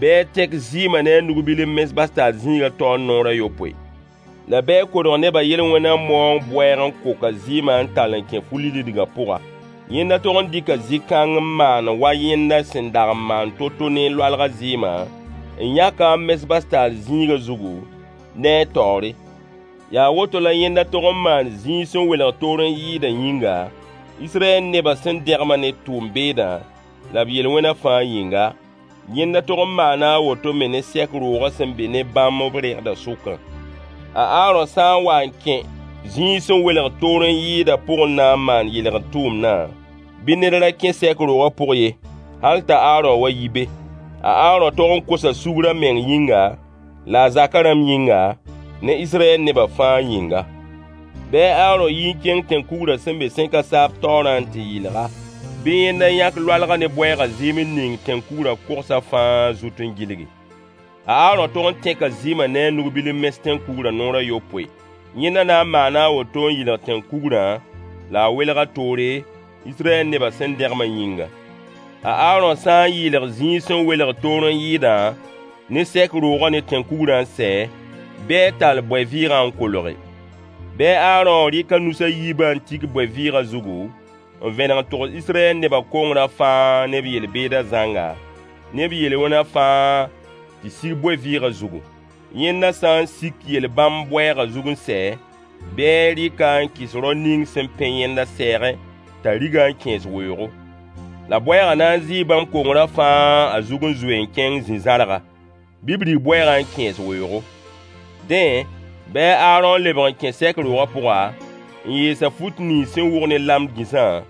Bɩ a tẽk zɩɩmã ne a nug-bil n mes bastaal zĩigã taoor naoor a yopoe. La bɩ a kodg nebã yel-wẽna maoong bʋɛɛg n kok a zɩɩmã n tall n kẽ fu-lisdgã pʋga. Yẽnda tog n dɩka zĩ-kãng n maan wa yẽnda sẽn dag n maan to-to ne loalgã zɩɩmã, n yãk-a n mes bastaal zĩigã zugu, ne a taoore. Yaa woto la yẽnda tog n maan zĩig sẽn welg toor n yɩɩdã yĩnga, Israyɛl nebã sẽn dẽgmã ne tʋʋm-beedã, la b yel-wẽna fãa yĩnga. Yẽnda tog n maana a woto me ne sɛk roogã sẽn be ne bãmb b regdã sʋkã. A Aarõ sã n wa n kẽ zĩig sẽn welg toor n yɩɩdã pʋgẽ na n maan yɩlgr tʋʋmdã, bɩ ned ra kẽ sɛk roogã pʋg ye, hal t'a Aarõ wa yi be. A Aarõ tog n kosa sugr a meng yĩnga, la a zakã rãmb yĩnga, ne Israyɛl nebã fãa yĩnga. Bɩ a Aarõ yi n kẽng tẽn-kugrã sẽn be sẽn-ka-saab taoorã n tɩ yɩlg-a. Bɩ yẽnda yãk loalgã ne bʋɛɛgã zɩɩm n ning tẽn-kugrã kogsã fãa zut n gilgi. A Aarõ tog n tẽka zɩɩmã ne a nug-bil n mes tẽn-kugrã naoor a yopoe. Yẽnda na n maana a woto n yɩlg tẽn-kugrã, la a welg-a toore, Israyɛl nebã sẽn dẽgmã yĩnga. A Aarõ sã n yɩɩlg zĩig sẽn welg toor n yɩɩdã ne sɛk roogã ne tẽn-kugrã n sɛ, bɩ a tall bʋɛ-vɩɩgã n kolge. Bɩ a Aarõ rɩk a nus a yiibã n tik bʋɛ-vɩɩgã zugu, n vẽneg n togs Israyɛl nebã kongrã fãa ne b yel-beedã zãnga, ne b yel-wẽna fãa tɩ sig bʋɛ-vɩɩgã zugu. Yẽnda sã n sik yel-bãmb bʋɛɛgã zug n sɛ, bɩ a rɩk-a n kɩs rao ning sẽn pẽ yẽnda sɛɛgẽ t'a rig-a n kẽes weoogo. La bʋɛɛgã na n zɩɩ bãmb kongrã fãa a zug n zoe n kẽng zĩ-zãrga. Bɩ b rig bʋɛɛgã n kẽes weoogo. Dẽ, bɩ a Aarõ lebg n kẽ sɛk roogã pʋga, n yees a fut nins sẽn wʋg ne lamd gĩsã,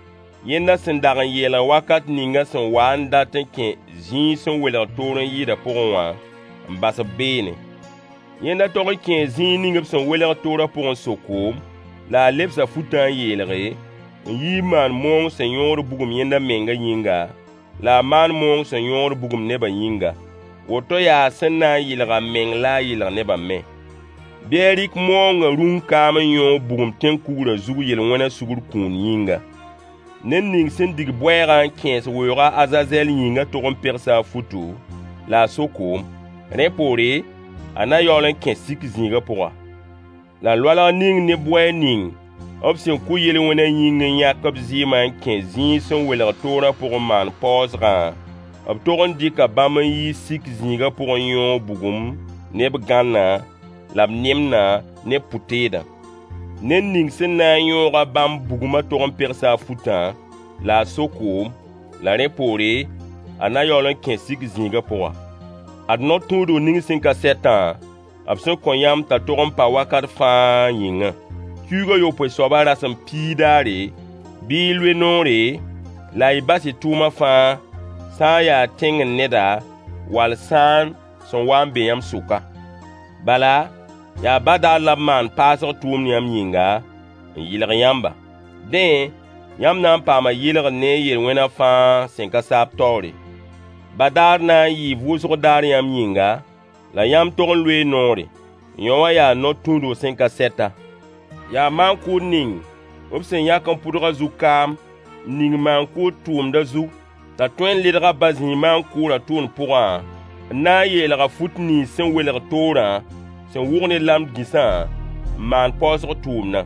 yẽnda sẽn dag n yeelg wakat ninga sẽn wa n dat n kẽ zĩig sẽn welg toor n yɩɩdã pʋgẽ wã, n bas b beene. Yẽnda tog n kẽe zĩig ning b sẽn welg toorã pʋgẽ n so koom, la a lebsa futã n yeelge, n yi n maan maoong sẽn yõod bugum yẽnda menga yĩnga, la a maan maoong sẽn yõod bugum nebã yĩnga. Woto yaa sẽn na n yɩlg a meng la a yɩlg nebã me. Bɩ a rɩk maoongã rũng kaam n yõog bugum tẽn-kugrã zug yel-wẽna sugr kũun yĩnga. Ned ning sẽn dig bʋɛɛgã n kẽes weoog a Azazɛl yĩngã tog n pegsa a futu, la a so koom. Rẽ poore, a na yaool n kẽ sik zĩigã pʋga. La loalg ning ne bʋɛɛg ning b sẽn kʋ yel-wẽnã yĩng n yãk b zɩɩmã n kẽ zĩig sẽn welg toorã pʋgẽ maan paoosgã, b tog n dɩka bãmb n yi sik zĩigã pʋgẽ yõog bugum ne b gãnna, la b nemdã ne b pʋ-teedã. Ned ning sẽn na n yõoga bãmb bugmã tog n pegsa a futã, la a so koom, la rẽ poore, a na yaool n kẽ sik zĩigã pʋga. Ad no-tũudg ning sẽn ka sɛtã, b sẽn kõ yãmb t'a tog n pa wakat fãa yĩngã. Kiuug a yopoe soabã rasem piig daare, bɩ y loe noore, la y bas y tʋʋma fãa, sã n yaa tẽngr neda wall sãan sẽn wa n be yãmb sʋka. Bala, yaa badaar la b maan paasg tʋʋmd yãmb yĩnga, n yɩlg yãmba. Dẽ, yãmb na n paama yɩlgr ne y yel-wẽna fãa sẽn ka saab taoore. Badaar na n yɩɩ vʋʋsg daar yãmb yĩnga, la yãmb tog n loee noore. Yõ wã yaa no-tũudg sẽn ka sɛta. Yaa maan-kʋʋd ning b sẽn yãk n pʋdg a zug kaam n ning maan-kʋʋd tʋʋmdã zug t'a tõe n ledg a ba zĩig maan-kʋʋrã tʋʋmd pʋgã, n na n yeelg a fut nins sẽn welg toorã sẽn wʋg ne lamd gĩsã n maan paoosg tʋʋmdã.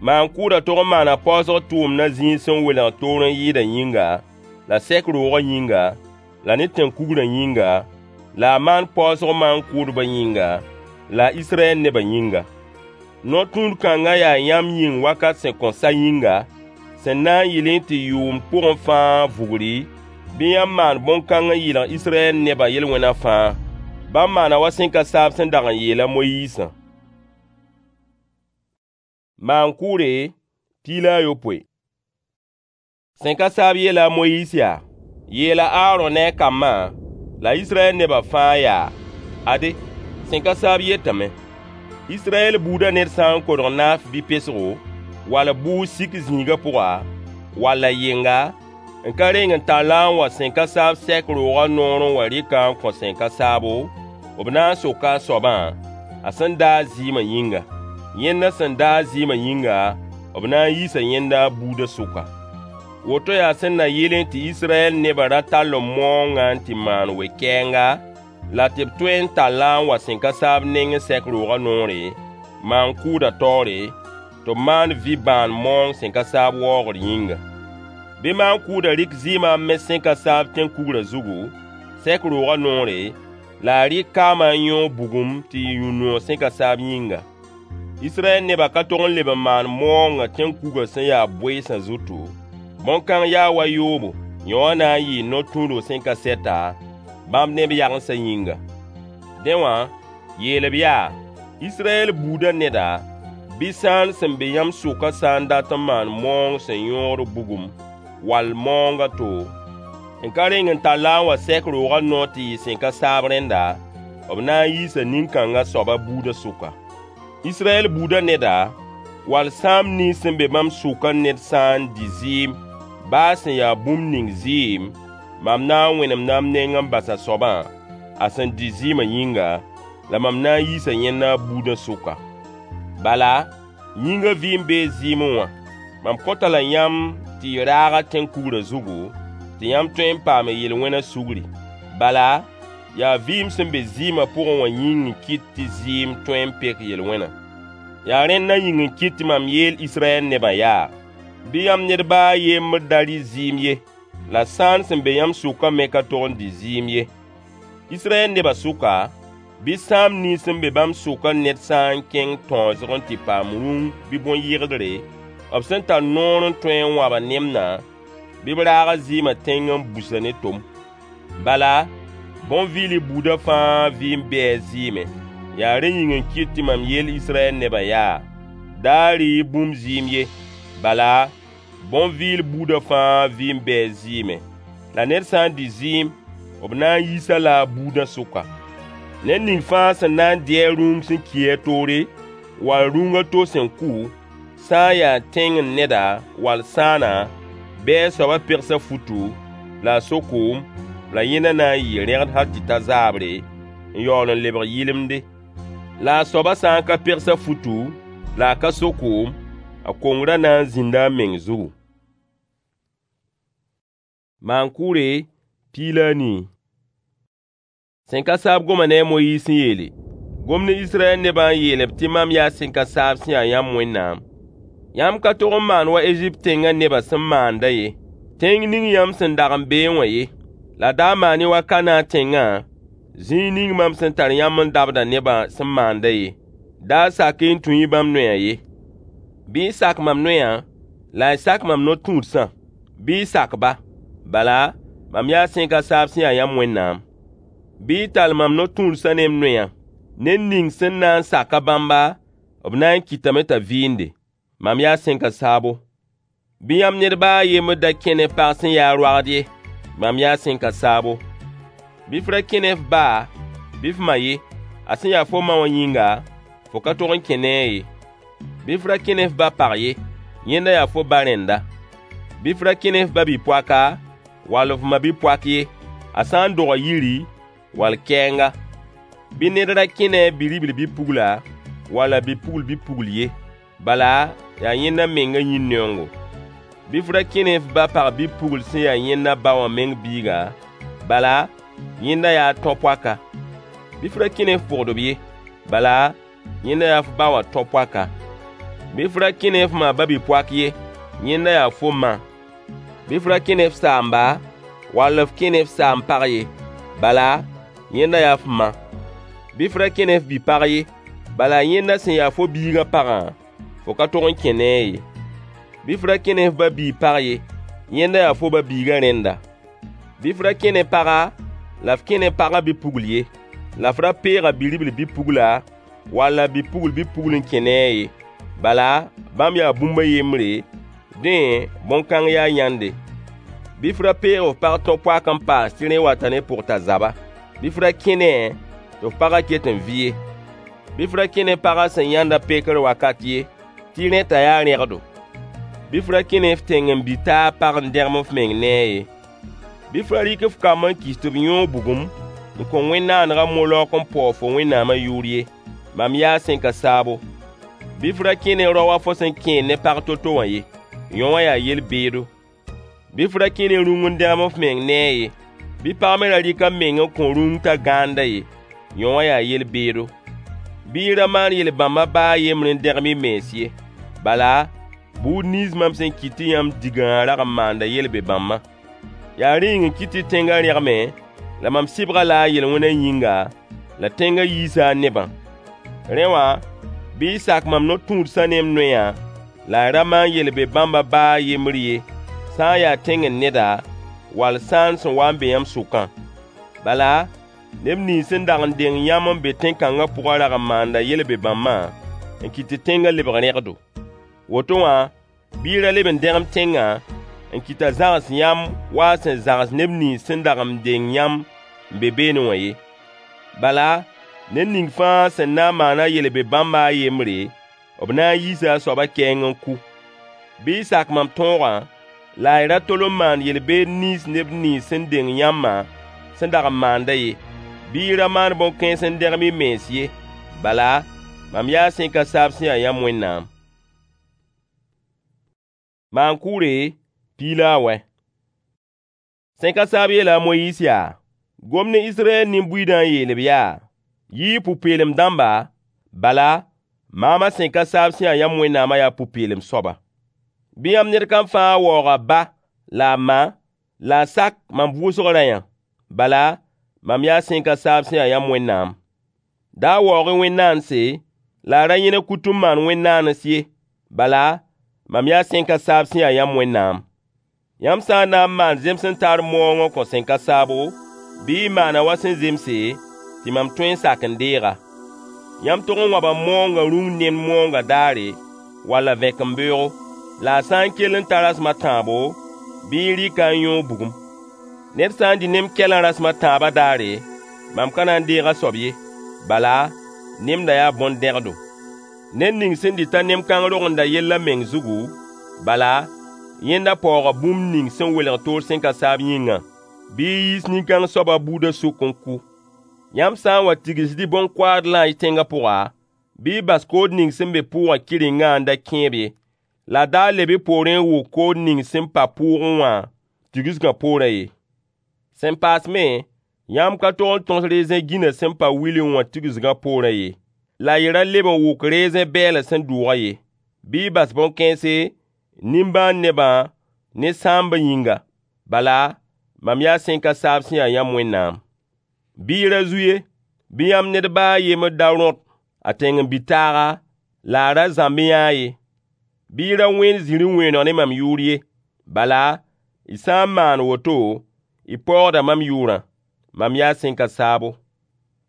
Maan-kʋʋdã tog n maana paoosg tʋʋmdã zĩig sẽn welg toor n yɩɩdã yĩnga, la sɛk roogã yĩnga, la ne tẽn-kugrã yĩnga, la a maan paoosg maan-kʋʋdbã yĩnga, la a Israyɛl nebã yĩnga. No-tũud kãngã yaa yãmb yĩng wakat sẽn kõn sa yĩnga, sẽn na n yɩlẽ tɩ yʋʋmd pʋgẽ fãa vugri, bɩ yãmb maan bõn-kãng n yɩlg Israyɛl nebã yel-wẽna fãa. Bãmb maana wa sẽn ka saab sẽn dag n yeel a Moyiisã. Maan-kʋʋre 17. Sẽn ka saab yeela a Moyiis yaa: Yeela a Aarõ ne a kambã la Israyɛl nebã fãa yaa: Ade, sẽn ka saab yetame: Israyɛl buudã ned sã n kodg naaf bɩ pesgo, wall bʋʋg sik zĩigã pʋga, wall a yenga, n ka reng n tall-a n wa sẽn ka saab sɛk roogã noor n wa rɩk-a n kõ sẽn ka saabo, b na n soka a soabã, a sẽn daag zɩɩmã yĩnga. Yẽnda sẽn daag zɩɩmã yĩnga, b na n yiisa yẽnda a buudã sʋka. Woto yaa sẽn na yɩlẽ tɩ Israyɛl nebã ra tall maoongã n tɩ maan we-kɛɛnga, la tɩ b tõe n tall-a n wa sẽn ka saab nengẽ sɛk roogã noore, maan-kʋʋdã taoore, tɩ b maan vɩ-bãan maoong sẽn ka saab waoogr yĩnga. Bɩ maan-kʋʋdã rɩk zɩɩmã n mes sẽn ka saab tẽn-kugrã zugu, sɛk roogã noore, la a rɩk kaamã n yõog bugum tɩ yɩ yũ-noog sẽn ka saab yĩnga. Israyɛl nebã ka tog n leb n maan maoongã tẽn-kugã sẽn ya boeesã zutu. Bõn-kãng yaa wa yoobo, yõ wã na n yɩɩ no-tũudg sẽn ka sɛta, bãmb ne b yagensã yĩnga. Dẽ wã, yeel-b yaa: Israyɛl buudã neda, bɩ sãan sẽn be yãmb sʋkã sã n dat n maan maoong sẽn yõod bugum, wall maoong a to, n ka reng n tall-a n wa sɛk roogã noor tɩ yɩ sẽn ka saab rẽnda, b na n yiisa nin-kãngã soabã buudã sʋka. Israyɛl buudã neda, wall sãam nins sẽn be bãmb sʋkã ned sã n dɩ zɩɩm, baa sẽn ya bũmb ning zɩɩm, mam na n wẽnemda m neng n bas a soabã, a sẽn dɩ zɩɩmã yĩnga, la mam na n yiisa yẽnda a buudã sʋka. Bala, yĩngã vɩɩm bee zɩɩmẽ wã, mam kõta-la yãmb tɩ y raag-a tẽn-kugrã zugu, tɩ yãmb tõe n paam y yel-wẽnã sugri. Bala, yaa vɩɩm sẽn be zɩɩmã pʋgẽ wã yĩng n kɩt tɩ zɩɩm tõe n pek yel-wẽnã. Yaa rẽndã yĩng n kɩt tɩ mam yeel Israyɛl nebã yaa: Bɩ yãmb ned ba a yembr da rɩ zɩɩm ye, la sãan sẽn be yãmb sʋkã me ka tog n dɩ zɩɩm ye. Israyɛl nebã sʋka, bɩ sãam nins sẽn be bãmb sʋkã ned sã n kẽng tãoosg n tɩ paam rũng bɩ bõn-yɩgdre, b sẽn tar noor n tõe n wãb a nemdã, bɩ b raag a zɩɩmã tẽng n bus-a ne tom. Bala, bõn-vɩɩlb buudã fãa vɩɩm bee a zɩɩmẽ. Yaa rẽ yĩng n kɩt tɩ mam yeel Israyɛl nebã yaa: Da rɩ-y bũmb zɩɩm ye. Bala, bõn-vɩɩl buudã fãa vɩɩm bee a zɩɩmẽ. La ned sã n dɩ zɩɩm, b na n yiis-a-la a buudã sʋka. Ned ning fãa sẽn na n dɩ a rũng sẽn ki a toore, wall rũng a to sẽn kʋ, sã n yaa tẽngr neda wall sãana, bɩ a soabã pegs a futu, la a so koom, la yẽnda na n yɩɩ rẽgd hal tɩ ta zaabre, n yaool n lebg yɩlemde. La a soabã sã n ka pegs a futu, la a ka so koom, a kongrã na n zĩnda a meng zugu. Maan-kʋʋre 14. Sẽn ka saab goma ne a Moyiis n yeele: Gom ne Israyɛl nebã n yeel-b tɩ mam yaa sẽn ka saab sẽn ya yãmb Wẽnnaam. Yãmb ka tog n maan wa Ezipt tẽngã nebã sẽn maandã ye, tẽng ning yãmb sẽn dag n beẽ wã ye. La da maan-y wa Kanaan tẽngã, zĩig ning mam sẽn tar yãmb n dabdã nebã sẽn maandã ye. Da sak-y n tũ-y bãmb noyã ye. Bɩ y sak mam noyã, la y sak mam no-tũudsã, bɩ y sak-ba. Bala, mam yaa sẽn ka saab sẽn ya yãmb Wẽnnaam. Bɩ y tall mam no-tũudsã ne m noyã. Ned ning sẽn na n sak-a bãmba, b na n kɩtame t'a vɩɩnde. Mam yaa sẽn ka saabo. Bɩ yãmb ned ba a yembr da kẽ ne pag sẽn ya roagd ye. Mam yaa sẽn ka saabo. Bɩ f ra kẽ ne f ba bɩ f ma ye. A sẽn ya fo ma wã yĩnga, fo ka tog n kẽ ne-a ye. Bɩ f ra kẽ ne f ba pag ye, yẽnda yaa fo ba rẽnda. Bɩ f ra kẽ ne f ba-bi-poaka wall f ma-bi-poak ye, a sã n doga yiri wall kɛɛnga. Bɩ ned ra kẽ ne a bi-ribl bi-pugla wall a bi-pugl bi-pugl ye, bala yaa yẽnda menga yĩn-neoongo. Bɩ f ra kẽ ne f ba pag bi-pugl sẽn ya yẽnda ba wã meng biiga, bala yẽnda yaa a tão-poaka. Bɩ f ra kẽ ne f pʋgdb ye, bala yẽnda yaa f ba wã tão-poaka. Bɩ f ra kẽ ne f ma ba-bi-poak ye, yẽnda yaa fo ma. Bɩ f ra kẽ ne f saamba, wall f kẽ ne f saam-pag ye, bala yẽnda yaa f ma. Bɩ f ra kẽ ne f bi-pag ye, bala yẽnda sẽn ya fo biigã pagã, fo ka tog n kẽ ne-a ye. Bɩ f ra kẽ ne f ba-biig pag ye, yẽnda yaa fo ba-biigã rẽnda. Bɩ f ra kẽ ne paga la f kẽ ne pagã bi-pugl ye. La f ra peeg a bi-ribl bi-pugla wall a bi-pugl bi-pugl n kẽ ne-a ye. Bala bãmb yaa bũmb a yembre, dẽ bõn-kãng yaa yãnde. Bɩ f ra peeg f pag tão-poak n paas tɩ rẽ wata ne pʋgta-zaba. Bɩ f ra kẽ ne-a tɩ f pagã ket n vɩ ye. Bɩ f ra kẽ ne pagã sẽn yãnd a pekr wakat ye, tɩ rẽ t'a yaa rẽgdo. Bɩ f ra kẽ ne f tẽng-n-bi-taab pag n dẽgem f meng ne-a ye. Bɩ f ra rɩk f kamb n kɩs tɩ b yõog bugum n kõ wẽn-naaneg a Molok n paoog fo Wẽnnaamã yʋʋr ye. Mam yaa sẽn ka saabo. Bɩ f ra kẽ ne rao wa fo sẽn kẽed ne pag to-to wã ye. Yõ wã yaa yel-beedo. Bɩ f ra kẽ ne rũng n dẽgem f meng ne-a ye. Bɩ pag me ra rɩk a meng n kõ rũng t'a gãanda ye. Yõ wã yaa yel-beedo. Bɩ y ra maan yel-bãmba baa a yembr n dẽgem y mens ye. Bala, buud nins mam sẽn kɩt tɩ yãmb digã wã rag n maanda yel-be-bãmbã. Yaa rẽ yĩng n kɩt tɩ tẽngã rẽgme, la mam sɩbg-a-la a yel-wẽnã yĩnga, la tẽngã yiisa a nebã. Rẽ wã, bɩ y sak mam no-tũudsã ne m noyã, la y ra maan yel-be-bãmba baa a yembr ye, sã n yaa tẽngr neda, wall sãan sẽn wa n be yãmb sʋkã. Bala, neb nins sẽn dag n deng yãmb n be tẽn-kãngã pʋgã rag n maanda yel-be-bãmbã n kɩt tɩ tẽngã lebg rẽgdo. Woto wã, bɩ y ra leb n dẽgem tẽngã n kɩt t'a zãgs yãmb wa a sẽn zãgs neb nins sẽn dag n deng yãmb n be beene wã ye. Bala, ned ning fãa sẽn na n maan a yel-be-bãmba a yembre, b na n yiisa a soabã kɛɛng n kʋ. Bɩ y sak mam tõogã, la y ra tol n maan yel-beed nins neb nins sẽn deng yãmbã sẽn dag n maandã ye. Bɩ y ra maan bõn-kãens n dẽgem y mens ye. Bala, mam yaa sẽn ka saab sẽn ya yãmb Wẽnnaam. Maan-kʋʋre piig la a wɛ. Sẽn ka saab yeela a Moyiis yaa: Gom ne Israyɛl nin-buiidã n yeel-b yaa: Yɩ-y pʋ-peelem dãmba, bala, maamã sẽn ka saab sẽn ya yãmb Wẽnnaamã yaa pʋ-peelem soaba. Bɩ yãmb ned kam fãa waoog a ba la a ma, la a sak mam vʋʋsg rayã. Bala, mam yaa sẽn ka saab sẽn ya yãmb Wẽnnaam. Da waoog-y wẽn-naanse, la y ra yẽneg kutu n maan wẽn-naanes ye. Bala, mam yaa sẽn ka saab sẽn ya yãmb Wẽnnaam. Yãmb sã n na n maan zems-n-taar moongã n kõ sẽn ka saabo, bɩ y maana wa sẽn zemse, tɩ mam tõe n sak n deeg-a. Yãmb tog n wãba moongã rũng nemd moongã daare, walla vẽkembeoogo. La a sã n kell n ta rasem a tãabo, bɩ y rɩk-a n yõog bugum. Ned sã n dɩ nem-kɛlã rasem a tãabã daare, mam ka na n deeg a soab ye. Bala, nemdã yaa bõn-dẽgdo. Ned ning sẽn dɩt-a nem-kãng rogenda yell a meng zugu, bala, yẽnda paooga bũmb ning sẽn welg toor sẽn ka saab yĩngã. Bɩ y yiis nin-kãng soabã buudã sʋk n kʋ. Yãmb sã n wa tigsd y bõn-koaadlã y tẽngã pʋga, bɩ y bas kood ning sẽn be pʋʋgã kɩrengã n da kẽeb ye, la da leb y poorẽ n wʋk kood ning sẽn pa pʋʋgẽ wã tigsgã poorã ye. Sẽn paas me, yãmb ka tog n tõs rezẽ gĩnã sẽn pa wilẽ wã tigsgã poorã ye, la y ra leb n wʋk rezẽ bɛɛlã sẽn dʋʋgã ye. Bɩ y bas bõn-kãense, nimbãan-nebã ne sãambã yĩnga. Bala, mam yaa sẽn ka saab sẽn ya yãmb Wẽnnaam. Bɩ y ra zu ye. Bɩ yãmb ned baa a yembr da rõt a tẽng-n-bi-taaga, la a ra zãmb yãa ye. Bɩ y ra wẽen zĩri wẽeneg ne mam yʋʋr ye. Bala, y sã n maan woto, y paoogda mam yʋʋrã. Mam yaa sẽn ka saabo.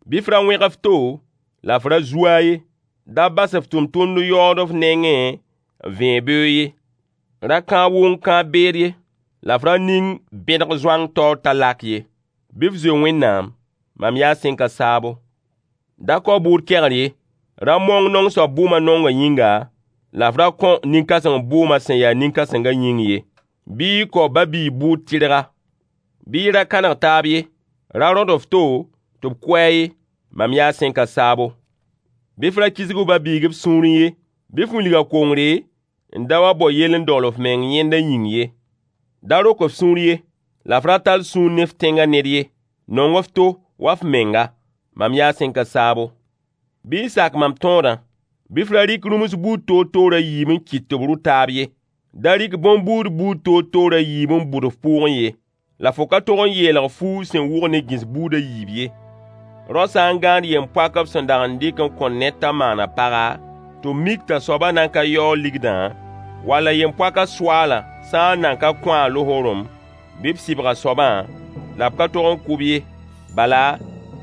Bɩ f ra wẽg f to, la f ra zu-a ye. Da bas f tʋmtʋmd yaood f nengẽ n vẽeg beoog ye. Ra kãab wʋng-kãab-beed ye, la f ra ning bẽdg zoang taoor t'a lak ye. Bɩ f zoe Wẽnnaam. Mam yaa sẽn ka saabo. Da kao bʋʋd kegr ye. Ra mong naong soab bʋʋmã naongã yĩnga, la f ra kõ nin-kãseng bʋʋmã sẽn ya nin-kãsengã yĩng ye. Bɩ y kao ba-biig bʋʋd tɩrga. Bɩ y ra kãneg taab ye. Ra rõd f to tɩ b kʋ-a ye. Mam yaa sẽn ka saabo. Bɩ f ra kisg f ba-biig f sũurẽ ye. Bɩ f wilg a kongre n da wa bao yell n dogl f meng yẽnda yĩng ye. Da rok f sũur ye, la f ra tall sũur ne f tẽngã ned ye. Nong f to wa f menga. Mam yaa sẽn ka saabo. Bɩ y sak mam tõodã. Bɩ f ra rɩk rũms buud toor-toor a yiib n kɩt tɩ b rʋ taab ye. Da rɩk bõn-buud buud toor-toor a yiib n bʋd f pʋʋgẽ ye. La fo ka tog n yeelg fuug sẽn wʋg ne gĩs buud a yiib ye. Rao sã n gãad yem-poak b sẽn dag n dɩk n kõ ned t'a maan a paga, tɩ b mik t'a soabã nan ka yaoog ligdã, walla yem-poakã soaalã sã n nan ka kõ-a losoorem, bɩ b sɩbg a soabã, la b ka tog n kʋ-b ye. Bala,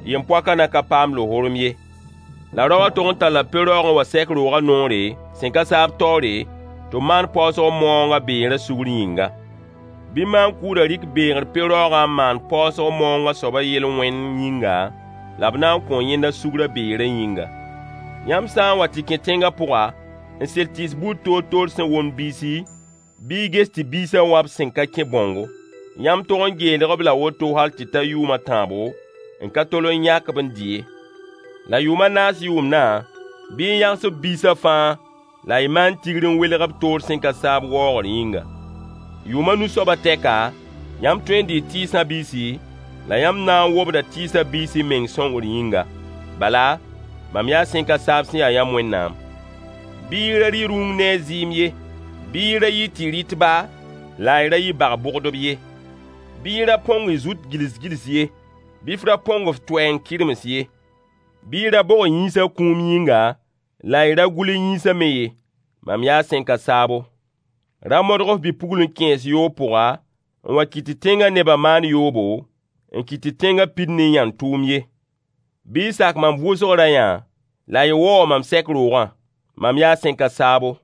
yem-poakã nan ka paam losoorem ye. La raowã tog n talla pe-raoog n wa sɛk roogã noore sẽn ka saab taoore, tɩ b maan paoosg maoongã beerã sugr yĩnga. Bɩ maan-kʋʋdã rɩk beegr pe-raoogã n maan paoosg maoongã soabã yel-wẽnd yĩnga, la b na n kõo yẽnda sugrã beerã yĩnga. Yãmb sã n wa tɩ kẽ tẽngã pʋga, n sel tɩɩs buud toor-toor sẽn womd biisi, bɩ y ges tɩ biisã wa b sẽn ka kẽ bãongo. Yãmb tog n geelg-b la woto hal tɩ ta yʋʋm a tãabo, n ka tol n yãk-b n dɩ ye. La yʋʋm a naas yʋʋmdã, bɩ y yãgs b biisã fãa la y maan tigr n welg b toor sẽn ka saab waoogr yĩnga. Yʋʋm a nu soabã tɛka, yãmb tõe n dɩɩ tɩɩsã biisi, la yãmb na n wobda tɩɩsã biisi meng sõngr yĩnga. Bala, mam yaa sẽn ka saab sẽn ya yãmb Wẽnnaam. Bɩ y ra rɩ rũng ne a zɩɩm ye. Bɩ y ra yɩ tɩ-rɩtba la y ra yɩ bag-bʋgdb ye. Bɩ y ra põng y zut gils-gils ye. Bɩ f ra põng f toɛɛ n kɩrems ye. Bɩ y ra bog y yĩnsã kũum yĩnga, la y ra gʋl y yĩnsã me ye. Mam yaa sẽn ka saabo. Ra modg f bi-pugl n kẽes yoog pʋga n wa kɩt tɩ tẽngã nebã maan yoobo, n kɩt tɩ tẽngã pid ne yãn-tʋʋm ye. Bɩ y sak mam vʋʋsg rayã la y waoog mam sɛk roogã. Mam yaa sẽn ka saabo.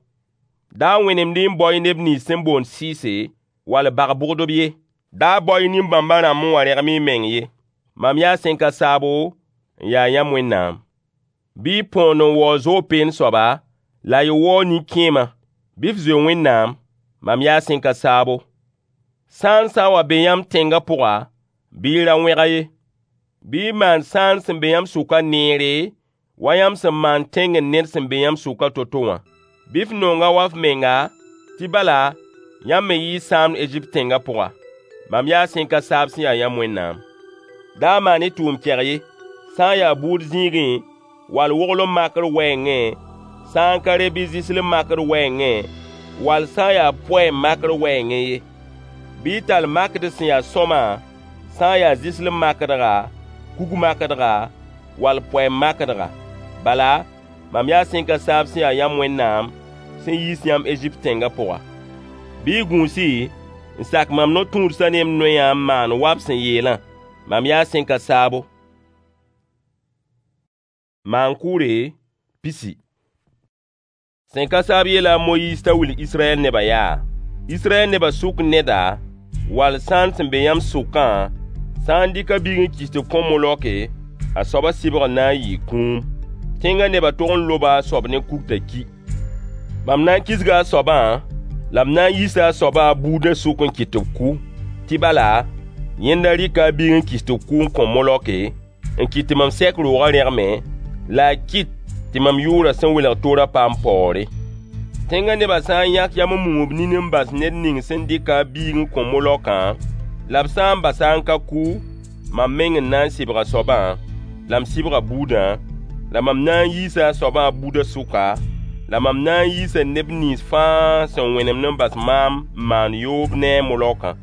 Da wẽnemd-y n bao-y neb nins sẽn boond sɩɩse, wall bag-bʋgdb ye. Da bao-y nin-bãmbã rãmb n wa rẽgem y meng ye. Mam yaa sẽn ka saabo n yaa yãmb Wẽnnaam. Bɩ y põond n waoog zoog-peen soaba, la y waoog nin-kẽemã. Bɩ f zoe Wẽnnaam. Mam yaa sẽn ka saabo. Sãan sã n wa be yãmb tẽngã pʋga, bɩ y ra wẽg-a ye. Bɩ y maan sãan sẽn be yãmb sʋkã neere, wa yãmb sẽn maand tẽngr ned sẽn be yãmb sʋkã to-to wã. Bɩ f nong-a wa f menga, tɩ bala, yãmb me yɩɩ sãamd Ezipt tẽngã pʋga. Mam yaa sẽn ka saab sẽn ya yãmb Wẽnnaam. Da maan-y tʋʋm-kɛg ye, sã n yaa buud zĩigẽ, wall woglem makr wɛɛngẽ, sã n ka re bɩ zɩslem makr wɛɛngẽ, wall sã n yaa poɛɛm makr wɛɛngẽ ye. Bɩ y tall makd sẽn ya sõama, sã n yaa zɩslem makdga, kug makdga, wall poɛɛm makdga. Bala, mam yaa sẽn ka saab sẽn ya yãmb Wẽnnaam, sẽn yiis yãmb Ezipt tẽngã pʋga. Bɩ y gũus-y n sak mam no-tũudsã ne m noyã n maan wa b sẽn yeelã. Mam yaa sẽn ka saabo. Maan-kʋʋre pisi. Sẽn ka saab yeela a Moyiis t'a wilg Israyɛl nebã yaa: Israyɛl nebã sʋk neda, wall sãan sẽn be yãmb sʋkã, sã n dɩk a biig n kɩs tɩ b kõ Moloke, a soabã sɩbgr na n yɩɩ kũum. Tẽngã nebã tog n loba a soab ne kug t'a ki. Mam na n kisga a soabã, la m na n yiisa a soabã a buudã sʋk n kɩt tɩ b kʋ, tɩ bala, yẽnda rɩka a biig n kɩs tɩ b kʋ n kõ Moloke, n kɩt tɩ mam sɛk roogã rẽgme, la a kɩt tɩ mam yʋʋrã sẽn welg toorã paam paoore. Tẽngã nebã sã n yãk yam n mum b nin n bas ned ning sẽn dɩk-a a biig n kõ Molokã, la b sã n bas-a n ka kʋ, mam meng n na n sɩbg a soabã, la m sɩbg a buudã, la mam na n yiisa a soabã a buudã sʋka, la mam na n yiisa neb nins fãa sẽn wẽnemd n bas maam n maan yoob ne a Molokã.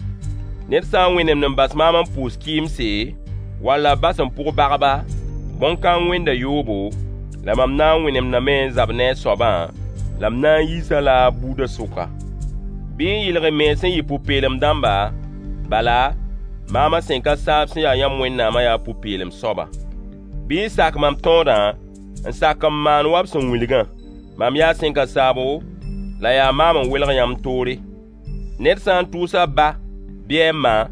Ned sã n wẽnemd n bas maam n pʋʋs kɩɩmse, wall a bas n pʋg bagba, bõn-kãng wẽnda yoobo, la mam na n wẽnemdame n zab ne a soabã, la m na n yiis-a la a buudã sʋka. Bɩ y yɩlg y mens n yɩ pʋ-peelem dãmba, bala, maamã sẽn ka saab sẽn ya yãmb Wẽnnaamã yaa pʋ-peelem soaba. Bɩ y sak mam tõodã, n sak n maan wa b sẽn wilgã. Mam yaa sẽn ka saabo, la yaa maam n welg yãmb toore. Ned sã n tʋʋs a ba bɩ a ma,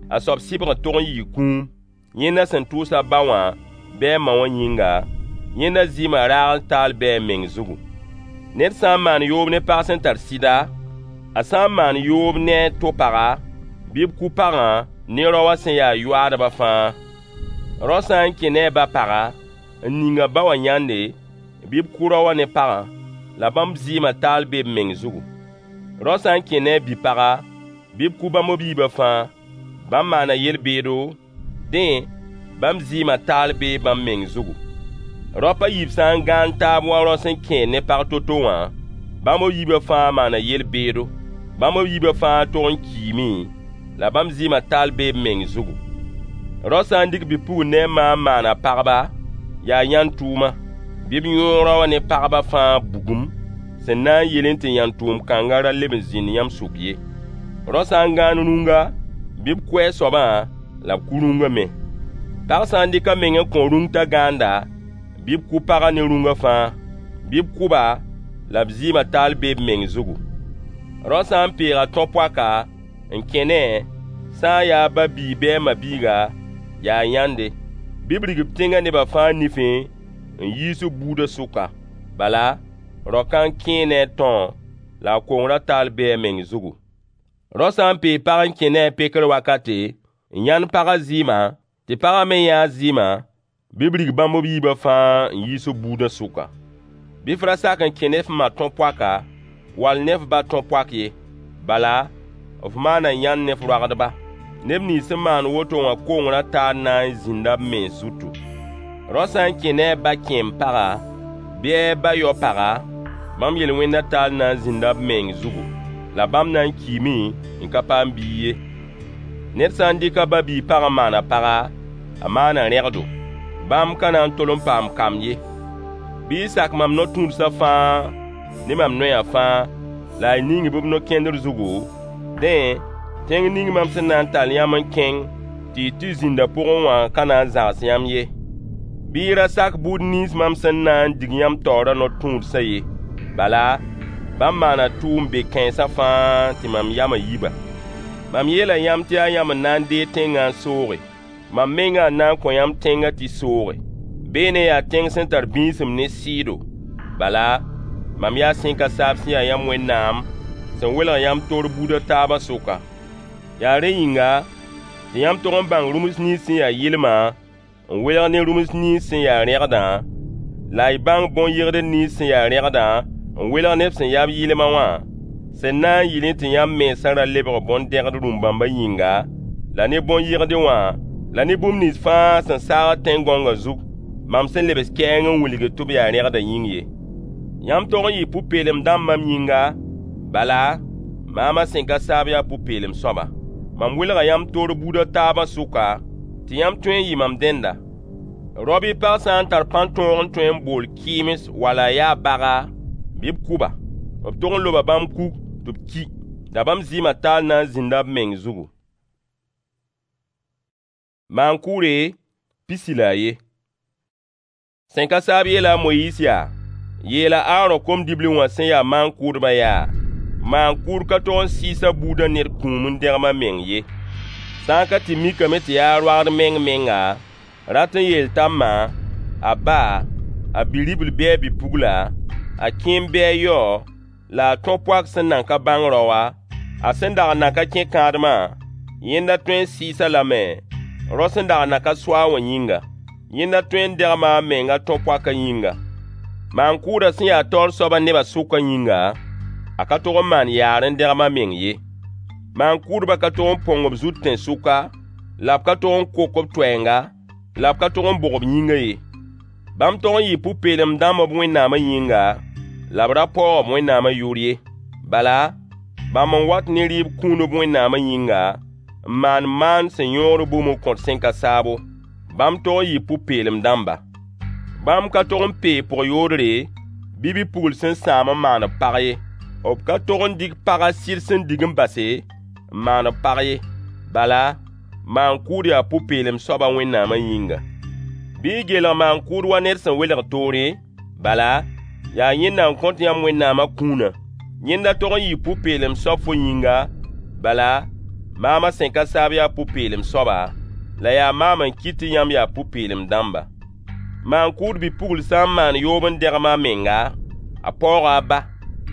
a soab sɩbgr tog n yɩɩ kũum. Yẽnda sẽn tʋʋs a ba wã bɩ a ma wã yĩnga, Yẽnda zɩɩmã raagl taal bɩ a meng zugu. Ned sã n maan yoob ne pag sẽn tar sɩda, a sã n maan yoob ne a to-paga, bɩ b kʋ pagã ne rao wã sẽn ya yoaadbã fãa. Rao sã n kẽ ne a ba-paga, n ning a ba wã yãnde, bɩ b kʋ rao wã ne pagã, la bãmb zɩɩmã taal bee b meng zugu. Rao sã n kẽ ne a bi-paga, bɩ b kʋ bãmb b yiibã fãa. Bãmb maana yel-beedo, dẽ, bãmb zɩɩmã taal bee bãmb meng zugu. Raop a yiib sã n gãand taab wa rao sẽn kẽed ne pag to-to wã, bãmb b yiibã fãa maana yel-beedo. Bãmb b yiibã fãa tog n kiime, la bãmb zɩɩmã taal bee b meng zugu. Rao sã n dɩk bi-pugl ne a ma n maan a pagba, yaa yãnd-tʋʋma. Bɩ b yõog rao wã ne pagbã fãa bugum, sẽn na n yelẽ tɩ yãnd-tʋʋm kãngã ra leb n zĩnd yãmb sʋk ye. Rao sã n gãand rũnga, bɩ b kʋ a soabã la b kʋ rũngã me. Pag sã n dɩk a meng n kõ rũng t'a gãanda, bɩ b kʋ pagã ne rũngã fãa. Bɩ b kʋ-ba, la b zɩɩmã taal bee b meng zugu. Rao sã n peeg a tõ-poaka n kẽ ne-a, sã n yaa a ba-biig bɩ a ma-biiga, yaa yãnde. Bɩ b rig b tẽngã nebã fãa nifẽ n yiis b buudã sʋka. Bala, rao-kãng kẽe ne a tão, la a kongrã taal bee a meng zugu. Rao sã n peeg pag n kẽ ne-a pekr wakate, n yãnd pagã zɩɩmã, tɩ pagã me yã a zɩɩmã, bɩ b rig bãmb b yiibã fãa n yiis b buudã sʋka. Bɩ f ra sak n kẽ ne f ma tõ-poaka, wall ne f ba tõ-poak ye. Bala, f maana yãnd ne f roagdba. Neb nins sẽn maan woto wã kongrã taal na n zĩnda b mens zutu. Rao sã n kẽ ne a ba kẽem-paga, bɩ a ba yao-paga, bãmb yel-wẽndã taal na n zĩnda b meng zugu, la bãmb na n kiime n ka paam biig ye. Ned sã n dɩk a ba-biig pag n maan a paga, a maana rẽgdo. Bãmb ka na n tol n paam kamb ye. Bɩ y sak mam no-tũudsã fãa ne mam noyã fãa, la y ning-b b no-kẽndr zugu, dẽ, tẽng ning mam sẽn na n tall yãmb n kẽng tɩ y tɩ zĩnd a pʋgẽ wã ka na n zãgs yãmb ye. Bɩ y ra sak buud nins mam sẽn na n dig yãmb taoorã no-tũudsã ye. Bala, bãmb maana tʋʋm be-kãensã fãa tɩ mam yamã yi-ba. Mam yeela yãmb tɩ yaa yãmb n na n deeg tẽngã n sooge. Mam mengã n na n kõ yãmb tẽngã tɩ sooge. Beene yaa tẽng sẽn tar bĩisem ne sɩɩdo. Bala, mam yaa sẽn ka saab sẽn ya yãmb Wẽnnaam, sẽn welg yãmb toor buud a taabã sʋka. Yaa rẽ yĩnga tɩ yãmb tog n bãng rũms nins sẽn ya yɩlmã n welg ne rũms nins sẽn ya rẽgdã, la y bãng bõn-yegdr nins sẽn ya rẽgdã n welg neb sẽn ya b yɩlma wã, sẽn na n yɩlẽ tɩ yãmb mensã ra lebg bõn-dẽgd rũm-bãmbã yĩnga, la ne bõn-yegdẽ wã, la ne bũmb nins fãa sẽn saagd tẽn-gõngã zug, mam sẽn lebs kɛɛng n wilgd tɩ b yaa rẽgdã yĩng ye. Yãmb tog n yɩ pʋ-peelem dãmb mam yĩnga, bala, maamã sẽn ka saab yaa pʋ-peelem soaba. Mam welga yãmb toor buud a taabã sʋka, tɩ yãmb tõe n yɩ mam dẽnda. Rao bɩ pag sã n tar pãn-tõog n tõe n bool kɩɩms wala a yaa baga, bɩ b kʋ-ba. B tog n loba bãmb kug tɩ b ki, la bãmb zɩɩmã taal na n zĩnda b meng zugu. Maan-kʋʋre 31. Sẽn ka saab yeela a Moyiis yaa: Yeela a Aarõ kom-dibli wã sẽn ya maan-kʋʋdbã yaa: Maan-kʋʋd ka tog n sɩɩs a buudã ned kũum n dẽgem a meng ye. Sã n ka tɩ mikame tɩ yaa roagd meng-menga, rat n yeel t'a ma, a ba, a bi-ribl bɩ a bi-pugla, a kẽem bɩ a yao, la a tõ-poak sẽn nan ka bãng raoa, a sẽn dag n nan ka kẽ kãadmã, yẽnda tõe n sɩɩs-a lame, rao sẽn dag n nan ka so-a wã yĩnga. Yẽnda tõe n dẽgma a meng a tõ-poakã yĩnga. Maan-kʋʋdã sẽn ya taoor soabã nebã sʋkã yĩnga, a ka tog n maan yaar n dẽgem a meng ye. Maan-kʋʋdbã ka tog n põng b zut tẽn-sʋka, la b ka tog n kok b toɛɛnga, la b ka tog n bog b yĩngã ye. Bãmb tog n yɩɩ pʋ-peelem dãmb b Wẽnnaamã yĩnga, la b ra paoog b Wẽnnaamã yʋʋr ye. Bala, bãmb n wat ne rɩɩb kũun b Wẽnnaamã yĩnga, n maan maan sẽn yõor bũmb n kõt sẽn ka saabo. Bãmb tog n yɩɩ pʋ-peelem dãmba. Bãmb ka tog n peeg pʋg-yoodre, bɩ bi-pugl sẽn sãam n maan b pag ye. B ka tog n dɩk pag a sɩd sẽn dig n base n maan b pag ye. Bala, maan-kʋʋd yaa pʋ-peelem soaba Wẽnnaamã yĩnga. Bɩ y gelg maan-kʋʋd wa ned sẽn welg toore, bala, yaa yẽnda n kõt yãmb Wẽnnaamã kũunã. Yẽnda tog n yɩɩ pʋ-peelem soab fo yĩnga, bala, maamã sẽn ka saab yaa pʋ-peelem soaba, la yaa maam n kɩt tɩ yãmb yaa pʋ-peelem dãmba. Maan-kʋʋd bi-pugl sã n maan yoob n dẽgem a menga, a paooga a ba,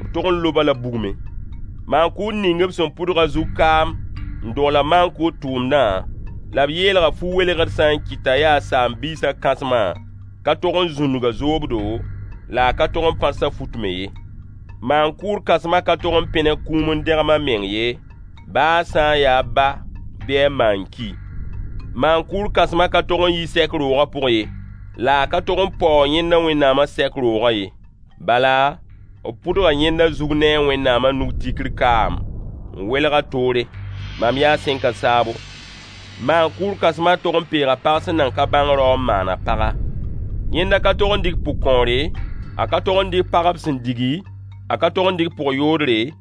b tog n lob-a la bugmẽ. Maan-kʋʋd ning b sẽn pʋdg a zug kaam n dogl-a maan-kʋʋd tʋʋmdã, la b yeelga fu-welgr sã n kɩt t'a yaa saam-biisã kãsmã, ka tog n zũnug a zoobdo, la a ka tog n pãrs a fut me ye. Maan-kʋʋd kãsmã ka tog n pẽneg kũum n dẽgem a meng ye, baa a sã n yaa a ba bɩ a ma n ki. Maan-kʋʋd kãsmã ka tog n yi sɛk roogã pʋg ye, la a ka tog n paoog yẽnda Wẽnnaamã sɛk roogã ye. Bala, b pʋdga yẽnda zug ne a Wẽnnaamã nug tikr kaam n welg a toore. Mam yaa sẽn ka saabo. Maan-kʋʋd kãsmã tog n peega pag sẽn nan ka bãng rao n maan a paga. Yẽnda ka tog n dɩk pʋgkõore, a ka tog n dɩk pag b sẽn digi, a ka tog n dɩk pʋg-yoodre,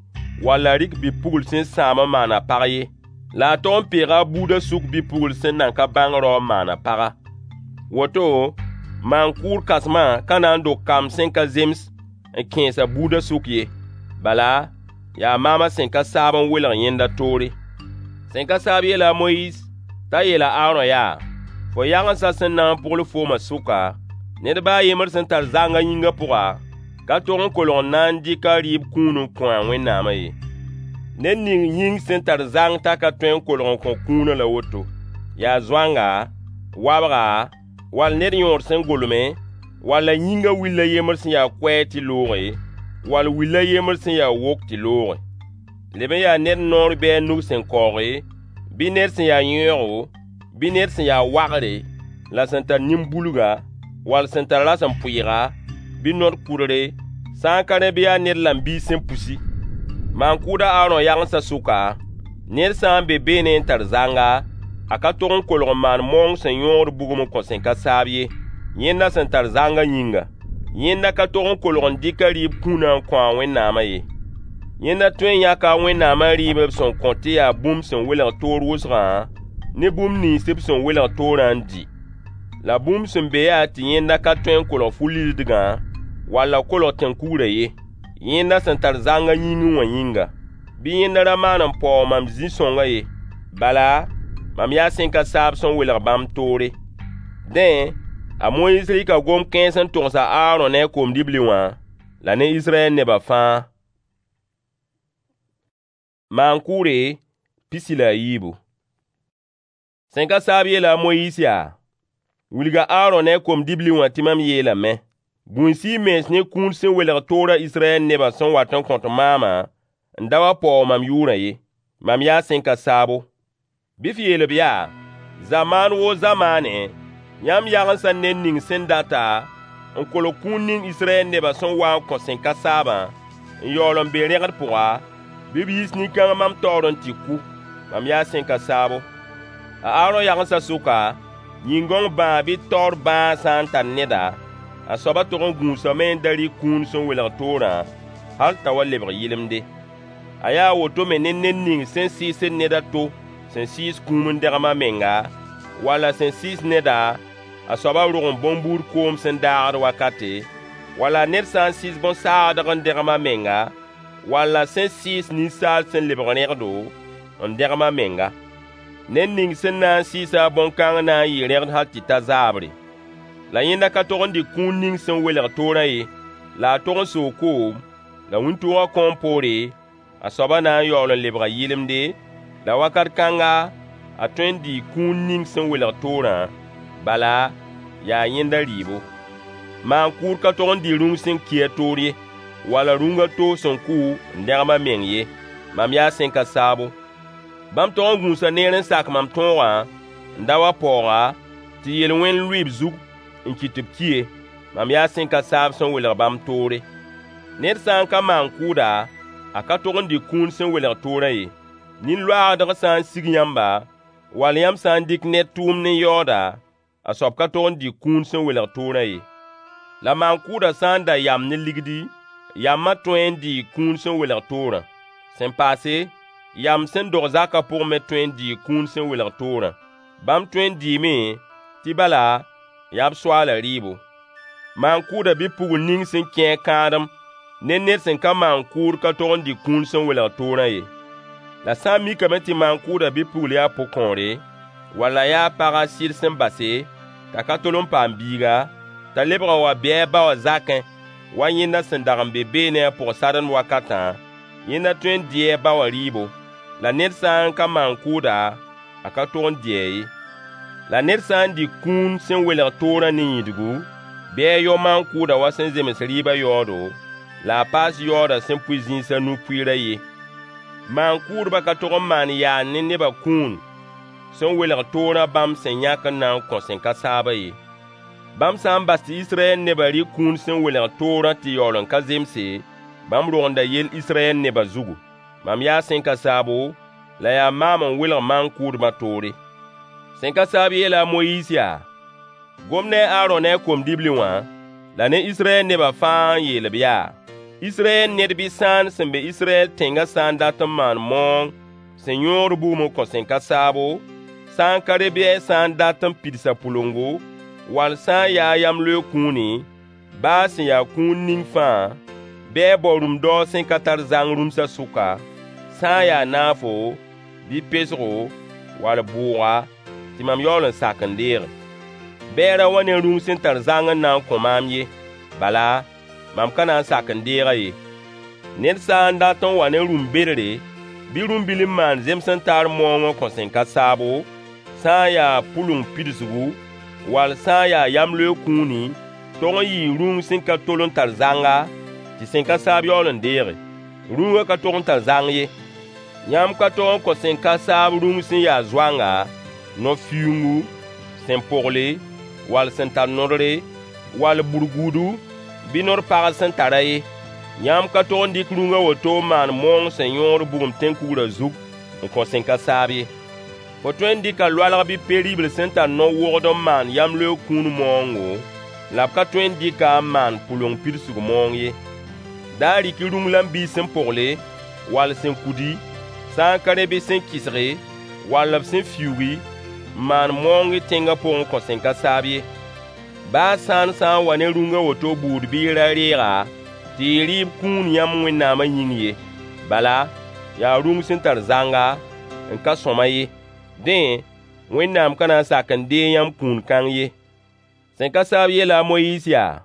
wall a rɩk bi-pugl sẽn sãam n maan a pag ye. La a tog n peega a buudã sʋk bi-pugl sẽn nan ka bãng rao n maan a paga. Woto, maan-kʋʋd kãsmã ka na n dog kamb sẽn ka zems n kẽes a buudã sʋk ye. Bala, yaa maam a sẽn ka saab n welg yẽnda toore. Sẽn ka saab yeela a Moyiis t'a yeel a Aarõ yaa: Fo yagensã sẽn na n pʋgl foomã sʋka, ned ba a yembr sẽn tar zangã yĩngã pʋga, ka tog n kolg n na n dɩk a rɩɩb kũun n kõ a Wẽnnaamã ye. Ned ning yĩng sẽn tar zang t'a ka tõe n kolg n kõ kũunã la woto: yaa zoanga, wabga, wall ned yõod sẽn golme, walla yĩngã will a yembr sẽn ya koɛɛg tɩ looge, wall will a yembr sẽn ya wok tɩ looge. Leb n yaa ned noor bɩ a nug sẽn kaooge, bɩ ned sẽn ya yẽoogo, bɩ ned sẽn ya wagre, la sẽn tar nin-bulga, wall sẽn tar rasem-pʋɩɩga, bɩ nod-kʋdre, sã n ka rẽ bɩ yaa ned lambiis sẽn pusi. Maan-kʋʋd a Aarõ yagensã sʋka, ned sã n be beene n tar zanga, a ka tog n kolg n maan maoong sẽn yõogd bugum n kõ sẽn ka saab ye, yẽnda sẽn tar zangã yĩnga. Yẽnda ka tog n kolg n dɩk a rɩɩb kũunã n kõ a Wẽnnaamã ye. Yẽnda tõe n yãka a Wẽnnaamã rɩɩb b sẽn kõ tɩ yaa bũmb sẽn welg toor wʋsgã ne bũmb nins b sẽn welg toorã n dɩ. La bũmb sẽn be yaa tɩ yẽnda ka tõe n kolg fu-lisdgã wall a kolg tẽn-kugrã ye, yẽnda sẽn tar zangã yĩngẽ wã yĩnga. Bɩ yẽnda ra maan n paoog mam zĩ-sõngã ye. Bala, mam yaa sẽn ka saab sẽn welg bãmb toore. Dẽ, a Moyiis rɩka gom-kãens n togs a Aarõ ne a kom-dibli wã, la ne Israyɛl nebã fãa. Maan-kʋʋre 13. Sẽn ka saab yeela a Moyiis yaa: Wilg a Aarõ ne a kom-dibli wã tɩ mam yeelame: Gũus-y y mens ne kũun sẽn welg toorã Israyɛl nebã sẽn wat n kõt maamã n da wa paoog mam yʋʋrã ye. Mam yaa sẽn ka saabo. Bɩ f yeel-b yaa: Zamaan woo zamaane, yãmb yagensã ned ning sẽn data n kolg kũun ning Israyɛl nebã sẽn wa n kõ sẽn ka saabã, n yaool n be rẽgd pʋga, bɩ b yiis nin-kãng mam taoor n tɩ kʋ. Mam yaa sẽn ka saabo. A Aarõ yagensã sʋka, yĩn-gãong bãag bɩ taoor bãag sã n tar neda, a soabã tog n gũusame n da rɩk kũun sẽn welg toorã, hal t'a wa lebg yɩlemde. A yaa woto me ne ned ning sẽn sɩɩsd ned a to sẽn sɩɩs kũum n dẽgem a menga, walla sẽn sɩɩs neda, a soabã rog n bõn-buud koom sẽn daagd wakate, walla ned sã n sɩɩs bõn-saagdg n dẽgem a menga, walla sẽn sɩɩs ninsaal sẽn lebg rẽgdo n dẽgem a menga. Ned ning sẽn na n sɩɩs-a bõn-kãng na n yɩɩ rẽgd hal tɩ ta zaabre. La yẽnda ka tog n dɩk kũun ning sẽn welg toorã ye, la a tog n soog koom, la wĩntoogã kõom poore, a soabã na n yaool n lebga yɩlemde, la wakat kãnga, a tõe n dɩɩ kũun ning sẽn welg toorã, bala, yaa yẽnda rɩɩbo. Maan-kʋʋd ka tog n dɩ rũng sẽn ki a toor ye, walla rũng a to sẽn kʋ n dẽgem a meng ye. Mam yaa sẽn ka saabo. Bãmb tog n gũusa neer n sak mam tõogã n da wa paooga, tɩ yel-wẽnd lʋɩ b zug n kɩt tɩ b ki ye. Mam yaa sẽn ka saab sẽn welg bãmb toore. Ned sã n ka maan-kʋʋda, a ka tog n dɩk kũun sẽn welg toorã ye. Nin-loaagdg sã n sig yãmba, wall yãmb sã n dɩk ned tʋʋmd n yaooda, a soab ka tog n dɩk kũun sẽn welg toorã ye. La maan-kʋʋdã sã n da yam ne ligdi, yamã tõe n dɩɩ kũun sẽn welg toorã. Sẽn paase, yam sẽn dog zakã pʋgẽ me tõe n dɩɩ kũun sẽn welg toorã. Bãmb tõe n dɩɩme tɩ bala yaa b soaalã rɩɩbo. Maan-kʋʋdã bi-pugl ning sẽn kẽ a kãadem ne ned sẽn ka maan-kʋʋd ka tog n dɩ kũun sẽn welg toorã ye. La sã n mikame tɩ maan-kʋʋdã bi-pugl yaa pʋgkõore, walla yaa pag a sɩd sẽn base, t'a ka tol n paam biiga, t'a lebg n wa bɩ a ba wã zakẽ, wa yẽnda sẽn dag n be beene a pʋg-sademd wakatã, yẽnda tõe n dɩɩ a ba wã rɩɩbo. La ned sã n ka maan-kʋʋda, a ka tog n dɩ-a ye. La ned sã n dɩk kũun sẽn welg toorã ne yĩdgu, bɩ a yao maan-kʋʋdã wa sẽn zems rɩɩbã yaoodo, la a paas yaoodã sẽn pʋɩ zĩis a nu pʋɩɩrã ye. Maan-kʋʋdbã ka tog n maan yaar ne nebã kũun sẽn welg toorã bãmb sẽn yãk n na n kõ sẽn ka saabã ye. Bãmb sã n bas tɩ Israyɛl nebã rɩ kũun sẽn welg toorã tɩ yaool n ka zemse, bãmb rogenda yell Israyɛl nebã zugu. Mam yaa sẽn ka saabo, la yaa maam n welg maan-kʋʋdbã toore. Sẽn ka saab yeela a Moyiis yaa: Gom ne a Aarõ ne a kom-dibli wã, la ne Israyɛl nebã fãa n yeel-b yaa: Israyɛl ned bɩ sãan sẽn be Israyɛl tẽngã sã n dat n maan maoong sẽn yõod bugum n kõ sẽn ka saabo, sã n ka re bɩ a sã n dat n pidsa pʋlengo, wall sã n yaa yamloeeg kũuni, baa sẽn ya kũun ning fãa, bɩ a bao rũm-daoog sẽn ka tar zang rũmsã sʋka, sã n ya naafo, bɩ pesgo, wall bʋʋga, tɩ mam yaool n sak n deege. Bɩ a ra wa ne rũng sẽn tar zang n na n kõ maam ye, bala, mam ka na n sak n deeg-a ye. Ned sã n dat n wa ne rũm-bedre bɩ rũm-bil n maan zems-n-taar maoong n kõ sẽn ka saabo, sã n ya pʋleng pidsgu, wall sã n ya yamloeeg kũuni, tog n yɩɩ rũng sẽn ka tol n tar zanga, tɩ sẽn ka saab yaool n deege. Rũngã ka tog n tar zang ye. Yãmb ka tog n kõ sẽn ka saab rũng sẽn ya zoanga, no-fiuungu, sẽn pogle, wall sẽn tar nodre, wall burguudu, bɩ nod-pagd sẽn tara ye. Yãmb ka tog n dɩk rũng a woto n maan maoong sẽn yõod bugum tẽn-kugrã zug n kõ sẽn ka saab ye. Fo tõe n dɩka loalg bɩ pe-ribl sẽn tar no-wogd n maan yamloeeg kũun maoongo, la b ka tõe n dɩk-a n maan pʋleng pidsg maoong ye. Da rɩk-y rũng lam-biis sẽn pogle, wall sẽn kudi, sã n ka rẽ bɩ sẽn kɩsge, wall b sẽn fiuugi, n maan maoong y tẽngã pʋgẽ n kõ sẽn ka saab ye. Baa sãan sã n wa ne rũng a woto buud bɩ y ra reeg-a tɩ yɩ rɩɩb kũun yãmb Wẽnnaamã yĩng ye. Bala, yaa rũng sẽn tar zanga, n ka sõama ye. Dẽ, Wẽnnaam ka na n sak n deeg yãmb kũun kãng ye. Sẽn ka saab yeela a Moyiis yaa: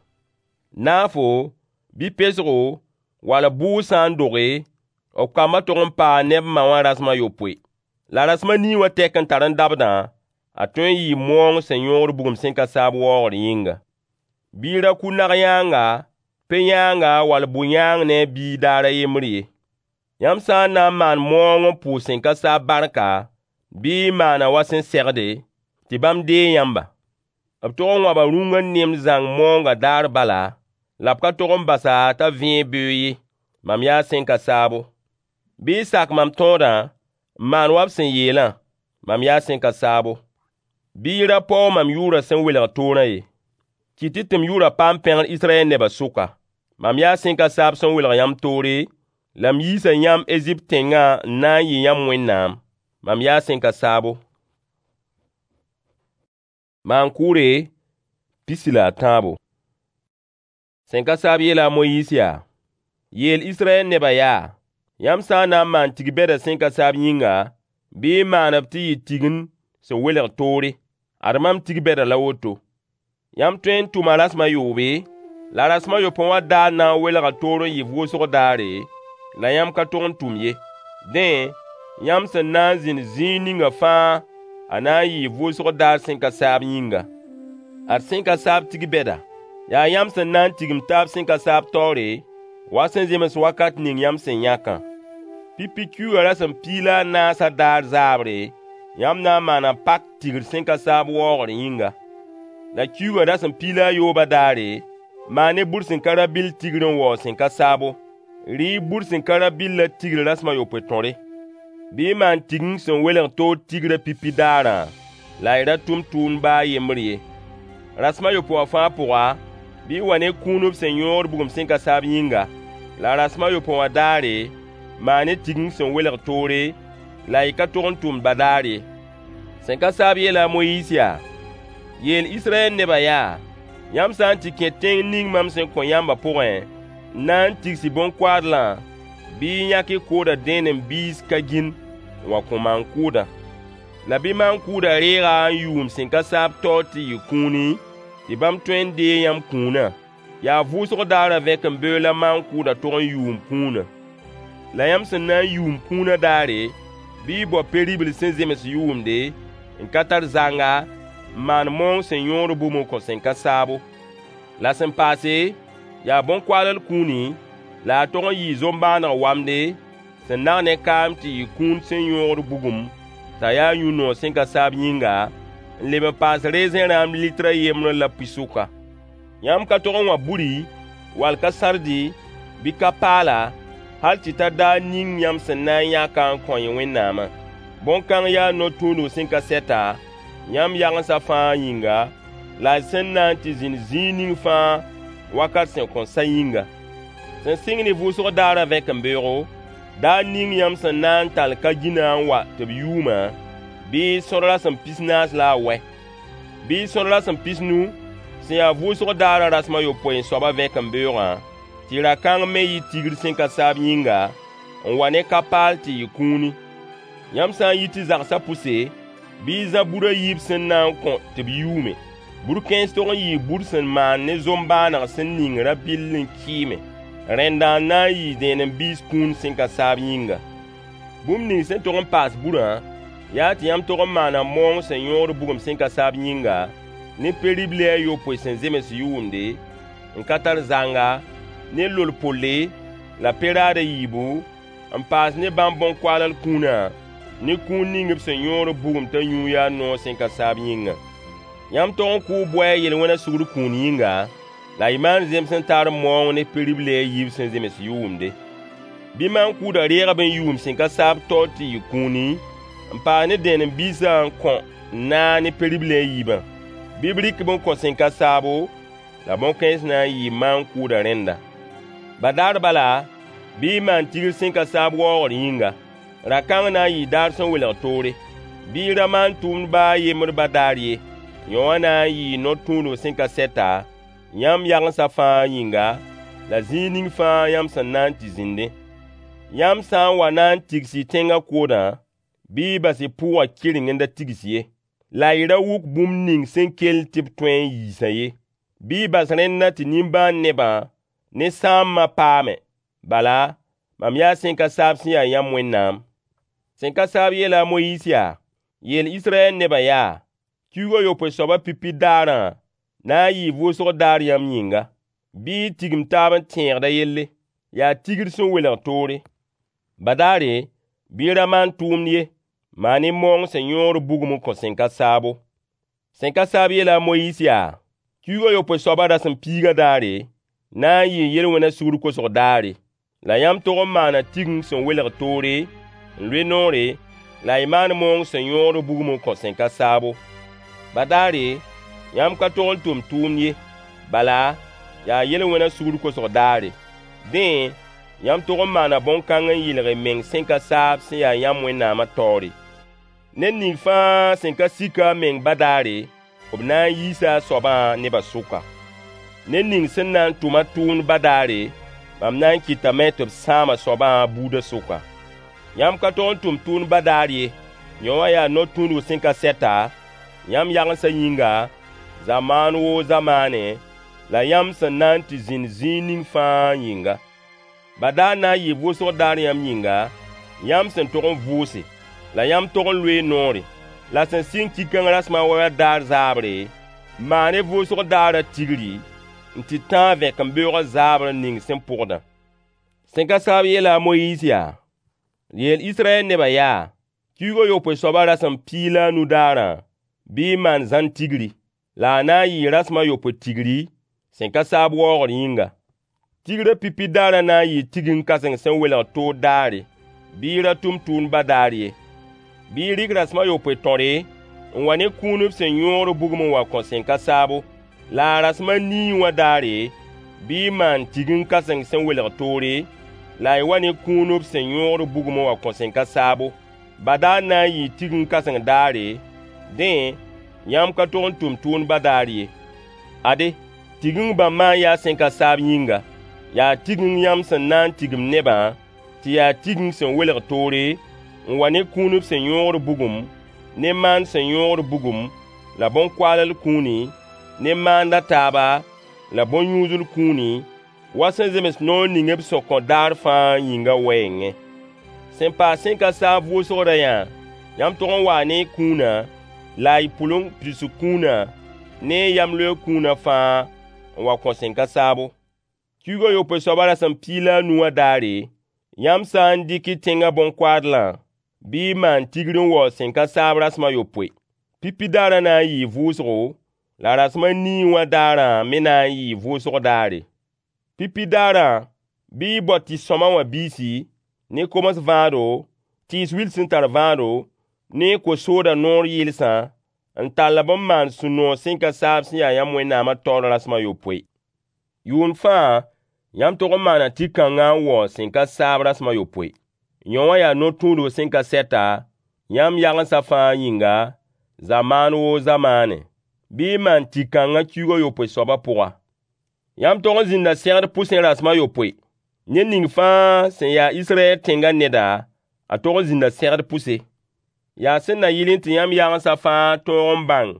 Naafo, bɩ pesgo, wall bʋʋg sã n doge, b kambã tog n paa ne b ma wã rasem a yopoe. La rasem a nii wã tɛk n tar n dabdã, a tõe n yɩɩ maoong sẽn yõod bugum sẽn ka saab waoogr yĩnga. Bɩ y ra kʋ nag-yãanga, pe-yãanga wall bʋ-yãang ne a biig daar a yembr ye. Yãmb sã n na n maan maoong n pʋʋs sẽn ka saab barka, bɩ y maan-a wa sẽn segde, tɩ bãmb deeg yãmba. B tog n wãba rũngã nemd zãng maoongã daar bala, la b ka tog n bas-a t'a vẽeg beoog ye. Mam yaa sẽn ka saabo. Bɩ y sak mam tõodã n maan wa b sẽn yeelã. Mam yaa sẽn ka saabo. Bɩ y ra paoog mam yʋʋrã sẽn welg toorã ye. Kɩt-y tɩ m yʋʋrã paam pẽgr Israyɛl nebã sʋka. Mam yaa sẽn ka saab sẽn welg yãmb toore, la m yiisa yãmb Ezipt tẽngã n na n yɩ yãmb Wẽnnaam. Mam yaa sẽn ka saabo. Maan-kʋʋre 13. Sẽn ka saab yeela a Moyiis yaa: Yeel Israyɛl nebã yaa: Yãmb sã n na n maan tig-bɛdã sẽn ka saab yĩnga, bɩ y maan-b tɩ yɩ tigend sẽn welg toore. Ad mam tig-bɛdã la woto. Yãmb tõe n tʋma rasem a yoobe, la rasem a yopoe wã daar na n welga toor n yɩ vʋʋsg daare, la yãmb ka tog n tʋm ye. Dẽ, yãmb sẽn na n zĩnd zĩig ninga fãa, a na n yɩɩ vʋʋsg daar sẽn ka saab yĩnga. Ad sẽn ka saab tig-bɛda. Yaa yãmb sẽn na n tigim taab sẽn ka saab taoore, wa sẽn zems wakat ning yãmb sẽn yãkã. Pipi kiuugã rasem piig la a naasã daar zaabre, yãmb na n maana pak tigr sẽn ka saab waoogr yĩnga. La kiuugã rasem piig la a yoobã daare, maan-y bur sẽn ka rabɩll tigr n waoog sẽn ka saabo. Rɩ-y bur sẽn ka rabɩllã tigr rasem a yopoe tõre. Bɩ y maan tigeng sẽn welg toor tigrã pipi daarã, la y ra tʋm tʋʋmd baa a yembr ye. Rasem a yopoe wã fãa pʋga, bɩ y wa ne kũun b sẽn yõod bugum sẽn ka saab yĩnga. La rasem a yopoe wã daare, maan-y tigeng sẽn welg toore, la y ka tog n tʋmd badaar ye. Sẽn ka saab yeela a Moyiis yaa: Yeel Israyɛl nebã yaa: Yãmb sã n tɩ kẽ tẽng ning mam sẽn kõ yãmbã pʋgẽ, n na n tigs y bõn-koaadlã, bɩ y yãk y koodã dẽenem biis ka gĩnd n wa kõ maan-kʋʋdã. La bɩ maan-kʋʋdã reeg-a n yʋʋm sẽn ka saab taoor tɩ yɩ kũuni, tɩ bãmb tõe n deeg yãmb kũunã. Yaa vʋʋsg daarã vẽkembeoog la maan-kʋʋdã tog n yʋʋm kũunã. La yãmb sẽn na n yʋʋm kũunã daare, bɩ y bao pe-ribl sẽn zems yʋʋmde, n ka tar zanga, n maan maoong sẽn yõod bugum n kõ sẽn ka saabo. La sẽn paase, yaa bõn-koaall kũuni, la a tog n yɩɩ zoom-bãaneg wamde, sẽn nag ne kaam tɩ yɩ kũun sẽn yõogd bugum, t'a yaa yũ-noog sẽn ka saab yĩnga, n leb n paas rezẽ rãam lɩtr a yembr la pi-sʋka. Yãmb ka tog n wã buri, wall ka-sãrdi, bɩ ka-paala, hal tɩ ta daar ning yãmb sẽn na n yãk-a n kõ y Wẽnnaamã. Bõn-kãng yaa no-tũudg sẽn ka sɛta, yãmb yagensã fãa yĩnga, la y sẽn na n tɩ zĩnd zĩig ning fãa wakat sẽn kõn sa yĩnga. Sẽn sɩng ne vʋʋsg daarã vẽkembeoogo, daar ning yãmb sẽn na n tall ka-gĩnã n wa tɩ b yʋʋmã, bɩ y sõd rasem 40 la a wɛ. Bɩ y sõd rasem 50 sẽn ya vʋʋsg daarã rasem a yopoe soabã vẽkembeoogã, tɩ ra-kãng me yɩ tigr sẽn ka saab yĩnga, n wa ne ka-paal tɩ yɩ kũuni. Yãmb sã n yit y zagsã pʋse, bɩ y zã bur a yiib sẽn na n kõ tɩ b yʋʋme. Bur kãens tog n yɩɩ bur sẽn maan ne zoom-bãaneg sẽn ning rã-bɩll n kɩɩme. Rẽndã n na n yɩɩ dẽenem-biis kũun sẽn ka saab yĩnga. Bũmb ning sẽn tog n paas burã, yaa tɩ yãmb tog n maana maoong sẽn yõod bugum sẽn ka saab yĩnga, ne pe-ribli a yopoe sẽn zems yʋʋmde, n ka tar zanga, ne lol-polle, la pe-raad a yiibu, n paas ne bãmb bõn-koaall kũunã, ne kũun ning b sẽn yõod bugum t'a yũu yaa noog sẽn ka saab yĩngã. Yãmb tog n kʋʋ bʋ-a yel-wẽnã sugr kũun yĩnga, la y maan zems-n-taar maoong ne pe-ribli a yiib sẽn zems yʋʋmde. Bɩ maan-kʋʋdã reeg-b n yʋʋm sẽn ka saab taoor tɩ yɩ kũuni, n paas ne dẽenem-biisã n kõ naag ne pe-ribli a yiibã. Bɩ b rɩk-b n kõ sẽn ka saabo, la bõn-kãens na n yɩɩ maan-kʋʋdã rẽnda. Badaar bala, bɩ y maan tigr sẽn ka saab waoogr yĩnga. Ra-kãng na n yɩɩ daar sẽn welg toore. Bɩ y ra maan tʋʋmd baa a yembr badaar ye. Yõ wã na n yɩɩ no-tũudg sẽn ka sɛta, yãmb yagensã fãa yĩnga, la zĩig ning fãa yãmb sẽn na n tɩ zĩndẽ. Yãmb sã n wa na n tigs y tẽngã koodã, bɩ y bas y pʋʋgã kɩreng n da tigs ye. La y ra wuk bũmb ning sẽn kell tɩ b tõe n yiisã ye. Bɩ y bas rẽndã tɩ nimbãan nebã ne sãambã paame. Bala, mam yaa sẽn ka saab sẽn ya yãmb Wẽnnaam. Sẽn ka saab yeela a Moyiis yaa: Yeel Israyɛl nebã yaa: Kiuug a yopoe soabã pipi daarã na n yɩɩ vʋʋsg daar yãmb yĩnga. Bɩ y tigim taab n tẽegd a yelle. Yaa tigr sẽn welg toore. Badaare, bɩ y ra maan tʋʋmd ye. Maan-y maoong sẽn yõod bugum n kõ sẽn ka saabo. Sẽn ka saab yeela a Moyiis yaa: Kiuug a yopoe soabã rasem piigã daare na n yɩɩ yel-wẽnã sugr kosg daare. La yãmb tog n maana tigeng sẽn welg toore, n loe noore, la y maan maoong sẽn yõod bugum n kõ sẽn ka saabo. Badaare, yãmb ka tog n tʋm tʋʋmd ye. Bala, yaa yel-wẽnã sugr kosg daare. Dẽ, yãmb tog n maana bõn-kãng n yɩlg y meng sẽn ka saab sẽn ya yãmb Wẽnnaamã taoore. Ned ning fãa sẽn ka sik a meng badaare, b na n yiisa a soabã nebã sʋka. Ned ning sẽn na n tʋm a tʋʋmd badaare, mam na n kɩtame tɩ b sãam a soabã a buudã sʋka. Yãmb ka tog n tʋm tʋʋmd badaar ye. Yõ wã yaa no-tũudg sẽn ka sɛta, yãmb yagensã yĩnga, zamaan woo zamaane, la yãmb sẽn na n tɩ zĩnd zĩig ning fãa yĩnga. Badaar na n yɩɩ vʋʋsg daar yãmb yĩnga, yãmb sẽn tog n vʋʋse, la yãmb tog n loee noore. La sẽn sɩng ki-kãng rasem a wɛ wã daar zaabre, maan-y vʋʋsg daarã tigri, n tɩ tãag vẽkembeoogã zaabr ning sẽn pʋgdã. Sẽn ka saab yeela a Moyiis yaa: Yeel Israyɛl nebã yaa: Kiuug a yopoe soabã rasem 15 daarã, bɩ y maan zãn tigri. La a na n yɩɩ rasem a yopoe tigri, sẽn ka saab waoogr yĩnga. Tigrã pipi daarã na n yɩɩ tigeng kãseng sẽn welg toor daare. Bɩ y ra tʋm tʋʋmd badaar ye. Bɩ y rɩk rasem a yopoe tõre n wa ne kũun b sẽn yõod bugum n wa kõ sẽn ka saabo. La a rasem a nii wã daare, bɩ y maan tigeng kãseng sẽn welg toore, la y wa ne kũun b sẽn yõod bugum n wa kõ sẽn ka saabo. Badaar na n yɩɩ tigeng kãseng daare, dẽ, yãmb ka tog n tʋm tʋʋmd badaar ye. Ade, tigeng bãmbã n yaa sẽn ka saab yĩnga. Yaa tigeng yãmb sẽn na n tigim nebã, tɩ yaa tigeng sẽn welg toore, n wa ne kũun b sẽn yõod bugum, ne maan sẽn yõod bugum, la bõn-koaall kũuni, ne maand a taaba, la bõn-yũudl kũuni, wa sẽn zems noor ning b sẽn kõ daar fãa yĩngã wɛɛngẽ. Sẽn paas sẽn ka saab vʋʋsg rayã, yãmb tog n waa ne y kũuna, la y pʋleng pidsg kũuna, ne y yamleoog kũuna fãa n wa kõ sẽn ka saabo. Kiuug a yopoe soabã rasem piig la a nu wã daare, yãmb sã n dɩk y tẽngã bõn-koaadlã, bɩ y maan tigr n waoog sẽn ka saab rasem a yopoe. Pipi daarã na n yɩɩ vʋʋsgo, la rasem a nii wã daarã me na n yɩɩ vʋʋsg daare. Pipi daarã, bɩ y bao tɩ-sõma wã biisi, ne koms vãado, tɩɩs wil sẽn tar vãado, ne ko-sooda noor yɩlsã, n tall-b n maan sũ-noog sẽn ka saab sẽn ya yãmb Wẽnnaamã taoor rasem a yopoe. Yʋʋnd fãa yãmb tog n maana tɩ-kãngã n waoog sẽn ka saab rasem a yopoe. Yõ wã yaa no-tũudg sẽn ka sɛta, yãmb yagensã fãa yĩnga, zamaan woo zamaanẽ. Bɩ y maan tɩ-kãngã kiuug a yopoe soabã pʋga. Yãmb tog n zĩnda segd pʋsẽ rasem a yopoe. Ned ning fãa sẽn ya Israyɛl tẽngã neda, a tog n zĩnda segd pʋse. Yaa sẽn na yɩlẽ tɩ yãmb yagensã fãa tõog n bãng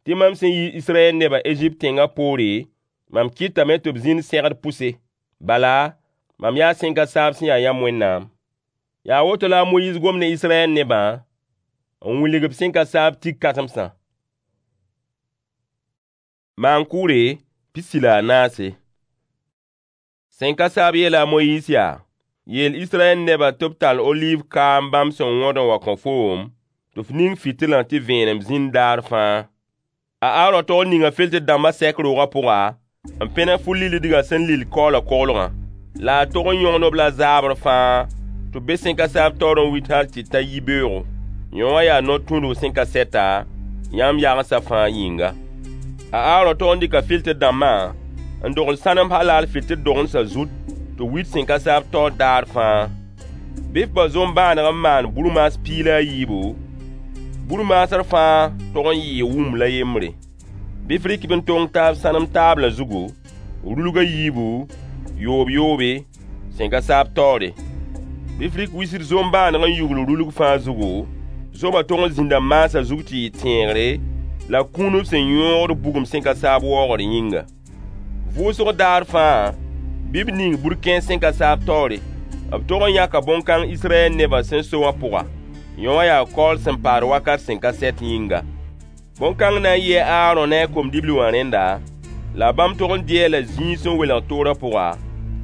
tɩ mam sẽn yiis Israyɛl nebã Ezipt tẽngã poore, mam kɩtame tɩ b zĩnd segd pʋse. Bala, mam yaa sẽn ka saab sẽn ya yãmb Wẽnnaam. Yaa woto la a Moyiis gom ne Israyɛl nebã n wilg-b sẽn ka saab tik-kãsemsã. Maan-kʋʋre 14. Sẽn ka saab yeela a Moyiis yaa: Yeel Israyɛl nebã tɩ b tall oliiv kaam bãmb sẽn wõd n wa kõ foom, tɩ f ning fɩtɩlã tɩ vẽenem zĩnd daar fãa. A Aarõ tog n ninga filtr dãmbã sɛk roogã pʋga, n pẽneg fu-lillidgã sẽn lill kaoola koglgã. La a tog n yõgn-b la zaabr fãa tɩ b be sẽn ka saab taoor n wit hal tɩ ta yibeoogo. Yõ wã yaa no-tũudg sẽn ka sɛta, yãmb yagensã fãa yĩnga. A Aarõ tog n dɩka filtr dãmbã n dogl sãnem halal fɩtɩl dogendsã zut tɩ b wit sẽn ka saab taoor daar fãa. Bɩ f bao zom-bãaneg n maan burmaas 17, burmaasr fãa tog n yɩɩ wuml a yembre. Bɩ f rɩk-b n tong taab sãnem taablã zugu, rulg a yiibu, yoob-yoobe, sẽn ka saab taoore. Bɩ f rɩk wisr zom-bãaneg n yugl rulg fãa zugu, zomã tog n zĩnda maasã zug tɩ yɩ tẽegre la kũun b sẽn yõogd bugum sẽn ka saab waoogr yĩnga. Vʋʋsg daar fãa, bɩ b ning burkẽens sẽn ka saab taoore. B tog n yãka bõn-kãng Israyɛl nebã sẽn so wã pʋga. Yõ wã yaa kaool sẽn paad wakat sẽn ka sɛt yĩnga. Bõn-kãng na n yɩɩ a Aarõ ne a kom-dibli wã rẽnda, la bãmb tog n dɩ-a la zĩig sẽn welg toorã pʋga,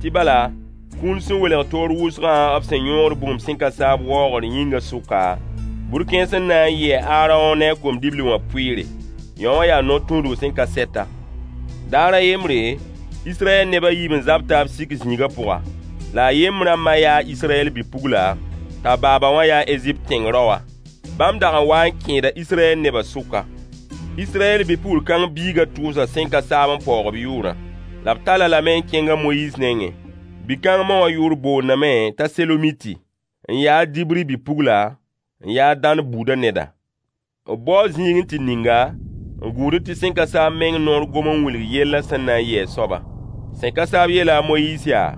tɩ bala, kũun sẽn welg toor wʋsgã b sẽn yõogd bugum sẽn ka saab waoogr yĩngã sʋka, burkẽens n na n yɩ a Aarõ ne a kom-dibli wã pʋɩɩre. Yõ wã yaa no-tũudg sẽn ka sɛta. Daar a yembre, Israyɛl neb a yiib n zab taab sik zĩigã pʋga. La a yembrã ma yaa Israyɛl bi-pugla, t'a baaba wã yaa Ezipt tẽng raoa. Bãmb dag n waa n kẽeda Israyɛl nebã sʋka. Israyɛl bi-pugl kãng biigã tʋʋsa sẽn ka saab n paoog b yʋʋrã. La b tall-a lame n kẽng a Moyiis nengẽ. Bi-kãng ma wã yʋʋr boondame t'a Selomiti, n yaa a Dibri bi-pugla, n yaa a Dãn buudã neda. B bao zĩig n tɩ ning-a, n gũud tɩ sẽn ka saab meng noor gom n wilg yellã sẽn na n yɩ a soabã. Sẽn ka saab yeela a Moyiis yaa: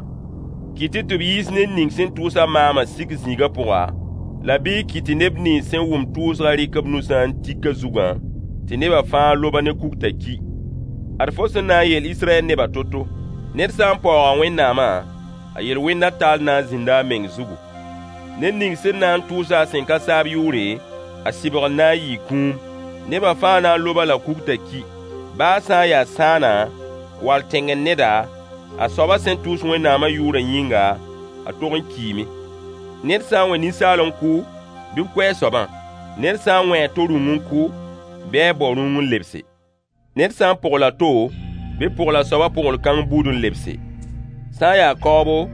Kɩt-y tɩ b yiis ned ning sẽn tʋʋs-a maamã sik zĩigã pʋga, la bɩ y kɩt tɩ neb nins sẽn wʋm tʋʋsgã rɩk b nusã n tik a zugã, tɩ nebã fãa lob-a ne kugtã ki. Ad fo sẽn na n yeel Israyɛl nebã to-to: Ned sã n paooga Wẽnnaamã, a yel-wẽndã taal na n zĩnda a meng zugu. Ned ning sẽn na n tʋʋs-a a sẽn ka saab yʋʋre, a sɩbgr na n yɩɩ kũum. Nebã fãa na n lob-a la kugtã ki. Baa sã n yaa sãana, wall tẽngr neda, a soabã sẽn tʋʋs Wẽnnaamã yʋʋrã yĩnga, a tog n kiime. Ned sã n wẽ ninsaal n kʋ, bɩ b kʋ a soabã. Ned sã n wẽ a to rũng n kʋ, bɩ a bao rũng n lebse. Ned sã n pogl a to, bɩ b pogl a soabã pogl-kãng buud n lebse. Sã n yaa kaoobo,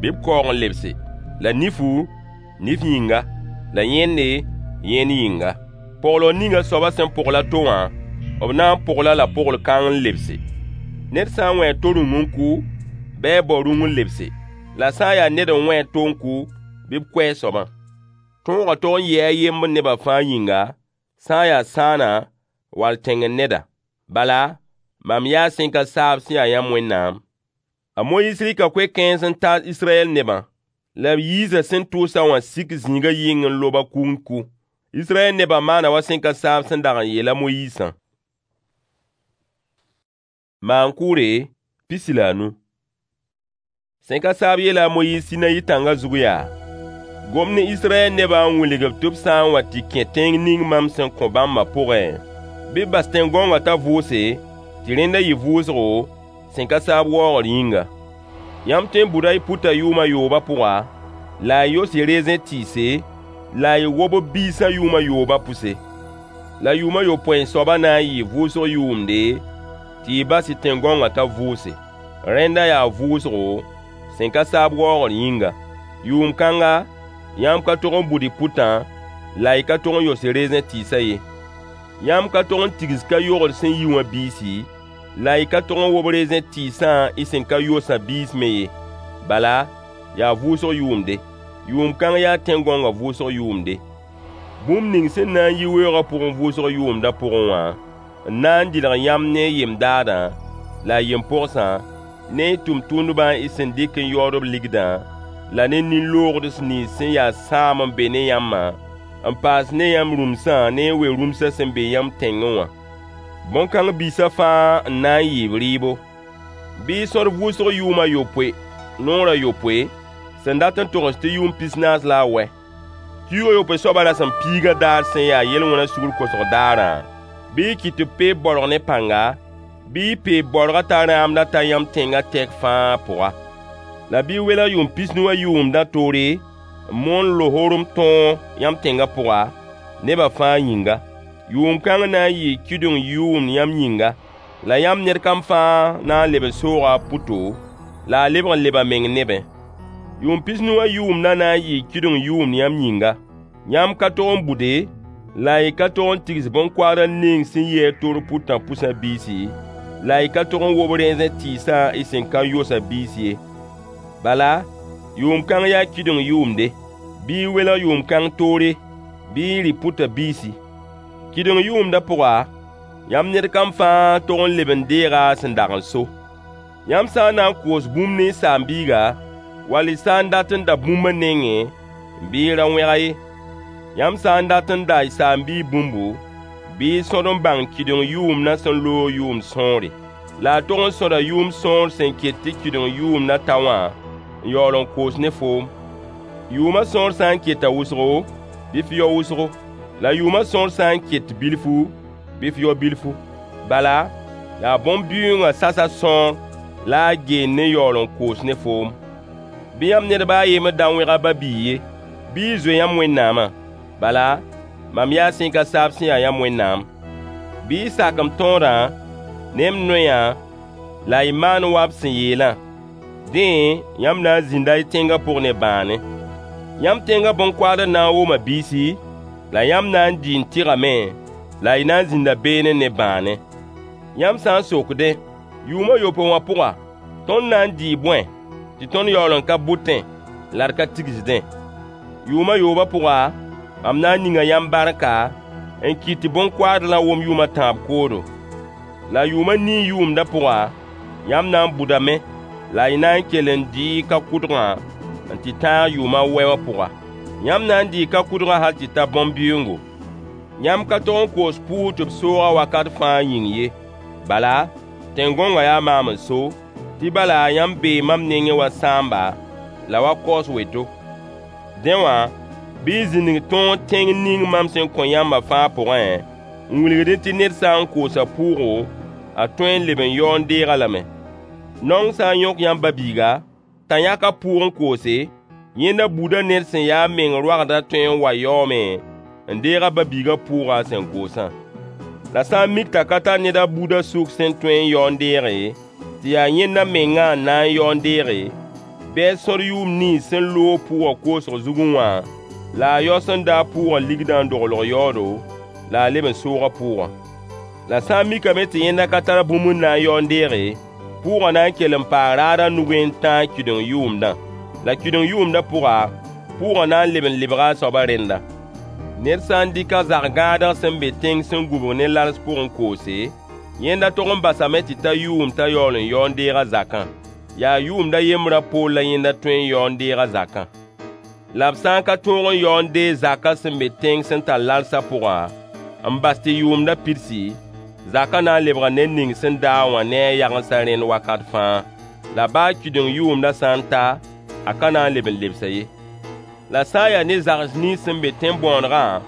bɩ b kaoog n lebse. La nifu, nif yĩnga. La yẽnde, yẽnd yĩnga. Poglg ning a soabã sẽn pogl a to wã, b na n pogl-a la pogl-kãng n lebse. Ned sã n wẽ a to rũng n kʋ, bɩ a bao rũng n lebse. La sã n yaa ned n wẽ a to n kʋ, bɩ b kʋ a soabã. Tõogã tog n yɩɩ a yembr nebã fãa yĩnga, sã n yaa sãana wall tẽngr neda. Bala, mam yaa sẽn ka saab sẽn ya yãmb Wẽnnaam. A Moyiis rɩka koe-kãens n taas Israyɛl nebã, la b yiisa sẽn tʋʋs-a wã sik zĩigã yɩng n lob-a kug n kʋ. Israyɛl nebã maana wa sẽn ka saab sẽn dag n yeel a Moyiisã. Maan-kʋʋre 15. Sẽn ka saab yeela a Moyiis Sinayi tãngã zug yaa: Gom ne Israyɛl nebã n wilg-b tɩ b sã n wa tɩ kẽ tẽng ning mam sẽn kõ bãmbã pʋgẽ, bɩ b bas tẽn-gõongã t'a vʋʋse, tɩ rẽndã yɩ vʋʋsgo, sẽn ka saab waoogr yĩnga. Yãmb tõe n bʋda y pʋtã yʋʋm a yoobã pʋga, la y yos y rezẽ tɩɩse, la y wob b biisã yʋʋm a yoobã pʋse. La yʋʋm a yopoe soabã na n yɩɩ vʋʋsg yʋʋmde, tɩ y bas y tẽn-gõongã t'a vʋʋse. Rẽnda yaa vʋʋsgo, sẽn ka saab waoogr yĩnga. Yʋʋm kãnga, yãmb ka tog n bʋd y pʋtã, la y ka tog n yos y rezẽ tɩɩsã ye. Yãmb ka tog n tigs ka-yogr sẽn yi wã biisi, la y ka tog n wob rezẽ tɩɩsã y sẽn ka yosã biis me ye. Bala, yaa vʋʋsg yʋʋmde. Yʋʋm kãng yaa tẽn-gõongã vʋʋsg yʋʋmde. Bũmb ning sẽn na n yi weoogã pʋgẽ vʋʋsg yʋʋmdã pʋgẽ wã, n na n dɩlg yãmb ne y yem-daadã, la y yem-pogsã, ne y tʋmtʋmdbã y sẽn dɩk n yaood b ligdã, la ne nin-loogds nins sẽn ya sãam n be ne yãmbã, n paas ne yãmb rũmsã ne y we-rũmsã sẽn be yãmb tẽngẽ wã. Bõn-kãng biisã fãa n na n yɩ b rɩɩbo. Bɩ y sõd vʋʋsg yʋʋm a yopoe, noor a yopoe, sẽn dat n togs tɩ yʋʋm pisnaas la a wɛ. Kiug a yopoe soabã rasem piigã daar sẽn ya yel-wẽna sugr kosg daarã, bɩ y kɩt tɩ b peeb baorg ne pãnga, bɩ y peeb baoorgã t'a rãamdã ta yãmb tẽngã tɛk fãa pʋga. La bɩ y welg yʋʋm pisnu wã yʋʋmdã toore n moon lohorem tõog yãmb tẽngã pʋga, nebã fãa yĩnga. Yʋʋm kãng na n yɩɩ kɩdeng yʋʋmd yãmb yĩnga, la yãmb ned kam fãa na n leb n sooga a pʋto, la a lebg n leb a meng nebẽ. Yʋʋm pisnu wã yʋʋmdã na n yɩɩ kɩdeng yʋʋmd yãmb yĩnga. Yãmb ka tog n bʋde, la y ka tog n tigs bõn-koaadr ning sẽn yi a toor pʋtã pʋsã biisi, la y ka tog n wob rẽezẽ tɩɩsã y sẽn ka yosã biis ye. Bala, yʋʋm kãng yaa kɩdeng yʋʋmde. Bɩ y welg yʋʋm kãng toore, bɩ y rɩ pʋtã biisi. Kɩdeng yʋʋmdã pʋga, yãmb ned kam fãa tog n leb n deega a sẽn dag n so. Yãmb sã n na n koos bũmb ne y saam-biiga, wall y sã n dat n da bũmb a nengẽ, bɩ y ra wẽg-a ye. Yãmb sã n dat n da y saam-biig bũmbu, bɩ y sõd n bãng kɩdeng yʋʋmdã sẽn loog yʋʋm sõore. La a tog n sõda yʋʋm sõor sẽn ket tɩ kɩdeng yʋʋmdã ta wã n yaool n koos ne foom. Yʋʋmã sõor sã n keta wʋsgo, bɩ f yao wʋsgo. La yʋʋmã sõor sã n ket bilfu, bɩ f yao bilfu. Bala, yaa bõn-bɩʋʋngã sasa sõor la a geend n yaool n koos ne foom. Bɩ yãmb ned ba a yembr da wẽg a ba-biig ye. Bɩ y zoe yãmb Wẽnnaamã. Bala, mam yaa sẽn ka saab sẽn ya yãmb Wẽnnaam. Bɩ y sak m tõodã ne m noyã la y maan wa b sẽn yeelã. Dẽ, yãmb na n zĩnda y tẽngã pʋg ne bãane. Yãmb tẽngã bõn-koaadr na n woma biisi, la yãmb na n dɩ n tɩgame, la y na n zĩnda beene ne bãane. Yãmb sã n sokdẽ, yʋʋm a yopoe wã pʋga, tõnd na n dɩɩ bõe, tɩ tõnd yaool n ka bʋtẽ, la d ka tigsdẽ? Yʋʋm a yoobã pʋga, mam na n ninga yãmb barka, n kɩt tɩ bõn-koaadrã wom yʋʋm a tãab koodo. La yʋʋm a nii yʋʋmdã pʋga, yãmb na n bʋdame, la y na n kell n dɩɩ y ka-kʋdgã n tɩ tãag yʋʋm a wɛ wã pʋga. Yãmb na n dɩɩ ka-kʋdgã hal tɩ ta bõn-bɩʋʋngo. Yãmb ka tog n koos pʋʋg tɩ b soog-a wakat fãa yĩng ye. Bala, tẽn-gõongã yaa maam n so, tɩ bala yãmb bee mam nengẽ wa sãamba, la wa kaoos weto. Dẽ wã, bɩ y zĩnig tõog tẽng ning mam sẽn kõ yãmbã fãa pʋgẽ, n wilgdẽ tɩ ned sã n koosa pʋʋgo, a tõe n leb n yao n deeg-a lame. Naong sã n yõk yãmb ba-biiga, t'a yãk a pʋʋg n koose, yẽnda buudã ned sẽn ya a meng roagdã tõe n wa yaoome n deeg a ba-biigã pʋʋgã a sẽn koosã. La sã n mik t'a ka tar ned a buudã sʋk sẽn tõe n yao n deege, tɩ yaa yẽnda mengã n na n yao n deege, bɩ a sõd yʋʋm nins sẽn loog pʋʋgã koosg zugẽ wã, la a yao sẽn da a pʋʋgã ligdã n doglg yaoodo, la a leb n soog a pʋʋgã. La sã n mikame tɩ yẽnda ka tar bũmb n na n yao n deege, pʋʋgã na n kell n paa raadã nugẽ n tãag kɩdeng yʋʋmdã. La kɩdeng yʋʋmdã pʋga, pʋʋgã na n leb n lebga a soabã rẽnda. Ned sã n dɩk a zag-gãadg sẽn be tẽng sẽn gũbg ne lals pʋgẽ n koose, yẽnda tog n basame tɩ ta yʋʋm t'a yaool n yao n deeg a zakã. Yaa yʋʋmd a yembrã poor la yẽnda tõe n yao n deeg a zakã. La b sã n ka tõog n yao n deeg zakã sẽn be tẽng sẽn tar lalsã pʋgã, n bas tɩ yʋʋmdã pidsi, Zakã na n lebga ned ning sẽn da-a wã ne a yagensã rẽnd wakat fãa. La baa kɩdeng yʋʋmdã sã n ta, a ka na n leb n lebs-a ye. La sã n yaa ne zags nins sẽn be tẽn-bõonegã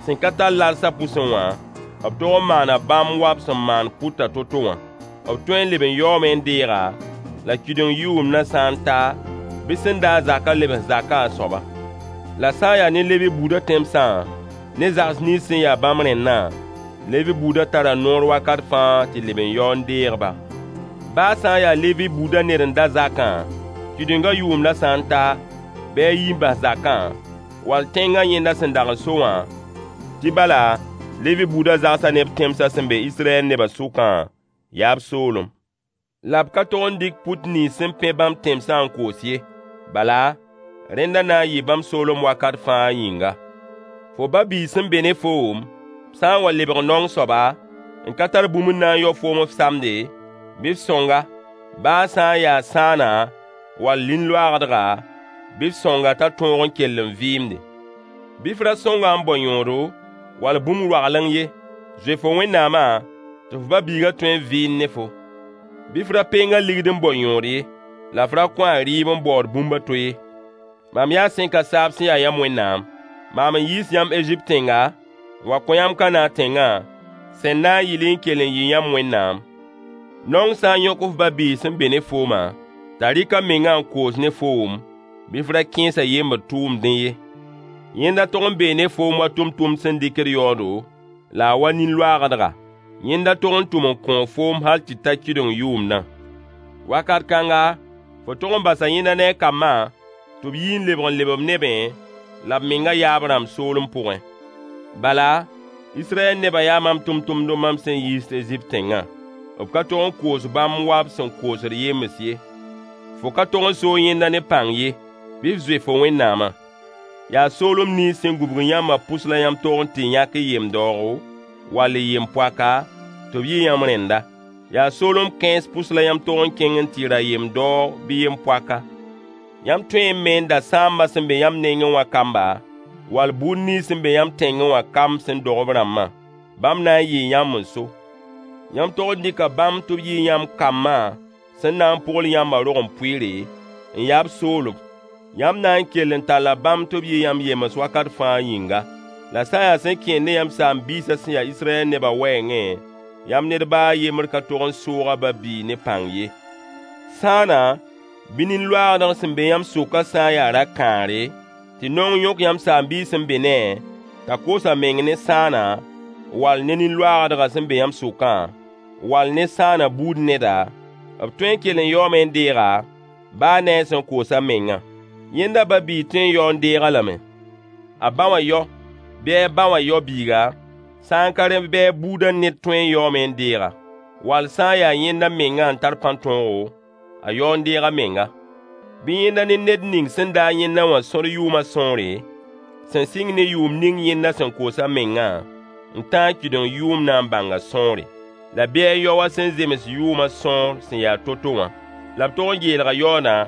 sẽn ka tar larsã pʋsẽ wã, b tog n maana bãmb wa b sẽn maand pʋtã to-to wã. B tõe n leb n yaoome n deeg-a, la kɩdeng yʋʋmdã sã n ta, bɩ sẽn da-a zakã lebs zakã a soaba. La sã n yaa ne Levi buudã tẽmsã, ne zags nins sẽn ya bãmb rẽndã, Levi buudã tara noor wakat fãa tɩ leb n yao n deeg-ba. Baa sã n yaa Levi buudã ned n da zakã, kɩdengã yʋʋmdã sã n ta, bɩ a yi n bas zakã, wall tẽngã yẽnda sẽn dag n so wã, tɩ bala, Levi buudã zagsã ne b tẽmsã sẽn be Israyɛl nebã sʋkã, yaa b soolem. La b ka tog n dɩk pʋt nins sẽn pẽ bãmb tẽmsã n koos ye. Bala, rẽnda na n yɩɩ bãmb soolem wakat fãa yĩnga. Fo ba-biig sẽn be ne foom, sã n wa lebg naong soaba, n ka tar bũmb n na n yao foom f samde, bɩ f sõng-a, baa sã n yaa sãana wall nin-loaagdga, bɩ f sõng-a t'a tõog n kell n vɩɩmde. Bɩ f ra sõng-a n bao yõodo wall bũmb roagleng ye. Zoe fo Wẽnnaamã tɩ f ba-biigã tõe n vɩɩnd ne fo. Bɩ f ra peng a ligd n bao yõod ye, la f ra kõ a rɩɩb n baood bũmb a to ye. Mam yaa sẽn ka saab sẽn ya yãmb Wẽnnaam. Maam n yiis yãmb Ezipt tẽnga, n wa kõ yãmb Kanaan tẽngã, sẽn na n yɩl y n kell n yɩ yãmb Wẽnnaam. Naong sã n yõk f ba-biig sẽn be ne foomã, t'a rɩk a mengã n koos ne foom, bɩ f ra kẽes a yembd tʋʋmdẽ ye. Yẽnda tog n bee ne foom wa tʋmtʋmd sẽn dɩkd yaoodo, la a wa nin-loaagdga. Yẽnda tog n tʋm n kõo foom hal tɩ ta kɩdeng yʋʋmdã. Wakat kãnga, fo tog n basa yẽnda ne a kambã tɩ b yi n lebg n leb b nebẽ la b menga yaab-rãmb soolem pʋgẽ. Bala, Israyɛl nebã yaa mam tʋmtʋmdb mam sẽn yiis Ezipt tẽngã. B ka tog n koos bãmb wa b sẽn koosd yems ye. Fo ka tog n soog yẽnda ne pãng ye. Bɩ f zoe fo Wẽnnaamã. Yaa soolem nins sẽn gũbg yãmbã pʋs la yãmb tog n tɩ yãk y yem-daoogo wall y yem-poaka tɩ b yɩ yãmb rẽnda. Yaa soolem kãens pʋs la yãmb tog n kẽng n tɩ ra yem-daoog bɩ yem-poaka. Yãmb tõe me n da sãambã sẽn be yãmb nengẽ wã kamba, wall buud nins sẽn be yãmb tẽngẽ wã kamb sẽn dog b rãmbã. Bãmb na n yɩɩ yãmb n so. Yãmb tog n dɩka bãmb tɩ b yɩ yãmb kambã sẽn na n pʋgl yãmbã rog-n-pʋɩɩre, n yaa b soolem. Yãmb na n kell n talla bãmb tɩ b yɩ yãmb yems wakat fãa yĩnga. La sã n yaa sẽn kẽed ne yãmb saam-biisã sẽn ya Israyɛl nebã wɛɛngẽ, yãmb ned baa a yembr ka tog n soog a ba-biig ne pãng ye. Sãana bɩ nin-loaagdg sẽn be yãmb sʋkã sã n yaa ra-kãare, tɩ naong yõk yãmb saam-biis sẽn be ne-a, t'a koos a meng ne sãana, wall ne nin-loaagdgã sẽn be yãmb sʋkã, wall ne sãana buud neda, b tõe n kell n yaoome n deeg-a, baa ne a sẽn koos a mengã. Yẽnda ba-biig tõe n yao n deeg-a lame. A ba wã yao, bɩ a ba wã yao-biiga, sã n ka rẽ bɩ a buudã ned tõe n yaoome n deeg-a. Wall sã n yaa yẽnda mengã n tar pãn-tõogo, a yao n deeg a menga. Bɩ yẽnda ne ned ning sẽn da yẽnda wã sõd yʋʋmã sõore, sẽn sɩng ne yʋʋm ning yẽnda sẽn koos a mengã, n tãag kɩdeng yʋʋmdã n bãng a sõore. La bɩ a yao a sẽn zems yʋʋmã sõor sẽn yaa to-to wã. La b tog n geelga yaoodã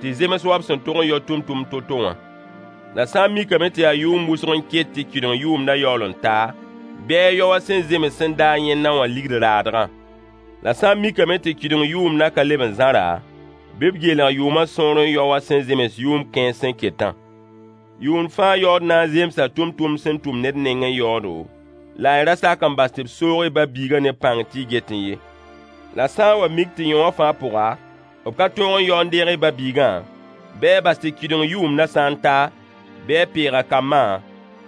tɩ zems wa b sẽn tog n yao tʋmtʋmd to-to wã. La sã n mikame tɩ yaa yʋʋm wʋsg n ket tɩ kɩdeng yʋʋmdã yaool n ta, bɩ a yao a sẽn zems sẽn da yẽnda wã ligd raadgã. La sã n mikame tɩ kɩdeng yʋʋmdã ka leb n zãra, bɩ b geelg yʋʋmã sõor n yao a sẽn zems yʋʋm kãens sẽn ketã. Yʋʋn fãa yaood na n zemsa tʋmtʋmd sẽn tʋm ned nengẽ yaoodo, la y ra sak n bas tɩ b soog y ba-biigã ne pãng tɩ y getẽ ye. La sã n wa mik tɩ yõwã fãa pʋga, b ka tõog n yao n deeg y ba-biigã, bɩ a bas tɩ kɩdeng yʋʋmdã sã n ta, bɩ a peeg a kambã,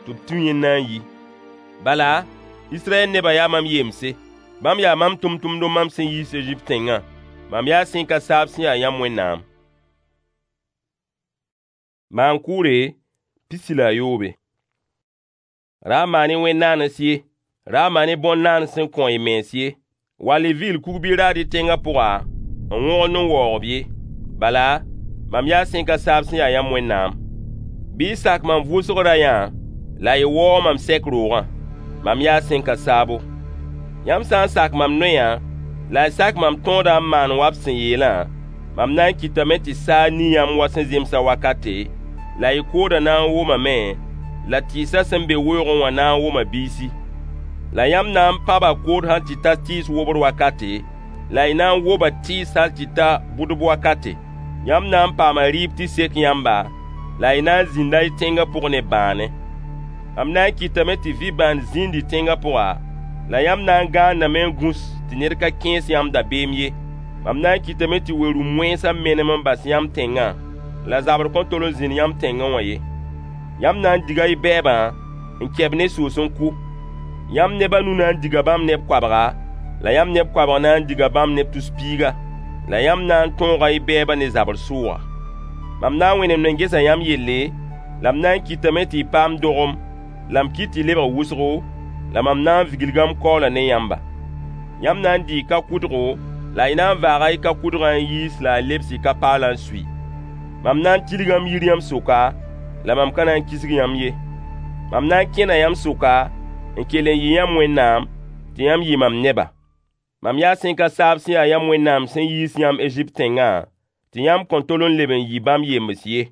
tɩ b tũ yẽnda n yi. Bala, Israyɛl nebã yaa mam yemse. Bãmb yaa mam tʋmtʋmdb mam sẽn yiis Ezipt tẽngã. Mam yaa sẽn ka saab sẽn ya yãmb Wẽnnaam. Maan-kʋʋre 13. Ra maan-y wẽn-naanes ye, ra maan-y bõn-naanes sẽn kõ y mens ye, wall y vigl kug bɩ raad y tẽngã pʋga n wõgend n waoog-b ye. Bala, mam yaa sẽn ka saab sẽn ya yãmb Wẽnnaam. Bɩ y sak mam vʋʋsg rayã la y waoog mam sɛk roogã. Mam yaa sẽn ka saabo. Yãmb sã n sak mam noyã la y sak mam tõodã n maan wa b sẽn yeelã, mam na n kɩtame tɩ saag ni yãmb wa sẽn zemsã wakate, la y koodã na n womame, la tɩɩsã sẽn be weoogẽ wã na n woma biisi. La yãmb na n pãba kood hal tɩ ta tɩɩs wobr wakate, la y na n woba tɩɩs hal tɩ ta bʋdb wakate. Yãmb na n paama rɩɩb tɩ sek yãmba, la y na n zĩnda y tẽngã pʋg ne bãane. Mam na n kɩtame tɩ vɩ-bãnd zĩnd y tẽngã pʋga, la yãmb na n gãandame n gũs tɩ ned ka kẽes yãmb dabeem ye. Mam na n kɩtame tɩ we-rũm wẽnsã menem n bas yãmb tẽngã, la zabr kõn tol n zĩnd yãmb tẽngẽ wã ye. Yãmb na n diga y bɛɛbã n kɛ-b ne soos n kʋ. Yãmb neb a nu na n diga bãmb neb koabga, la yãmb neb koabg na n diga bãmb neb tus-piiga. La yãmb na n tõoga y bɛɛbã ne zabr sʋʋga. Mam na n wẽnemd n gesa yãmb yelle, la m na n kɩtame tɩ y paam dogem, la m kɩt tɩ y lebg wʋsgo, la mam na n viglga m kaoola ne yãmba. Yãmb na n dɩɩ ka-kʋdgo, la y na n vaaga y ka-kʋdgã n yiis la a lebs y ka-paalã n sui. Mam na n tilga m yir yãmb sʋka, la mam ka na n kisg yãmb ye. Mam na n kẽna yãmb sʋka n kell n yɩ yãmb Wẽnnaam, tɩ yãmb yɩ mam neba. Mam yaa sẽn ka saab sẽn ya yãmb Wẽnnaam sẽn yiis yãmb Ezipt tẽngã, tɩ yãmb kõn tol n leb n yɩ bãmb yembs ye.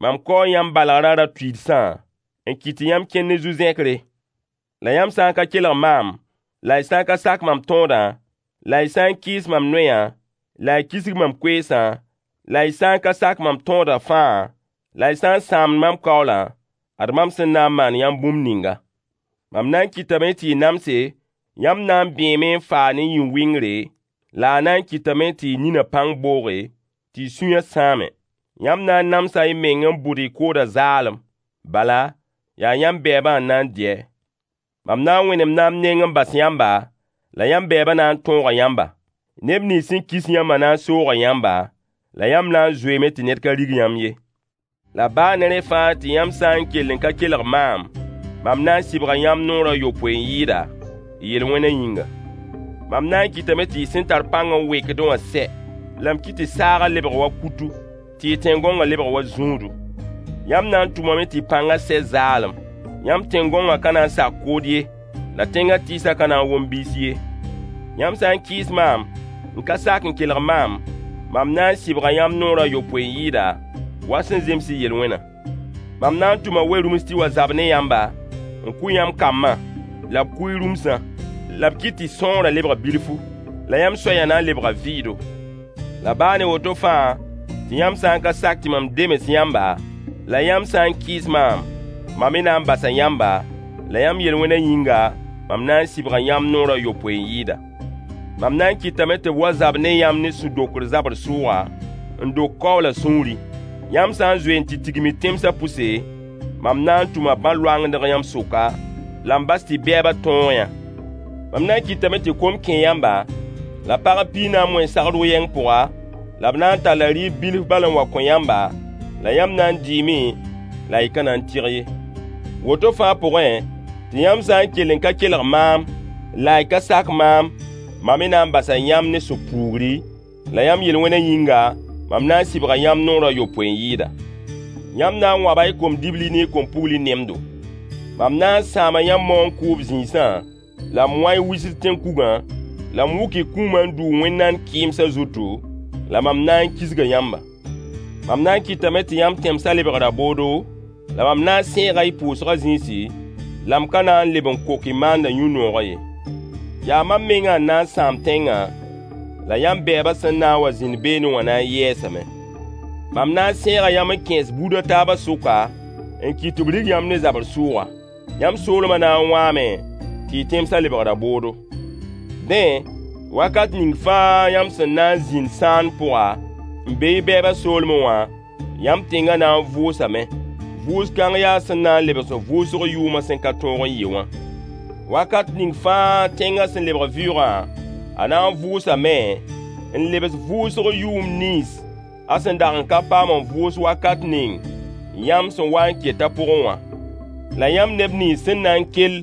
Mam kaoo yãmb balgrã ra-tuiidsã n kɩt tɩ yãmb kẽnd ne zu-zẽkre. La yãmb sã n ka kelg maam, la y sã n ka sak mam tõodã, la y sã n kɩɩs mam noyã, la y kisg mam koeesã, la y sã n ka sak mam tõodã fãa, la y sã n sãamd mam kaoolã, ad mam sẽn na n maan yãmb bũmb ninga. Mam na n kɩtame tɩ y namse, yãmb na n bẽeme n faa ne yĩn-wɩngre, la a na n kɩtame tɩ y ninã pãng booge, tɩ y sũyã sãame. Yãmb na n namsa y meng n bʋd y koodã zaalem. Bala, yaa yãmb bɛɛbã n na n dɩ-a. Mam na n wẽnemda m neng n bas yãmba, la yãmb bɛɛbã na n tõoga yãmba. Neb nins sẽn kis yãmbã na n sooga yãmba, la yãmb na n zoeeme tɩ ned ka rig yãmb ye. La baa ne rẽ fãa tɩ yãmb sã n kell n ka kelg maam, mam na n sɩbga yãmb noor a yopoe n yɩɩda, y yel-wẽnã yĩnga. Mam na n kɩtame tɩ y sẽn tar pãng n wekdẽ wã sɛ, la m kɩt tɩ saagã lebg wa kutu, tɩ y tẽn-gõngã lebg wa zũudu. Yãmb na n tʋmame tɩ y pãngã sɛ zaalem. Yãmb tẽn-gõngã ka na n sak kood ye, la tẽngã tɩɩsã ka na n wom biis ye. Yãmb sã n kɩɩs maam, n ka sak n kelg maam, mam na n sɩbga yãmb noor a yopoe n yɩɩda, wa sẽn zems y yel-wẽnã. Mam na n tʋma we-rũms tɩ wa zab ne yãmba, n kʋ yãmb kambã, la b kʋ y rũmsã, la b kɩt tɩ sõorã lebg bilfu, la yãmb soayã na n lebga vɩɩdo. La baa ne woto fãa, tɩ yãmb sã n ka sak tɩ mam demes yãmba, la yãmb sã n kɩɩs maam, mam me na n basa yãmba, la yãmb yel-wẽnã yĩnga, mam na n sɩbga yãmb noor a yopoe n yɩɩda. Mam na n kɩtame tɩ b wa zab ne yãmb ne sũ-dokr zabr sʋʋga, n dok kaoola sũuri. Yãmb sã n zoe n tɩ tigim y tẽmsã pʋse, mam na n tʋma bãn-loangdg yãmb sʋka, la m bas tɩ bɛɛbã tõog yã. Mam na n kɩtame tɩ kom kẽ yãmba, la pagb piig na n moe sagr yɛng pʋga, la b na n talla rɩɩb bilf bal n wa kõ yãmba, la yãmb na n dɩɩme, la y ka na n tɩg ye. Woto fãa pʋgẽ, tɩ yãmb sã n kell n ka kelg maam, la y ka sak maam, mam me na n basa yãmb ne sũ-puugri, la yãmb yel-wẽnã yĩnga, mam na n sɩbga yãmb noor a yopoe n yɩɩda. Yãmb na n wãba y kom-dibli ne y kom-pugli nemdo. Mam na n sãama yãmb maoong kʋʋb zĩisã, la m wã y wisd tẽn-kugã, la m wʋk y kũumã n dʋʋg wẽn-nand kɩɩmsã zutu, la mam na n kisga yãmba. Mam na n kɩtame tɩ yãmb tẽmsã lebg raboodo, la mam na n sẽega y pʋʋsgã zĩisi, la m ka na n leb n kok y maandã yũ-noogã ye. Yaa mam mengã n na n sãam tẽngã, la yãmb bɛɛbã sẽn na n wa zĩnd beene wã na n yɛɛsame. Mam na n sẽega yãmb n kẽes buud a taabã sʋka, n kɩt tɩ b rig yãmb ne zabr sʋʋga. Yãmb soolmã na n wãame, tɩ y tẽmsã lebg raboodo. Dẽ, wakat ning fãa yãmb sẽn na n zĩnd sãand pʋga, n be y bɛɛbã soolmẽ wã, yãmb tẽngã na n vʋʋsame. Vʋʋs-kãng yaa sẽn na n lebs vʋʋsg yʋʋmã sẽn ka tõog n yɩ wã. Wakat ning fãa tẽngã sẽn lebg vɩʋʋgã, a na n vʋʋsame n lebs vʋʋsg yʋʋm nins a sẽn dag n ka paam n vʋʋs wakat ning yãmb sẽn wa n ket a pʋgẽ wã. La yãmb neb nins sẽn na n kell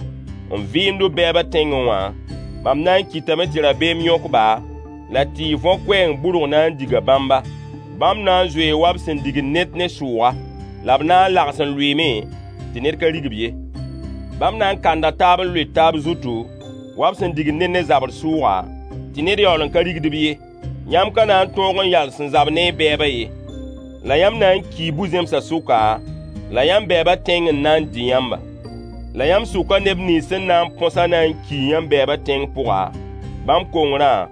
n vɩɩmd b bɛɛbã tẽngẽ wã, mam na n kɩtame tɩ rabeem yõk-ba, la tɩ y võ-koɛɛng burg na n diga bãmba. Bãmb na n zoee wa b sẽn digd ned ne sʋʋga, la b na n lags n lʋɩɩme tɩ ned ka rig-b ye. Bãmb na n kanda taab n loet taab zutu, wa b sẽn digd ned ne zabr sʋʋga, tɩ ned yaool n ka rigd-b ye. Yãmb ka na n tõog n yals n zab ne y bɛɛbã ye. La yãmb na n kii bu-zẽmsã sʋka, la yãmb bɛɛbã tẽng n na n dɩ yãmba. La yãmb sʋkã neb nins sẽn na n põsã na n kii yãmb bɛɛbã tẽng pʋga, bãmb kongrã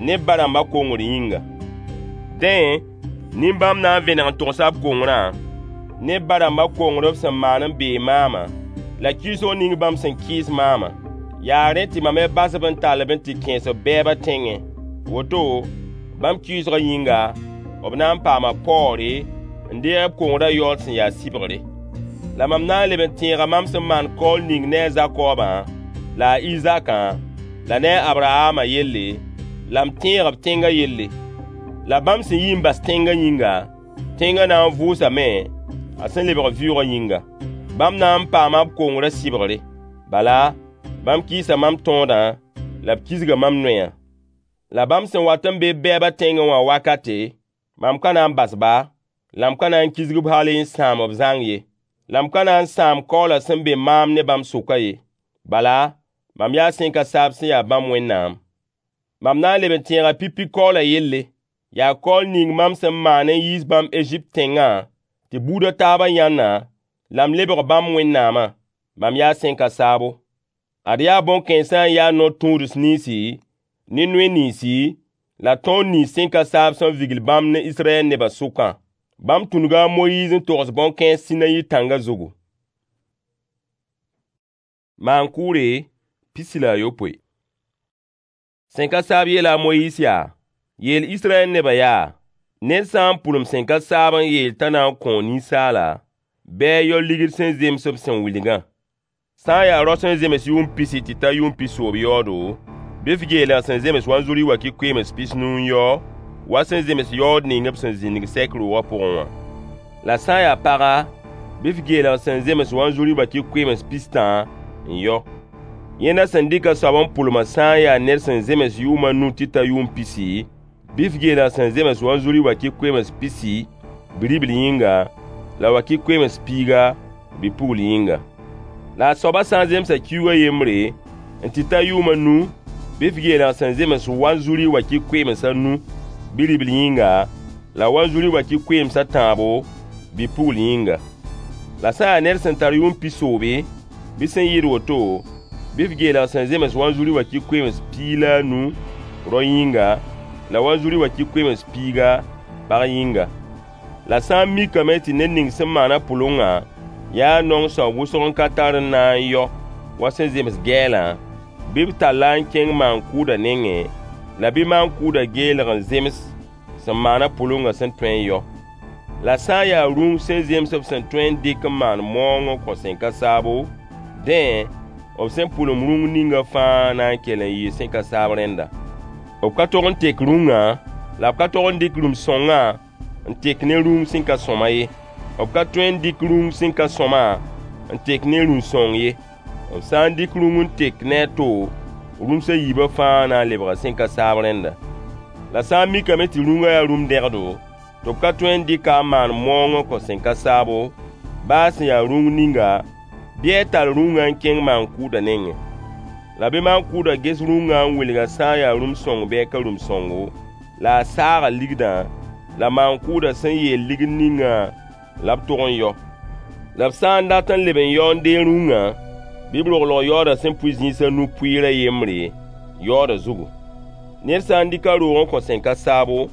ne b ba-rãmbã kongr yĩnga. Dẽ, nin-bãmb na n vẽneg n togsa b kongrã ne b ba-rãmbã kongr b sẽn maan n beeg maamã, la kɩɩsg ning bãmb sẽn kɩɩs maamã. Yaa rẽ tɩ mam me bas-b n tall-b n tɩ kẽes b bɛɛbã tẽngẽ. Woto, bãmb kɩɩsgã yĩnga, b na n paama paoore n deeg b kongrã yaood sẽn ya sɩbgre. La mam na n leb n tẽega mam sẽn maan kaool ning ne a Zakobã la a Izakã la ne a Abrahamã yelle, la m tẽeg b tẽngã yelle. La bãmb sẽn yi n bas tẽngã yĩnga, tẽngã na n vʋʋsame a sẽn lebg vɩʋʋgã yĩnga. Bãmb na n paama b kongrã sɩbgre. Bala, bãmb kɩɩsa mam tõodã la b kisga mam noyã. La bãmb sẽn wat n be b bɛɛbã tẽngẽ wã wakate, mam ka na n bas-ba, la m ka na n kisg-b hal n sãam b zãng ye. La m ka na n sãam kaoola sẽn be maam ne bãmb sʋkã ye. Bala, mam yaa sẽn ka saab sẽn ya bãmb Wẽnnaam. Mam na n leb n tẽega pipi kaoola yelle. Yaa kaool ning mam sẽn maan n yiis bãmb Ezipt tẽngã tɩ buud a taabã yãnna, la m lebg bãmb Wẽnnaamã. Mam yaa sẽn ka saabo. Ad yaa bõn-kãensã n ya no-tũuds ninsi ne noy ninsi la tõog nins sẽn ka saab sẽn vigl bãmb ne Israyɛl nebã sʋkã. Bãmb tũnuga a Moyiis n togs bõn-kãens Sinayi tãngã zugu. Maan-kʋʋre 17. Sẽn ka saab yeela a Moyiis yaa: Yeel Israyɛl nebã yaa: Ned sã n pʋlem sẽn ka saab n yeel t'a na n kõo ninsaala, bɩ a yao ligd sẽn zems b sẽn wilgã. Sã n yaa rao sẽn zems yʋʋm pisi tɩ ta yʋʋm pisoobg yaoodo, bɩ f geelg sẽn zems wanzuri wakɩ-koeems 50 n yao, wa sẽn zems yaood ning b sẽn zĩndg sɛk roogã pʋgẽ wã. La sã n yaa paga, bɩ f geelg sẽn zems wanzuri wakɩ-koeems pistã n yao. Yẽnda sẽn dɩk a soab n pʋlmã sã n yaa ned sẽn zems yʋʋm a nu tɩ ta yʋʋm pisi, bɩ f geelg sẽn zems wanzuri wakɩ-koeems pisi bi-ribl yĩnga, la wakɩ-koeems piiga bi-pugl yĩnga. La a soabã sã n zemsa kiuug a yembre n tɩ ta yʋʋm a nu, bɩ f geelg sẽn zems wanzuri wakɩ-koeems a nu bi-ribl yĩnga, la wanzuri wakɩ-koeems a tãabo bi-pugl yĩnga. La sã n yaa ned sẽn tar yʋʋm pisoobe, bɩ sẽn yɩɩd woto, bɩ f geelg sẽn zems wanzuri wakɩ-koeems 15 rao yĩnga, la wanzuri wakɩ-koeems piiga pag yĩnga. La sã n mikame tɩ ned ning sẽn maan-a pʋlengã yaa naong soab wʋsg n ka tar n na n yao wa sẽn zems gɛɛlã, bɩ b tall-a n kẽng maan-kʋʋdã nengẽ, la bɩ maan-kʋʋdã geelg n zems sẽn maan-a pʋlengã sẽn tõe n yao. La sã n yaa rũng sẽn zems b sẽn tõe n dɩk n maan maoong n kõ sẽn ka saabo, dẽ, b sẽn pʋlem rũng ninga fãa na n kell n yɩɩ sẽn ka saab rẽnda. B ka tog n tek rũngã, la b ka tog n dɩk rũm-sõngã n tek ne rũng sẽn ka sõma ye. B ka tõe n dɩk rũng sẽn ka sõma n tek ne rũm-sõng ye. B sã n dɩk rũng n tek ne a to, rũms a yiibã fãa na n lebga sẽn ka saab rẽnda. La sã n mikame tɩ rũngã yaa rũm-dẽgdo, tɩ b ka tõe n dɩka n maan maoong n kõ sẽn ka saabo, baa sẽn ya rũng ninga, bɩ a tall rũngã n kẽng maan-kʋʋdã nengẽ. La bɩ maan-kʋʋdã ges rũngã n wilg a sã n yaa rũm-sõng bɩ a ka rũm-sõngo, la a saaga ligdã, la maan-kʋʋdã sẽn yeel ligd ningã la b tog n yao. La b sã n dat n leb n yao n deeg rũngã, bɩ b roglg yaoodã sẽn pʋɩ zĩis a nu pʋɩɩr a yembre, yaoodã zugu. Ned sã n dɩk a roog n kõ sẽn ka saabo,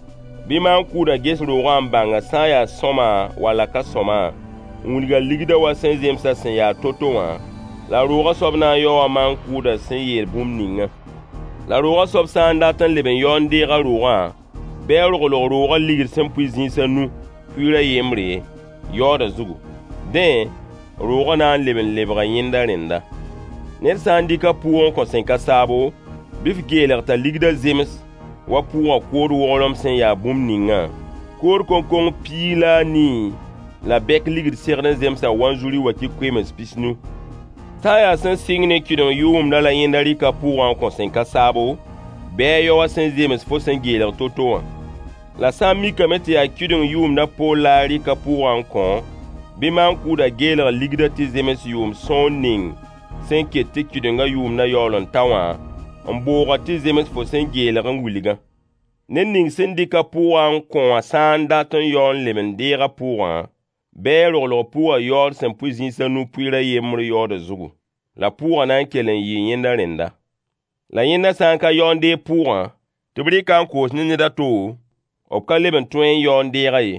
bɩ maan-kʋʋdã ges roogã n bãng a sã n yaa sõma walla ka sõma, n wilg a ligdã wa sẽn zemsã sẽn yaa to-to wã, la roogã soab na n yaoa maan-kʋʋdã sẽn yeel bũmb ningã. La roogã soab sã n dat n leb n yao n deeg a roogã, bɩ a roglg roogã ligd sẽn pʋɩ zĩis a nu pʋɩɩr a yembre, yaoodã zugu. Dẽ, roogã na n leb n lebga yẽnda rẽnda. Ned sã n dɩk a pʋʋg n kõ sẽn ka saabo, bɩ f geelg t'a ligdã zems wa pʋʋgã kood wogrem sẽn yaa bũmb ningã, kood koŋkong 14 la bɛk ligd segd n zemsa wanzuri wakɩ-koeems 50. Sã n yaa sẽn sɩng ne kɩdem yʋʋmdã la yẽnda rɩka pʋʋgã n kõ sẽn ka saabo, bɩ a yao wa sẽn zems fo sẽn geelg to-to wã. La sã n mikame tɩ yaa kɩdem yʋʋmdã poor la a rɩka pʋʋgã n kõ, bɩ maan-kʋʋdã geelg ligdã tɩ zems yʋʋm sõor ning sẽn ket tɩ kɩdengã yʋʋmdã yaool n ta wã, n booga tɩ zems fo sẽn geelg n wilgã. Ned ning sẽn dɩk a pʋʋgã n kõ wã sã n dat n yao n leb n deeg a pʋʋgã, bɩ a roglg pʋʋgã yaood sẽn pʋɩ zĩis a nu pʋɩɩr a yembr yaoodã zugu. la pʋʋgã na n kell n yɩɩ yẽnda rẽnda. La yẽnda sã n ka yao n deeg pʋʋgã, tɩ b rɩk-a n koos ne ned a to, b ka leb n tõe n yao n deeg-a ye.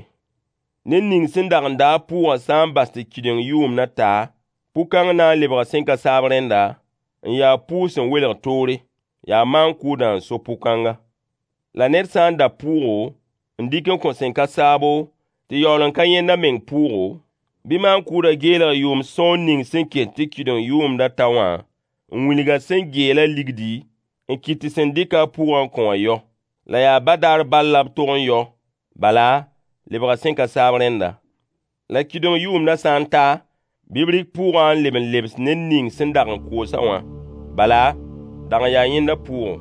Ned ning sẽn dag n da-a pʋʋgã sã n bas tɩ kɩdeng yʋʋmdã ta, pʋ-kãng na n lebga sẽn ka saab rẽnda, n ya pʋʋg sẽn welg toore. Yaa maan-kʋʋdã n so pʋ-kãnga. La ned sã n da pʋʋgo n dɩk n kõ sẽn ka saabo, tɩ yaool n ka yẽnda meng pʋʋgo, bɩ maan-kʋʋdã geelg yʋʋm sõor ning sẽn ket tɩ kɩdeng yʋʋmdã ta wã, n wilg a sẽn geelã ligdi, n kɩt tɩ sẽn dɩk-a pʋʋgã n kõ wã yao. La yaa badaar bal la b tog n yao, bala, lebga sẽn ka saab rẽnda. La kɩdeng yʋʋmdã sã n ta, bɩ b rɩk pʋʋgã n leb n lebs ned ning sẽn dag n koos-a wã. Bala, dag n yaa yẽnda pʋʋgo.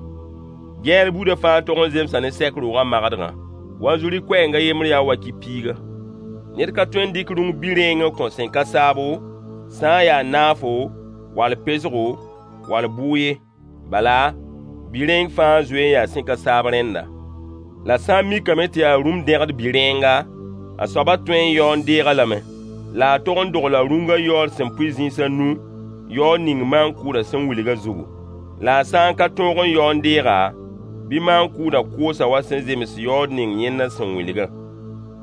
Gɛɛr buudã fãa tog n zemsa ne sɛk roogã magdgã. Wanzuri koɛɛng a yembr yaa wakɩ piiga. Ned ka tõe n dɩk rũng bi-rẽeng n kõ sẽn ka saabo, sã n yaa naafo, wall pesgo, wall bʋʋg ye. Bala, bi-rẽeng fãa zoe n yaa sẽn ka saab rẽnda. La sã n mikame tɩ yaa rũm-dẽgd bi-rẽenga, a soabã tõe n yao n deeg-a lame. La a tog n dogla rũngã yaood sẽn pʋɩ zĩis a nu, yaood ning maan-kʋʋdã sẽn wilgã zugu. La a sã n ka tõog n yao n deeg-a, bɩ maan-kʋʋdã koos-a wa sẽn zems yaood ning yẽnda sẽn wilgã.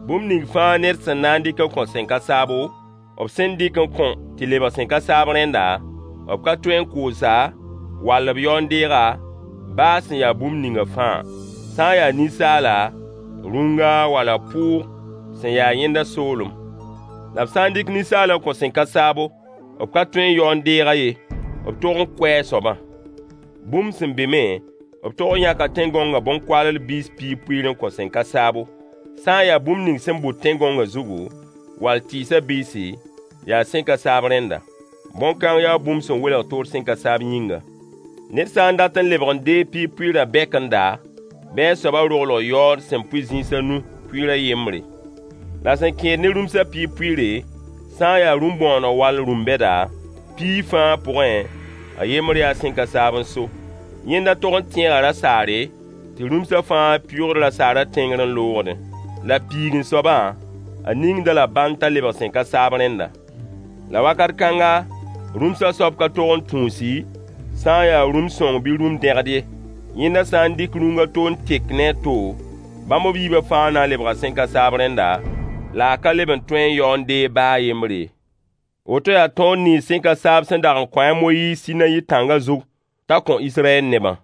Bũmb ning fãa ned sẽn na n dɩk n kõ sẽn ka saabo, b sẽn dɩk n kõ tɩ lebg sẽn ka saab rẽnda, b ka tõe n koos-a, wall b yao n deeg-a, baa sẽn ya bũmb ninga fãa, sã n ya ninsaala, rũnga wala pʋʋg sẽn ya yẽnda soolem. La b sã n dɩk ninsaal n kõ sẽn ka saabo, b ka tõe n yao n deeg-a ye, b tog n koɛɛ a soabã. Bũmb sẽn be me, b tog n yãka tẽn-gãongã bõn-koaalr biis piig pʋɩɩr n kõ sẽn ka saabo. Sã n ya bũmb ning sẽn bʋd tẽn-gãongã zugu, wall tɩɩsã biisi, yaa sẽn ka saab rẽnda. Bõn-kãng yaa bũmb sẽn welg toor sẽn ka saab yĩnga. Ned sã n dat n lebg n deeg piig pʋɩɩrã bɛkenda, bɩ a soabã roglg yaood sẽn pʋɩ zĩis a nu pʋɩɩr a yembre. La sẽn kẽed ne rũmsã piig pʋɩɩre, sã n ya rũm-bõoneg wall rũm-bɛda, piig fãa pʋgẽ, a yembr yaa sẽn ka saab n so. Yẽnda tog n tẽega rasaare, tɩ rũmsã fãa pɩʋʋgd rasaarã tẽngr n loogdẽ. La piigẽ soabã, a ningd-a la bãnd t'a lebg sẽn ka saab rẽnda. La wakat kãnga, rũmsã soab ka tog n tũusi, sã n yaa rũm-sõng bɩ rũm-dẽgd ye. Yẽnda sã n dɩk rũng a to n tek ne a to, bãmb b yiibã fãa na n lebga sẽn ka saab rẽnda, la a ka leb n tõe n yao n deeg baa a yembr ye. Woto yaa tõod nins sẽn ka saab sẽn dag n kõ a Moyiis Sinayi tãngã zug t'a kõ Israyɛl nebã.